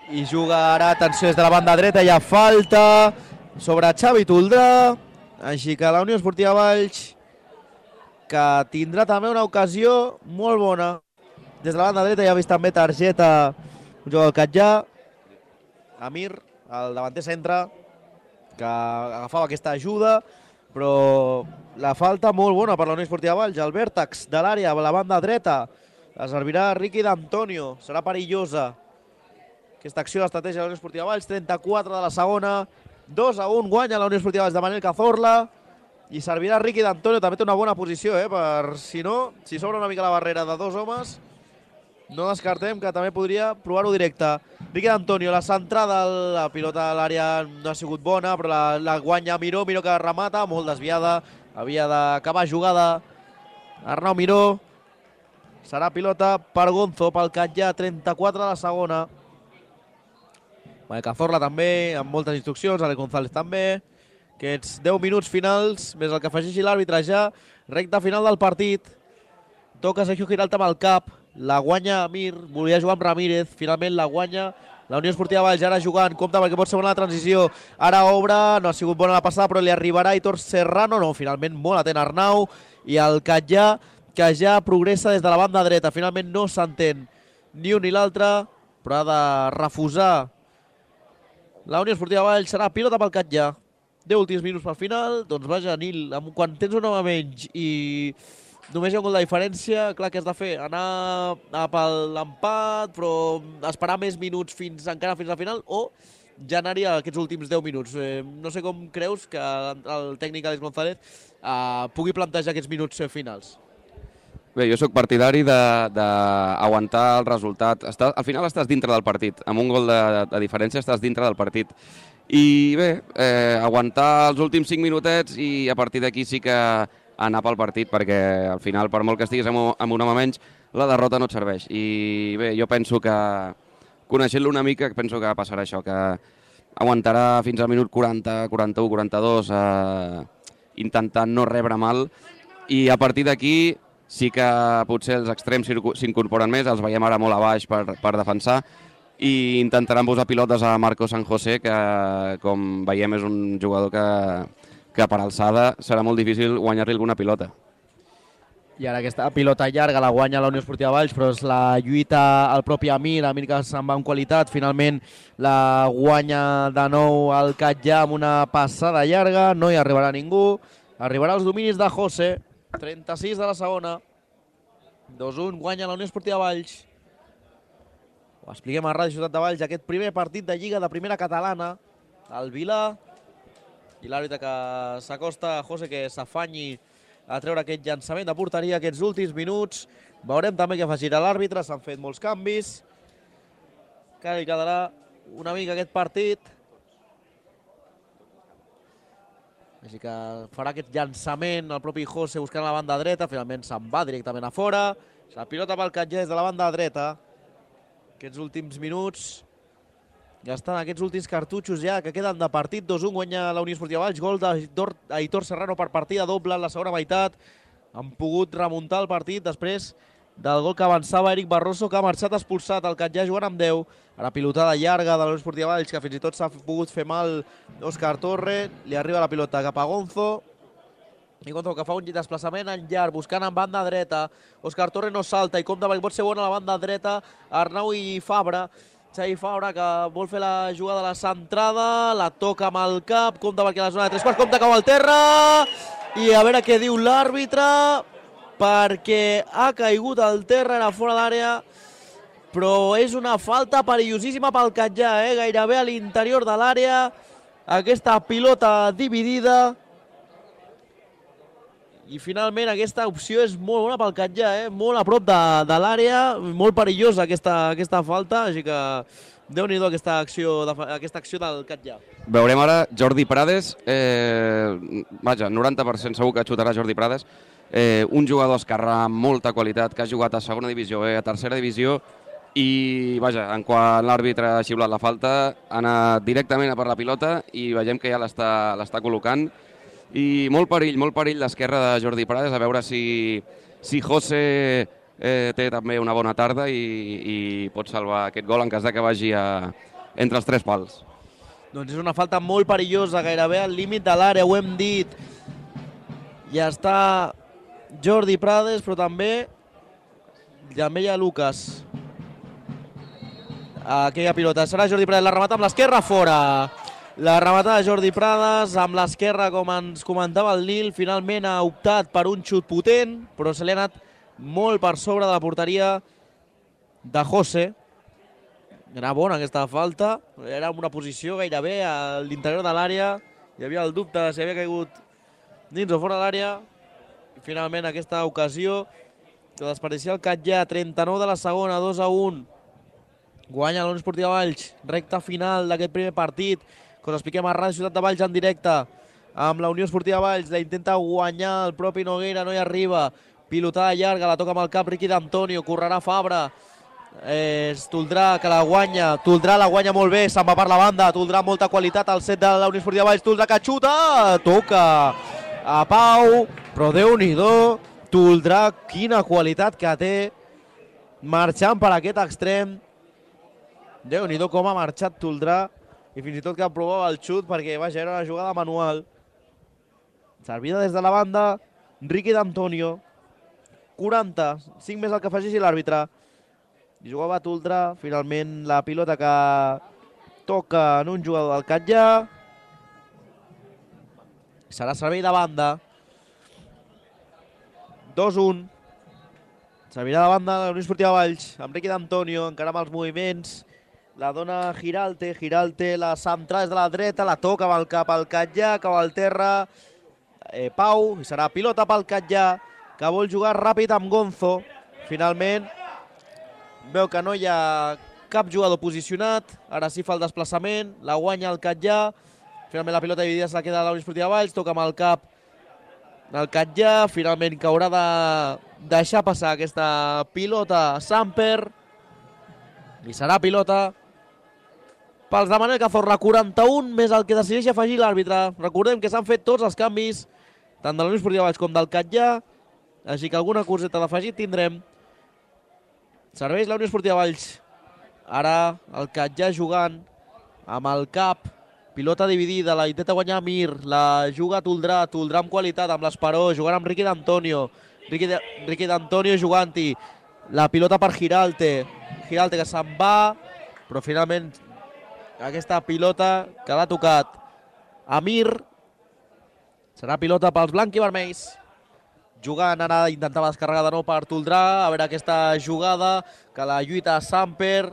I juga ara, atenció, des de la banda dreta, hi ha falta sobre Xavi Toldrà, així que la Unió Esportiva Valls, que tindrà també una ocasió molt bona. Des de la banda dreta ja ha vist també targeta un jugador del Catllà, Amir, el davanter centre, que agafava aquesta ajuda, però la falta molt bona per la Unió Esportiva Valls. El vèrtex de l'àrea a la banda dreta la servirà Riqui d'Antonio, serà perillosa aquesta acció d'estratègia de la Unió Esportiva Valls. Trenta-quatre de la segona, dos a un guanya la Unió Esportiva Valls de Manel Cazorla, i servirà Riqui d'Antonio, també té una bona posició, eh, per si no, si s'obre una mica la barrera de dos homes, no descartem que també podria provar-ho directe. Riqui d'Antonio, la centrada, la pilota a l'àrea no ha sigut bona, però la, la guanya Miró, Miró que remata, molt desviada, havia d'acabar jugada Arnau Miró. Serà pilota per Gonzo, pel Catllà, trenta-quatre de la segona. Cazorla també, amb moltes instruccions, Ale González també. Aquests deu minuts finals, més el que afegeixi l'àrbitre ja, recta final del partit. Toca Sergio Giralta amb el cap, la guanya Amir, volia jugar amb Ramírez, finalment la guanya la Unió Esportiva Valls, ara jugant, compte perquè pot ser bona la transició, ara obre, no ha sigut bona la passada, però li arribarà Aitor Serrano, no, finalment molt atent Arnau, i el Catllà, que ja progressa des de la banda dreta, finalment no s'entén ni un ni l'altre, però ha de refusar la Unió Esportiva Valls, serà pilota pel Catllà. deu últims minuts pel final, doncs vaja, Nil, quan tens un home menys i només hi ha un gol de diferència, clar, què has de fer? Anar a per l'empat, però esperar més minuts fins encara fins al final, o ja anar-hi aquests últims deu minuts. Eh, no sé com creus que el tècnic Àlex González eh, pugui plantejar aquests minuts finals. Bé, jo sóc partidari d'aguantar el resultat. Està, al final estàs dintre del partit. Amb un gol de, de diferència estàs dintre del partit. I bé, eh, aguantar els últims cinc minutets i a partir d'aquí sí que anar pel partit, perquè al final, per molt que estiguis amb un, amb un home menys, la derrota no et serveix. I bé, jo penso que, coneixent-lo una mica, penso que passarà això, que aguantarà fins al minut quaranta, quaranta-u, quaranta-dos, eh, intentant no rebre mal, i a partir d'aquí sí que potser els extrems s'incorporen més, els veiem ara molt a baix per, per defensar, i intentaran posar pilotes a Marco San José, que com veiem és un jugador que, que per alçada serà molt difícil guanyar-li alguna pilota. I ara aquesta pilota llarga la guanya la Unió Esportiva Valls, però és la lluita al propi Amir, Amir que se'n va en qualitat, finalment la guanya de nou al Catllà amb una passada llarga, no hi arribarà ningú, arribarà als dominis de José, trenta-sis de la segona, dos a un, guanya la Unió Esportiva Valls. Ho expliquem a Ràdio Ciutat de Valls, aquest primer partit de Lliga de Primera Catalana, el Vilà, i l'àrbitre que s'acosta a José, que s'afanyi a treure aquest llançament de porteria aquests últims minuts. Veurem també què afegirà l'àrbitre, s'han fet molts canvis. Que li quedarà una mica aquest partit. Així que farà aquest llançament el propi José buscant la banda dreta, finalment se'n va directament a fora. La pilota pel Catllà des de la banda dreta. Aquests últims minuts, ja estan aquests últims cartutxos ja que queden de partit. dos a un guanya la Unió Esportiva Valls, gol d'Aitor Serrano per partida doble en la segona meitat. Han pogut remuntar el partit després del gol que avançava Eric Barroso, que ha marxat expulsat el Catllà jugant amb deu. Ara pilotada llarga de la Unió Esportiva Valls, que fins i tot s'ha pogut fer mal Òscar Torre. Li arriba la pilota cap a Gonzo. I Gonzo que fa un desplaçament en llarg, buscant en banda dreta. Òscar Torre no salta i compta perquè pot ser bona la banda dreta. Arnau i Fabra. Xavi Fabra que vol fer la jugada de la centrada, la toca amb el cap, compta perquè la zona de tres quarts, compta cau al terra. I a veure què diu l'àrbitre, perquè ha caigut al terra, era fora d'àrea. Però és una falta perillosíssima pel Catllà, eh? Gairebé a l'interior de l'àrea. Aquesta pilota dividida. I finalment aquesta opció és molt bona pel Catllà, eh? Molt a prop de, de l'àrea, molt perillosa aquesta, aquesta falta, així que déu-n'hi-do aquesta acció, de, aquesta acció del Catllà. Veurem ara Jordi Prades, eh, vaja, noranta per cent segur que xutarà Jordi Prades, eh, un jugador esquerrà amb molta qualitat, que ha jugat a segona divisió B, a tercera divisió, i vaja, en quan l'àrbitre ha xiulat la falta, ha anat directament a per la pilota i veiem que ja l'està col·locant. I molt perill, molt perill l'esquerra de Jordi Prades, a veure si, si José eh, té també una bona tarda i, i pot salvar aquest gol en cas de que vagi a, entre els tres pals. Doncs és una falta molt perillosa, gairebé al límit de l'àrea, ho hem dit. Ja està Jordi Prades, però també també hi ha Lucas. Aquella pilota. Serà Jordi Prades, la remata amb l'esquerra, fora. La rematada de Jordi Prades amb l'esquerra, com ens comentava el Nil, finalment ha optat per un xut potent, però se li ha anat molt per sobre de la porteria de José. Era bona aquesta falta, era una posició gairebé a l'interior de l'àrea, hi havia el dubte de si havia caigut dins o fora de l'àrea. Finalment aquesta ocasió de desperdiciar el Catllà, trenta-nou de la segona, dos a un. Guanya la Unió Esportiva Valls, recta final d'aquest primer partit, que us expliquem a Ràdio Ciutat de Valls en directe, amb la Unió Esportiva Valls, la intenta guanyar el propi Noguera, no hi arriba, pilotada llarga, la toca amb el cap Riqui d'Antonio, correrà Fabra, és Toldrà que la guanya, Toldrà la guanya molt bé, se'n va per la banda, Toldrà molta qualitat al set de la Unió Esportiva Valls, Toldrà que xuta, toca a Pau, però Déu-n'hi-do, Toldrà, quina qualitat que té, marxant per aquest extrem, Déu-n'hi-do com ha marxat Toldrà i fins i tot que provava el xut perquè vaja, era una jugada manual. Servida des de la banda, Riqui d'Antonio, quaranta, cinc més el que afegeixi l'àrbitre. I jugava Toldrà, finalment la pilota que toca en un jugador del Catllà. Serà servei de banda. dos un. Servirà de banda de la Unió Esportiva Valls, amb Riqui d'Antonio, encara amb els moviments. La dona Giralte, Giralte la centra des de la dreta, la toca amb el cap al Catllà, cap al terra, eh, Pau, i serà pilota pel Catllà, que vol jugar ràpid amb Gonzo. Finalment, veu que no hi ha cap jugador posicionat, ara sí fa el desplaçament, la guanya el Catllà, finalment la pilota dividida se la queda a la Unió Esportiva Valls, toca amb el cap del Catllà, finalment que haurà de deixar passar aquesta pilota Samper, i serà pilota pels de Manel Cazorla, quaranta-un més el que decideix afegir l'àrbitre. Recordem que s'han fet tots els canvis, tant de la Unió Esportiva Valls com del Catllà, així que alguna coseta d'afegit tindrem. Serveix la Unió Esportiva Valls. Ara el Catllà jugant amb el cap, pilota dividida, la intenta guanyar Mir, la juga Toldrà, Toldrà amb qualitat, amb l'Esperó, jugant amb Riqui d'Antonio, Riqui d'Antonio jugant-hi, la pilota per Giralte, Giralte que se'n va, però finalment aquesta pilota que l'ha tocat Amir, serà pilota pels blancs i vermells. Jugant ara, intentava descarregar de nou per Toldrà, a veure aquesta jugada, que la lluita Samper,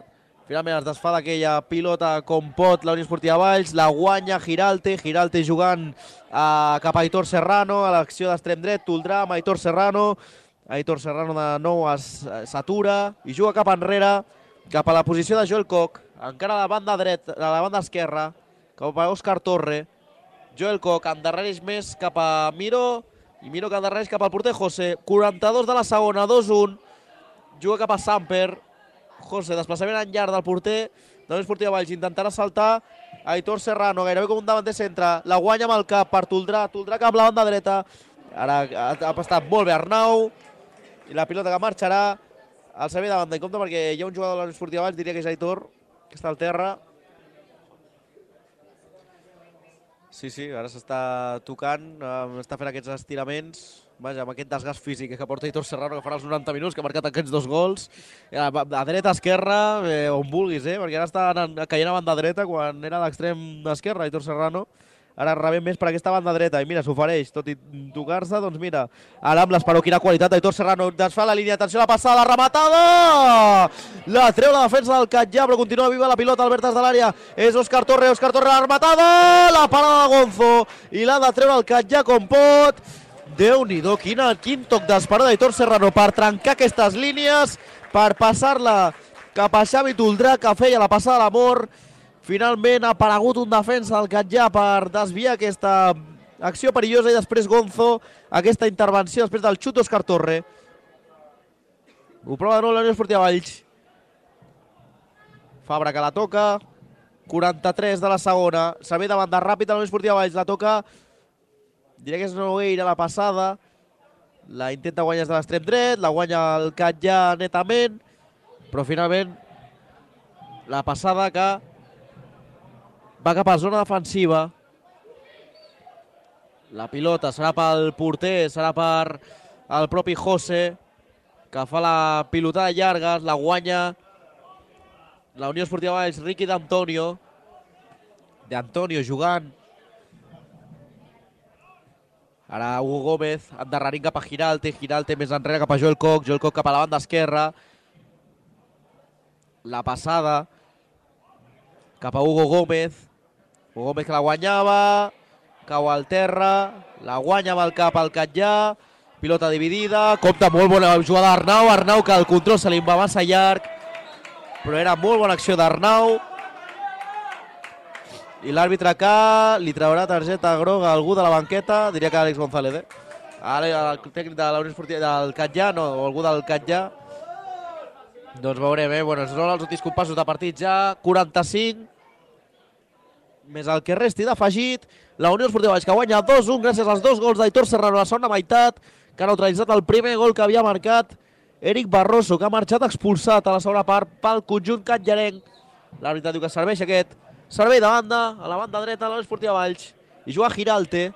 finalment es desfà d'aquella pilota com pot la Unió Esportiva Valls, la guanya Giralte, Giralte jugant eh, cap a Aitor Serrano, a l'acció d'extrem dret, Toldrà amb Aitor Serrano, Aitor Serrano de nou s'atura i juga cap enrere, cap a la posició de Joel Koch, encara a la banda dreta, a la banda esquerra, cap a Òscar Torre. Joel Koch endarrereix més cap a Miró, i Miró que endarrereix cap al porter José. quaranta-dos de la segona, dos un, juga cap a Samper. José, desplaçament en llarg del porter de la Unió Esportiva Valls, intentarà saltar Aitor Serrano, gairebé com un davanter centre, la guanya amb el cap per Toldrà, Toldrà cap a la banda dreta, ara ha estat molt bé Arnau, i la pilota que marxarà al servei de banda. I compte perquè hi ha un jugador de la Unió Esportiva Valls, diria que és Aitor, que està al terra. Sí, sí, ara s'està tocant, eh, està fent aquests estiraments, vaja, amb aquest desgast físic que porta Aitor Serrano, que farà els noranta minuts, que ha marcat aquests dos gols. A, a dreta, esquerra, eh, on vulguis, eh, perquè ara està anant, caient a banda dreta quan era a l'extrem esquerre, Aitor Serrano. Ara rebem més per aquesta banda dreta i mira, s'ofereix, tot i tocar-se, doncs mira, ara amb l'Esperó, quina qualitat d'Aitor Serrano, desfà la línia, atenció a la passada, la rematada! La treu la defensa del Catllà, però continua viva la pilota al vertes de l'àrea, és Òscar Torre, Òscar Torre, la rematada! La parada de Gonzo, i l'ha de treure el Catllà com pot. Déu-n'hi-do, quin toc d'Esperó d'Aitor Serrano per trencar aquestes línies, per passar-la cap a Xavi Toldrà, que feia la passada a l'amor. Finalment ha aparegut un defensa del Catllà per desviar aquesta acció perillosa i després Gonzo, aquesta intervenció després del xut d'Òscar Torre. Ho prova de nou la Unió Esportiva Valls. Fabra que la toca, quaranta-tres de la segona, servei de banda ràpid a la Unió Esportiva Valls, la toca, diré que és Nogueira la passada, la intenta guanyar des de l'extrem dret, la guanya el Catllà netament, però finalment la passada que va cap a zona defensiva. La pilota serà pel porter, serà per el propi José, que fa la pilotada llarga, la guanya la Unió Esportiva Valls, Riqui d'Antonio. D'Antonio jugant. Ara Hugo Gómez, endarrerint cap a Giralte, Giralte més enrere cap a Joel Koch, Joel Koch cap a la banda esquerra. La passada cap a Hugo Gómez. Hugo Gómez que la guanyava, cau al terra, la guanya amb el cap al Catllà, pilota dividida, compta molt bona jugada d'Arnau, Arnau que el control se li va massa llarg, però era molt bona acció d'Arnau. I l'àrbitre que li traurà targeta groga a algú de la banqueta, diria que Àlex González, eh? Ara el tècnic de la Unió Esportiva del Catllà, no, o algú del Catllà. Doncs veurem, eh? Bueno, són els últims compassos de partit ja, quaranta-cinc, més el que resti d'afegit. La Unió Esportiva Valls que guanya dos a un gràcies als dos gols d'Aitor Serrano a la segona meitat, que ha neutralitzat el primer gol que havia marcat Eric Barroso, que ha marxat expulsat a la segona part pel conjunt catllarenc. L'àrbitre diu que serveix aquest servei de banda, a la banda dreta de la Unió Esportiva Valls. I juga Giralte.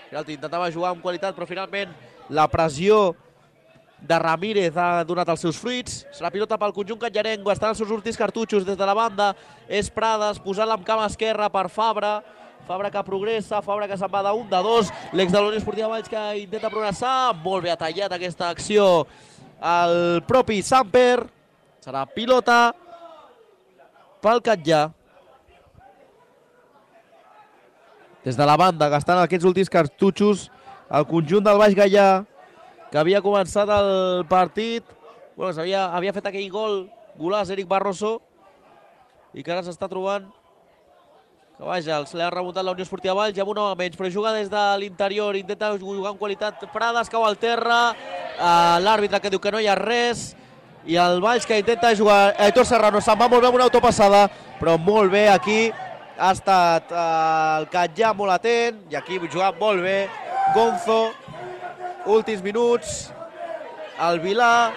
Giralte intentava jugar amb qualitat, però finalment la pressió de Ramírez ha donat els seus fruits. Serà pilota pel conjunt catllarenc, estan els seus últims cartutxos des de la banda. És Prades, posant-la amb cama esquerra per Fabra. Fabra que progressa, Fabra que se'n va d'un de dos. L'ex de la Unió Esportiva Valls que intenta progressar. Molt bé ha tallat aquesta acció el propi Samper. Serà pilota pel Catllà. Des de la banda, gastant aquests últims cartutxos, el conjunt del Baix Gaià, que havia començat el partit, bueno, havia, havia fet aquell gol, golaç Eric Barroso, i que ara s'està trobant que, vaja, se l'ha remuntat la Unió Esportiva Valls, amb un home menys, però juga des de l'interior, intenta jugar amb qualitat, Prades cau al terra, uh, l'àrbitre que diu que no hi ha res, i el Valls que intenta jugar, Aitor Serrano se'n va molt bé amb una autopassada, però molt bé aquí, ha estat uh, el Catllà molt atent, i aquí jugat molt bé Gonzo. Últims minuts, el Vilà,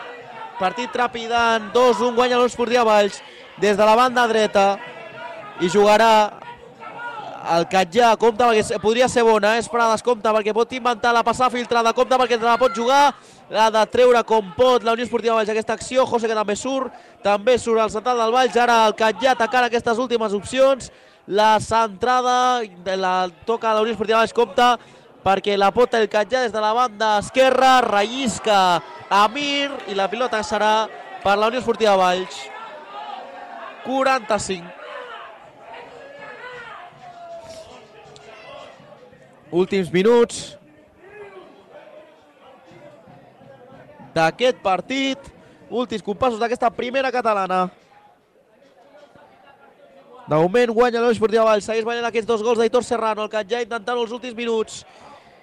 partit trepidant, dos a un, guanya l'Unió Esportiva Valls des de la banda dreta, i jugarà el Catllà, compta perquè podria ser bona, eh? Prades, compta perquè pot inventar la passada filtrada, compta perquè la pot jugar, l'ha de treure com pot la Unió Esportiva Valls aquesta acció. José que també surt, també surt el central del Valls, ara el Catllà atacant aquestes últimes opcions, la centrada la toca la Unió Esportiva Valls, compta perquè la pot el Catllà des de la banda esquerra, rellisca Amir i la pilota serà per la Unió Esportiva Valls. quaranta-cinc. Últims minuts d'aquest partit, últims compassos d'aquesta primera catalana. De moment guanya la Unió Esportiva Valls, segueix guanyant aquests dos gols d'Aitor Serrano, el Catllà intentant els últims minuts.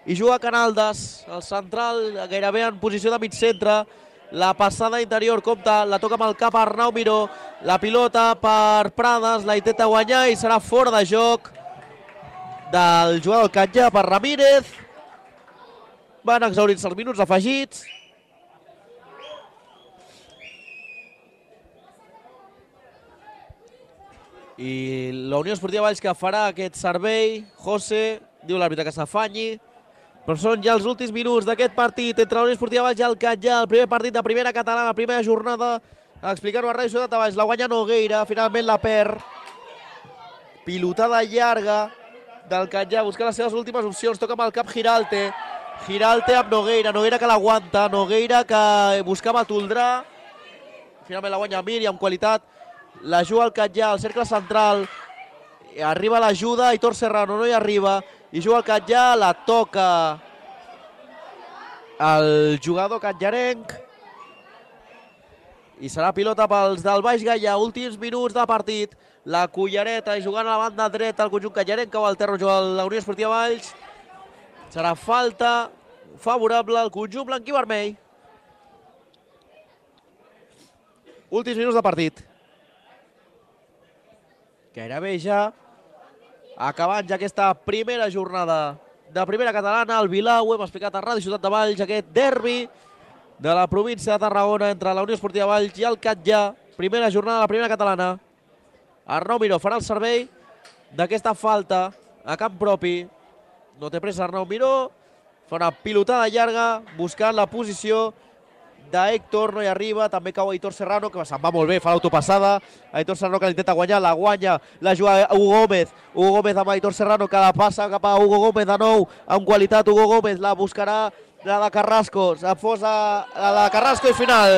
I juga Canaldes, el central gairebé en posició de mig centre. La passada interior, compta, la toca amb el cap a Arnau Miró. La pilota per Prades, la intenta guanyar i serà fora de joc del jugador del Catllà per Ramírez. Van exaurir-se els minuts afegits. I la Unió Esportiva Valls que farà aquest servei. José, diu l'àrbitre que s'afanyi. Però són ja els últims minuts d'aquest partit entre la Unió Esportiva Valls i el Catllà, el primer partit de primera catalana, la primera jornada. Explicar-ho a Ràdio Ciutat de Valls, la guanya Nogueira, finalment la perd. Pilotada llarga del Catllà, buscar les seves últimes opcions, toca amb el cap Giralte. Giralte amb Nogueira, Nogueira que l'aguanta, Nogueira que buscava Toldrà. Finalment la guanya Mir i amb qualitat la juga el Catllà, al cercle central. Arriba l'ajuda, Aitor Serrano no hi arriba. I juga el Catllà, la toca el jugador catllarenc. I serà pilota pels del Baix Gaià, últims minuts de partit. La Cullereta jugant a la banda dreta, el conjunt catllarenc, cau al terra juga la Unió Esportiva Valls. Serà falta favorable al conjunt blanc i vermell. Últims minuts de partit. Gairebé ja acabant ja aquesta primera jornada de primera catalana. El Vilar, ho hem explicat a Ràdio Ciutat de Valls, aquest derbi de la província de Tarragona entre la Unió Esportiva Valls i el Catllà. Primera jornada de la primera catalana. Arnau Miró farà el servei d'aquesta falta a camp propi. No té pressa Arnau Miró. Fa una pilotada llarga buscant la posició d'Héctor, no hi arriba. També cau Aitor Serrano, que se'n va molt bé, fa l'autopassada. Aitor Serrano que l'intenta guanyar, la guanya, la juga Hugo Gómez. Hugo Gómez amb Aitor Serrano, que la passa cap a Hugo Gómez de nou, amb qualitat. Hugo Gómez la buscarà, la de Carrasco, s'afosa la de Carrasco i final.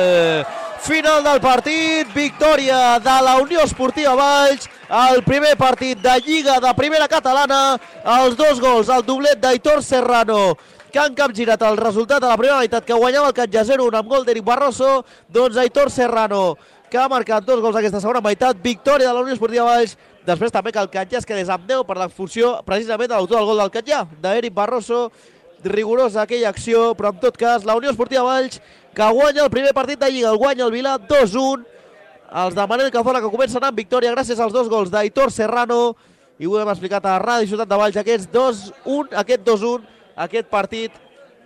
Final del partit, victòria de la Unió Esportiva Valls, el primer partit de Lliga de Primera Catalana, els dos gols, el doblet d'Aitor Serrano, que han capgirat el resultat de la primera meitat, que guanyava el Catllà zero un amb gol d'Eric Barroso. Doncs Aitor Serrano, que ha marcat dos gols aquesta segona meitat, victòria de la Unió Esportiva Valls. Després també que el Catllà es quedés amb deu per l'expulsió precisament de l'autor del gol del Catllà, d'Eric Barroso. Rigorosa aquella acció, però en tot cas la Unió Esportiva Valls, que guanya el primer partit de Lliga, el guanya el Vilar dos un. Els de Manel Cazorla, que comencen amb victòria gràcies als dos gols d'Aitor Serrano, i ho hem explicat a Ràdio Ciutat de Valls, aquest dos un, aquest dos un, aquest partit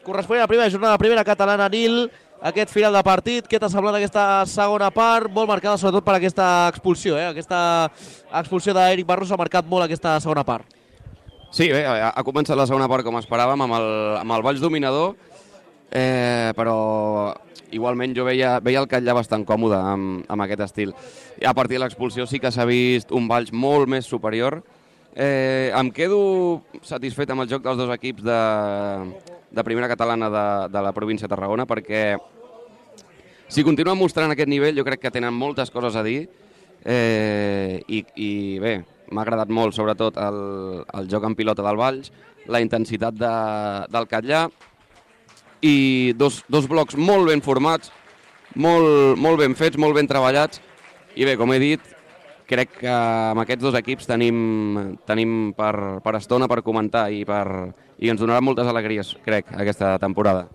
corresponent a la primera jornada de primera catalana. Nil, aquest final de partit, què t'ha semblat aquesta segona part? Molt marcada sobretot per aquesta expulsió, eh? Aquesta expulsió d'Eric Barroso ha marcat molt aquesta segona part. Sí, bé, ha començat la segona part com esperàvem, amb el, amb el Valls dominador, eh, però igualment jo veia, veia el Catllà bastant còmode amb, amb aquest estil. I a partir de l'expulsió sí que s'ha vist un Valls molt més superior. Eh, em quedo satisfet amb el joc dels dos equips de, de primera catalana de, de la província de Tarragona, perquè si continuen mostrant aquest nivell jo crec que tenen moltes coses a dir, eh, i, i bé, m'ha agradat molt sobretot el, el joc en pilota del Valls, la intensitat de, del Catllà, i dos, dos blocs molt ben formats, molt, molt ben fets, molt ben treballats, i bé, com he dit, crec que amb aquests dos equips tenim, tenim per, per estona per comentar i, per, i ens donarà moltes alegries, crec, aquesta temporada.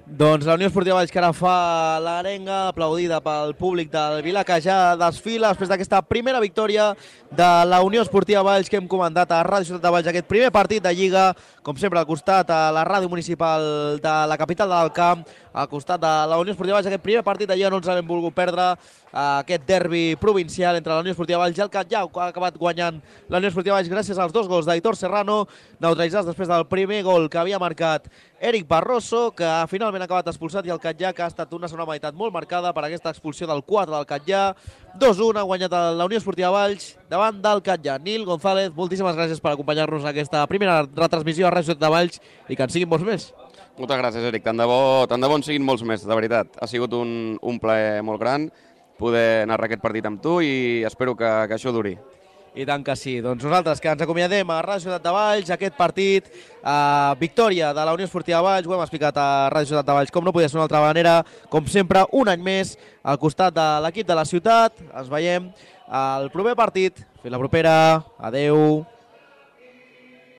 Doncs la Unió Esportiva Valls, que ara fa l'arenga, aplaudida pel públic del Vilar, que ja desfila després d'aquesta primera victòria de la Unió Esportiva Valls que hem comentat a Ràdio Ciutat de Valls, aquest primer partit de Lliga, com sempre al costat a la ràdio municipal de la capital de l'Alcamp, al costat de la Unió Esportiva Valls, aquest primer partit de Lliga no ens l'hem volgut perdre, aquest derbi provincial entre la Unió Esportiva Valls i el Catllà, que ha acabat guanyant la Unió Esportiva Valls gràcies als dos gols d'Aitor Serrano, neutralitzats després del primer gol que havia marcat Eric Barroso, que finalment ha acabat expulsat, i el Catllà, que ha estat una segona meitat molt marcada per aquesta expulsió del quatre del Catllà. dos un ha guanyat la Unió Esportiva Valls davant del Catllà. Nil González, moltíssimes gràcies per acompanyar-nos en aquesta primera retransmissió a Ràdio Ciutat de Valls, i que en siguin molts més. Moltes gràcies, Eric. Tant de bo, tant de bo en siguin molts més, de veritat. Ha sigut un, un plaer molt gran poder narrar aquest partit amb tu i espero que, que això duri. I tant que sí. Doncs nosaltres que ens acomiadem a Ràdio Ciutat de Valls, aquest partit, eh, victòria de la Unió Esportiva Valls, ho hem explicat a Ràdio Ciutat de Valls, com no podia ser d'una altra manera, com sempre, un any més, al costat de l'equip de la ciutat. Ens veiem al proper partit. Fins la propera. Adeu.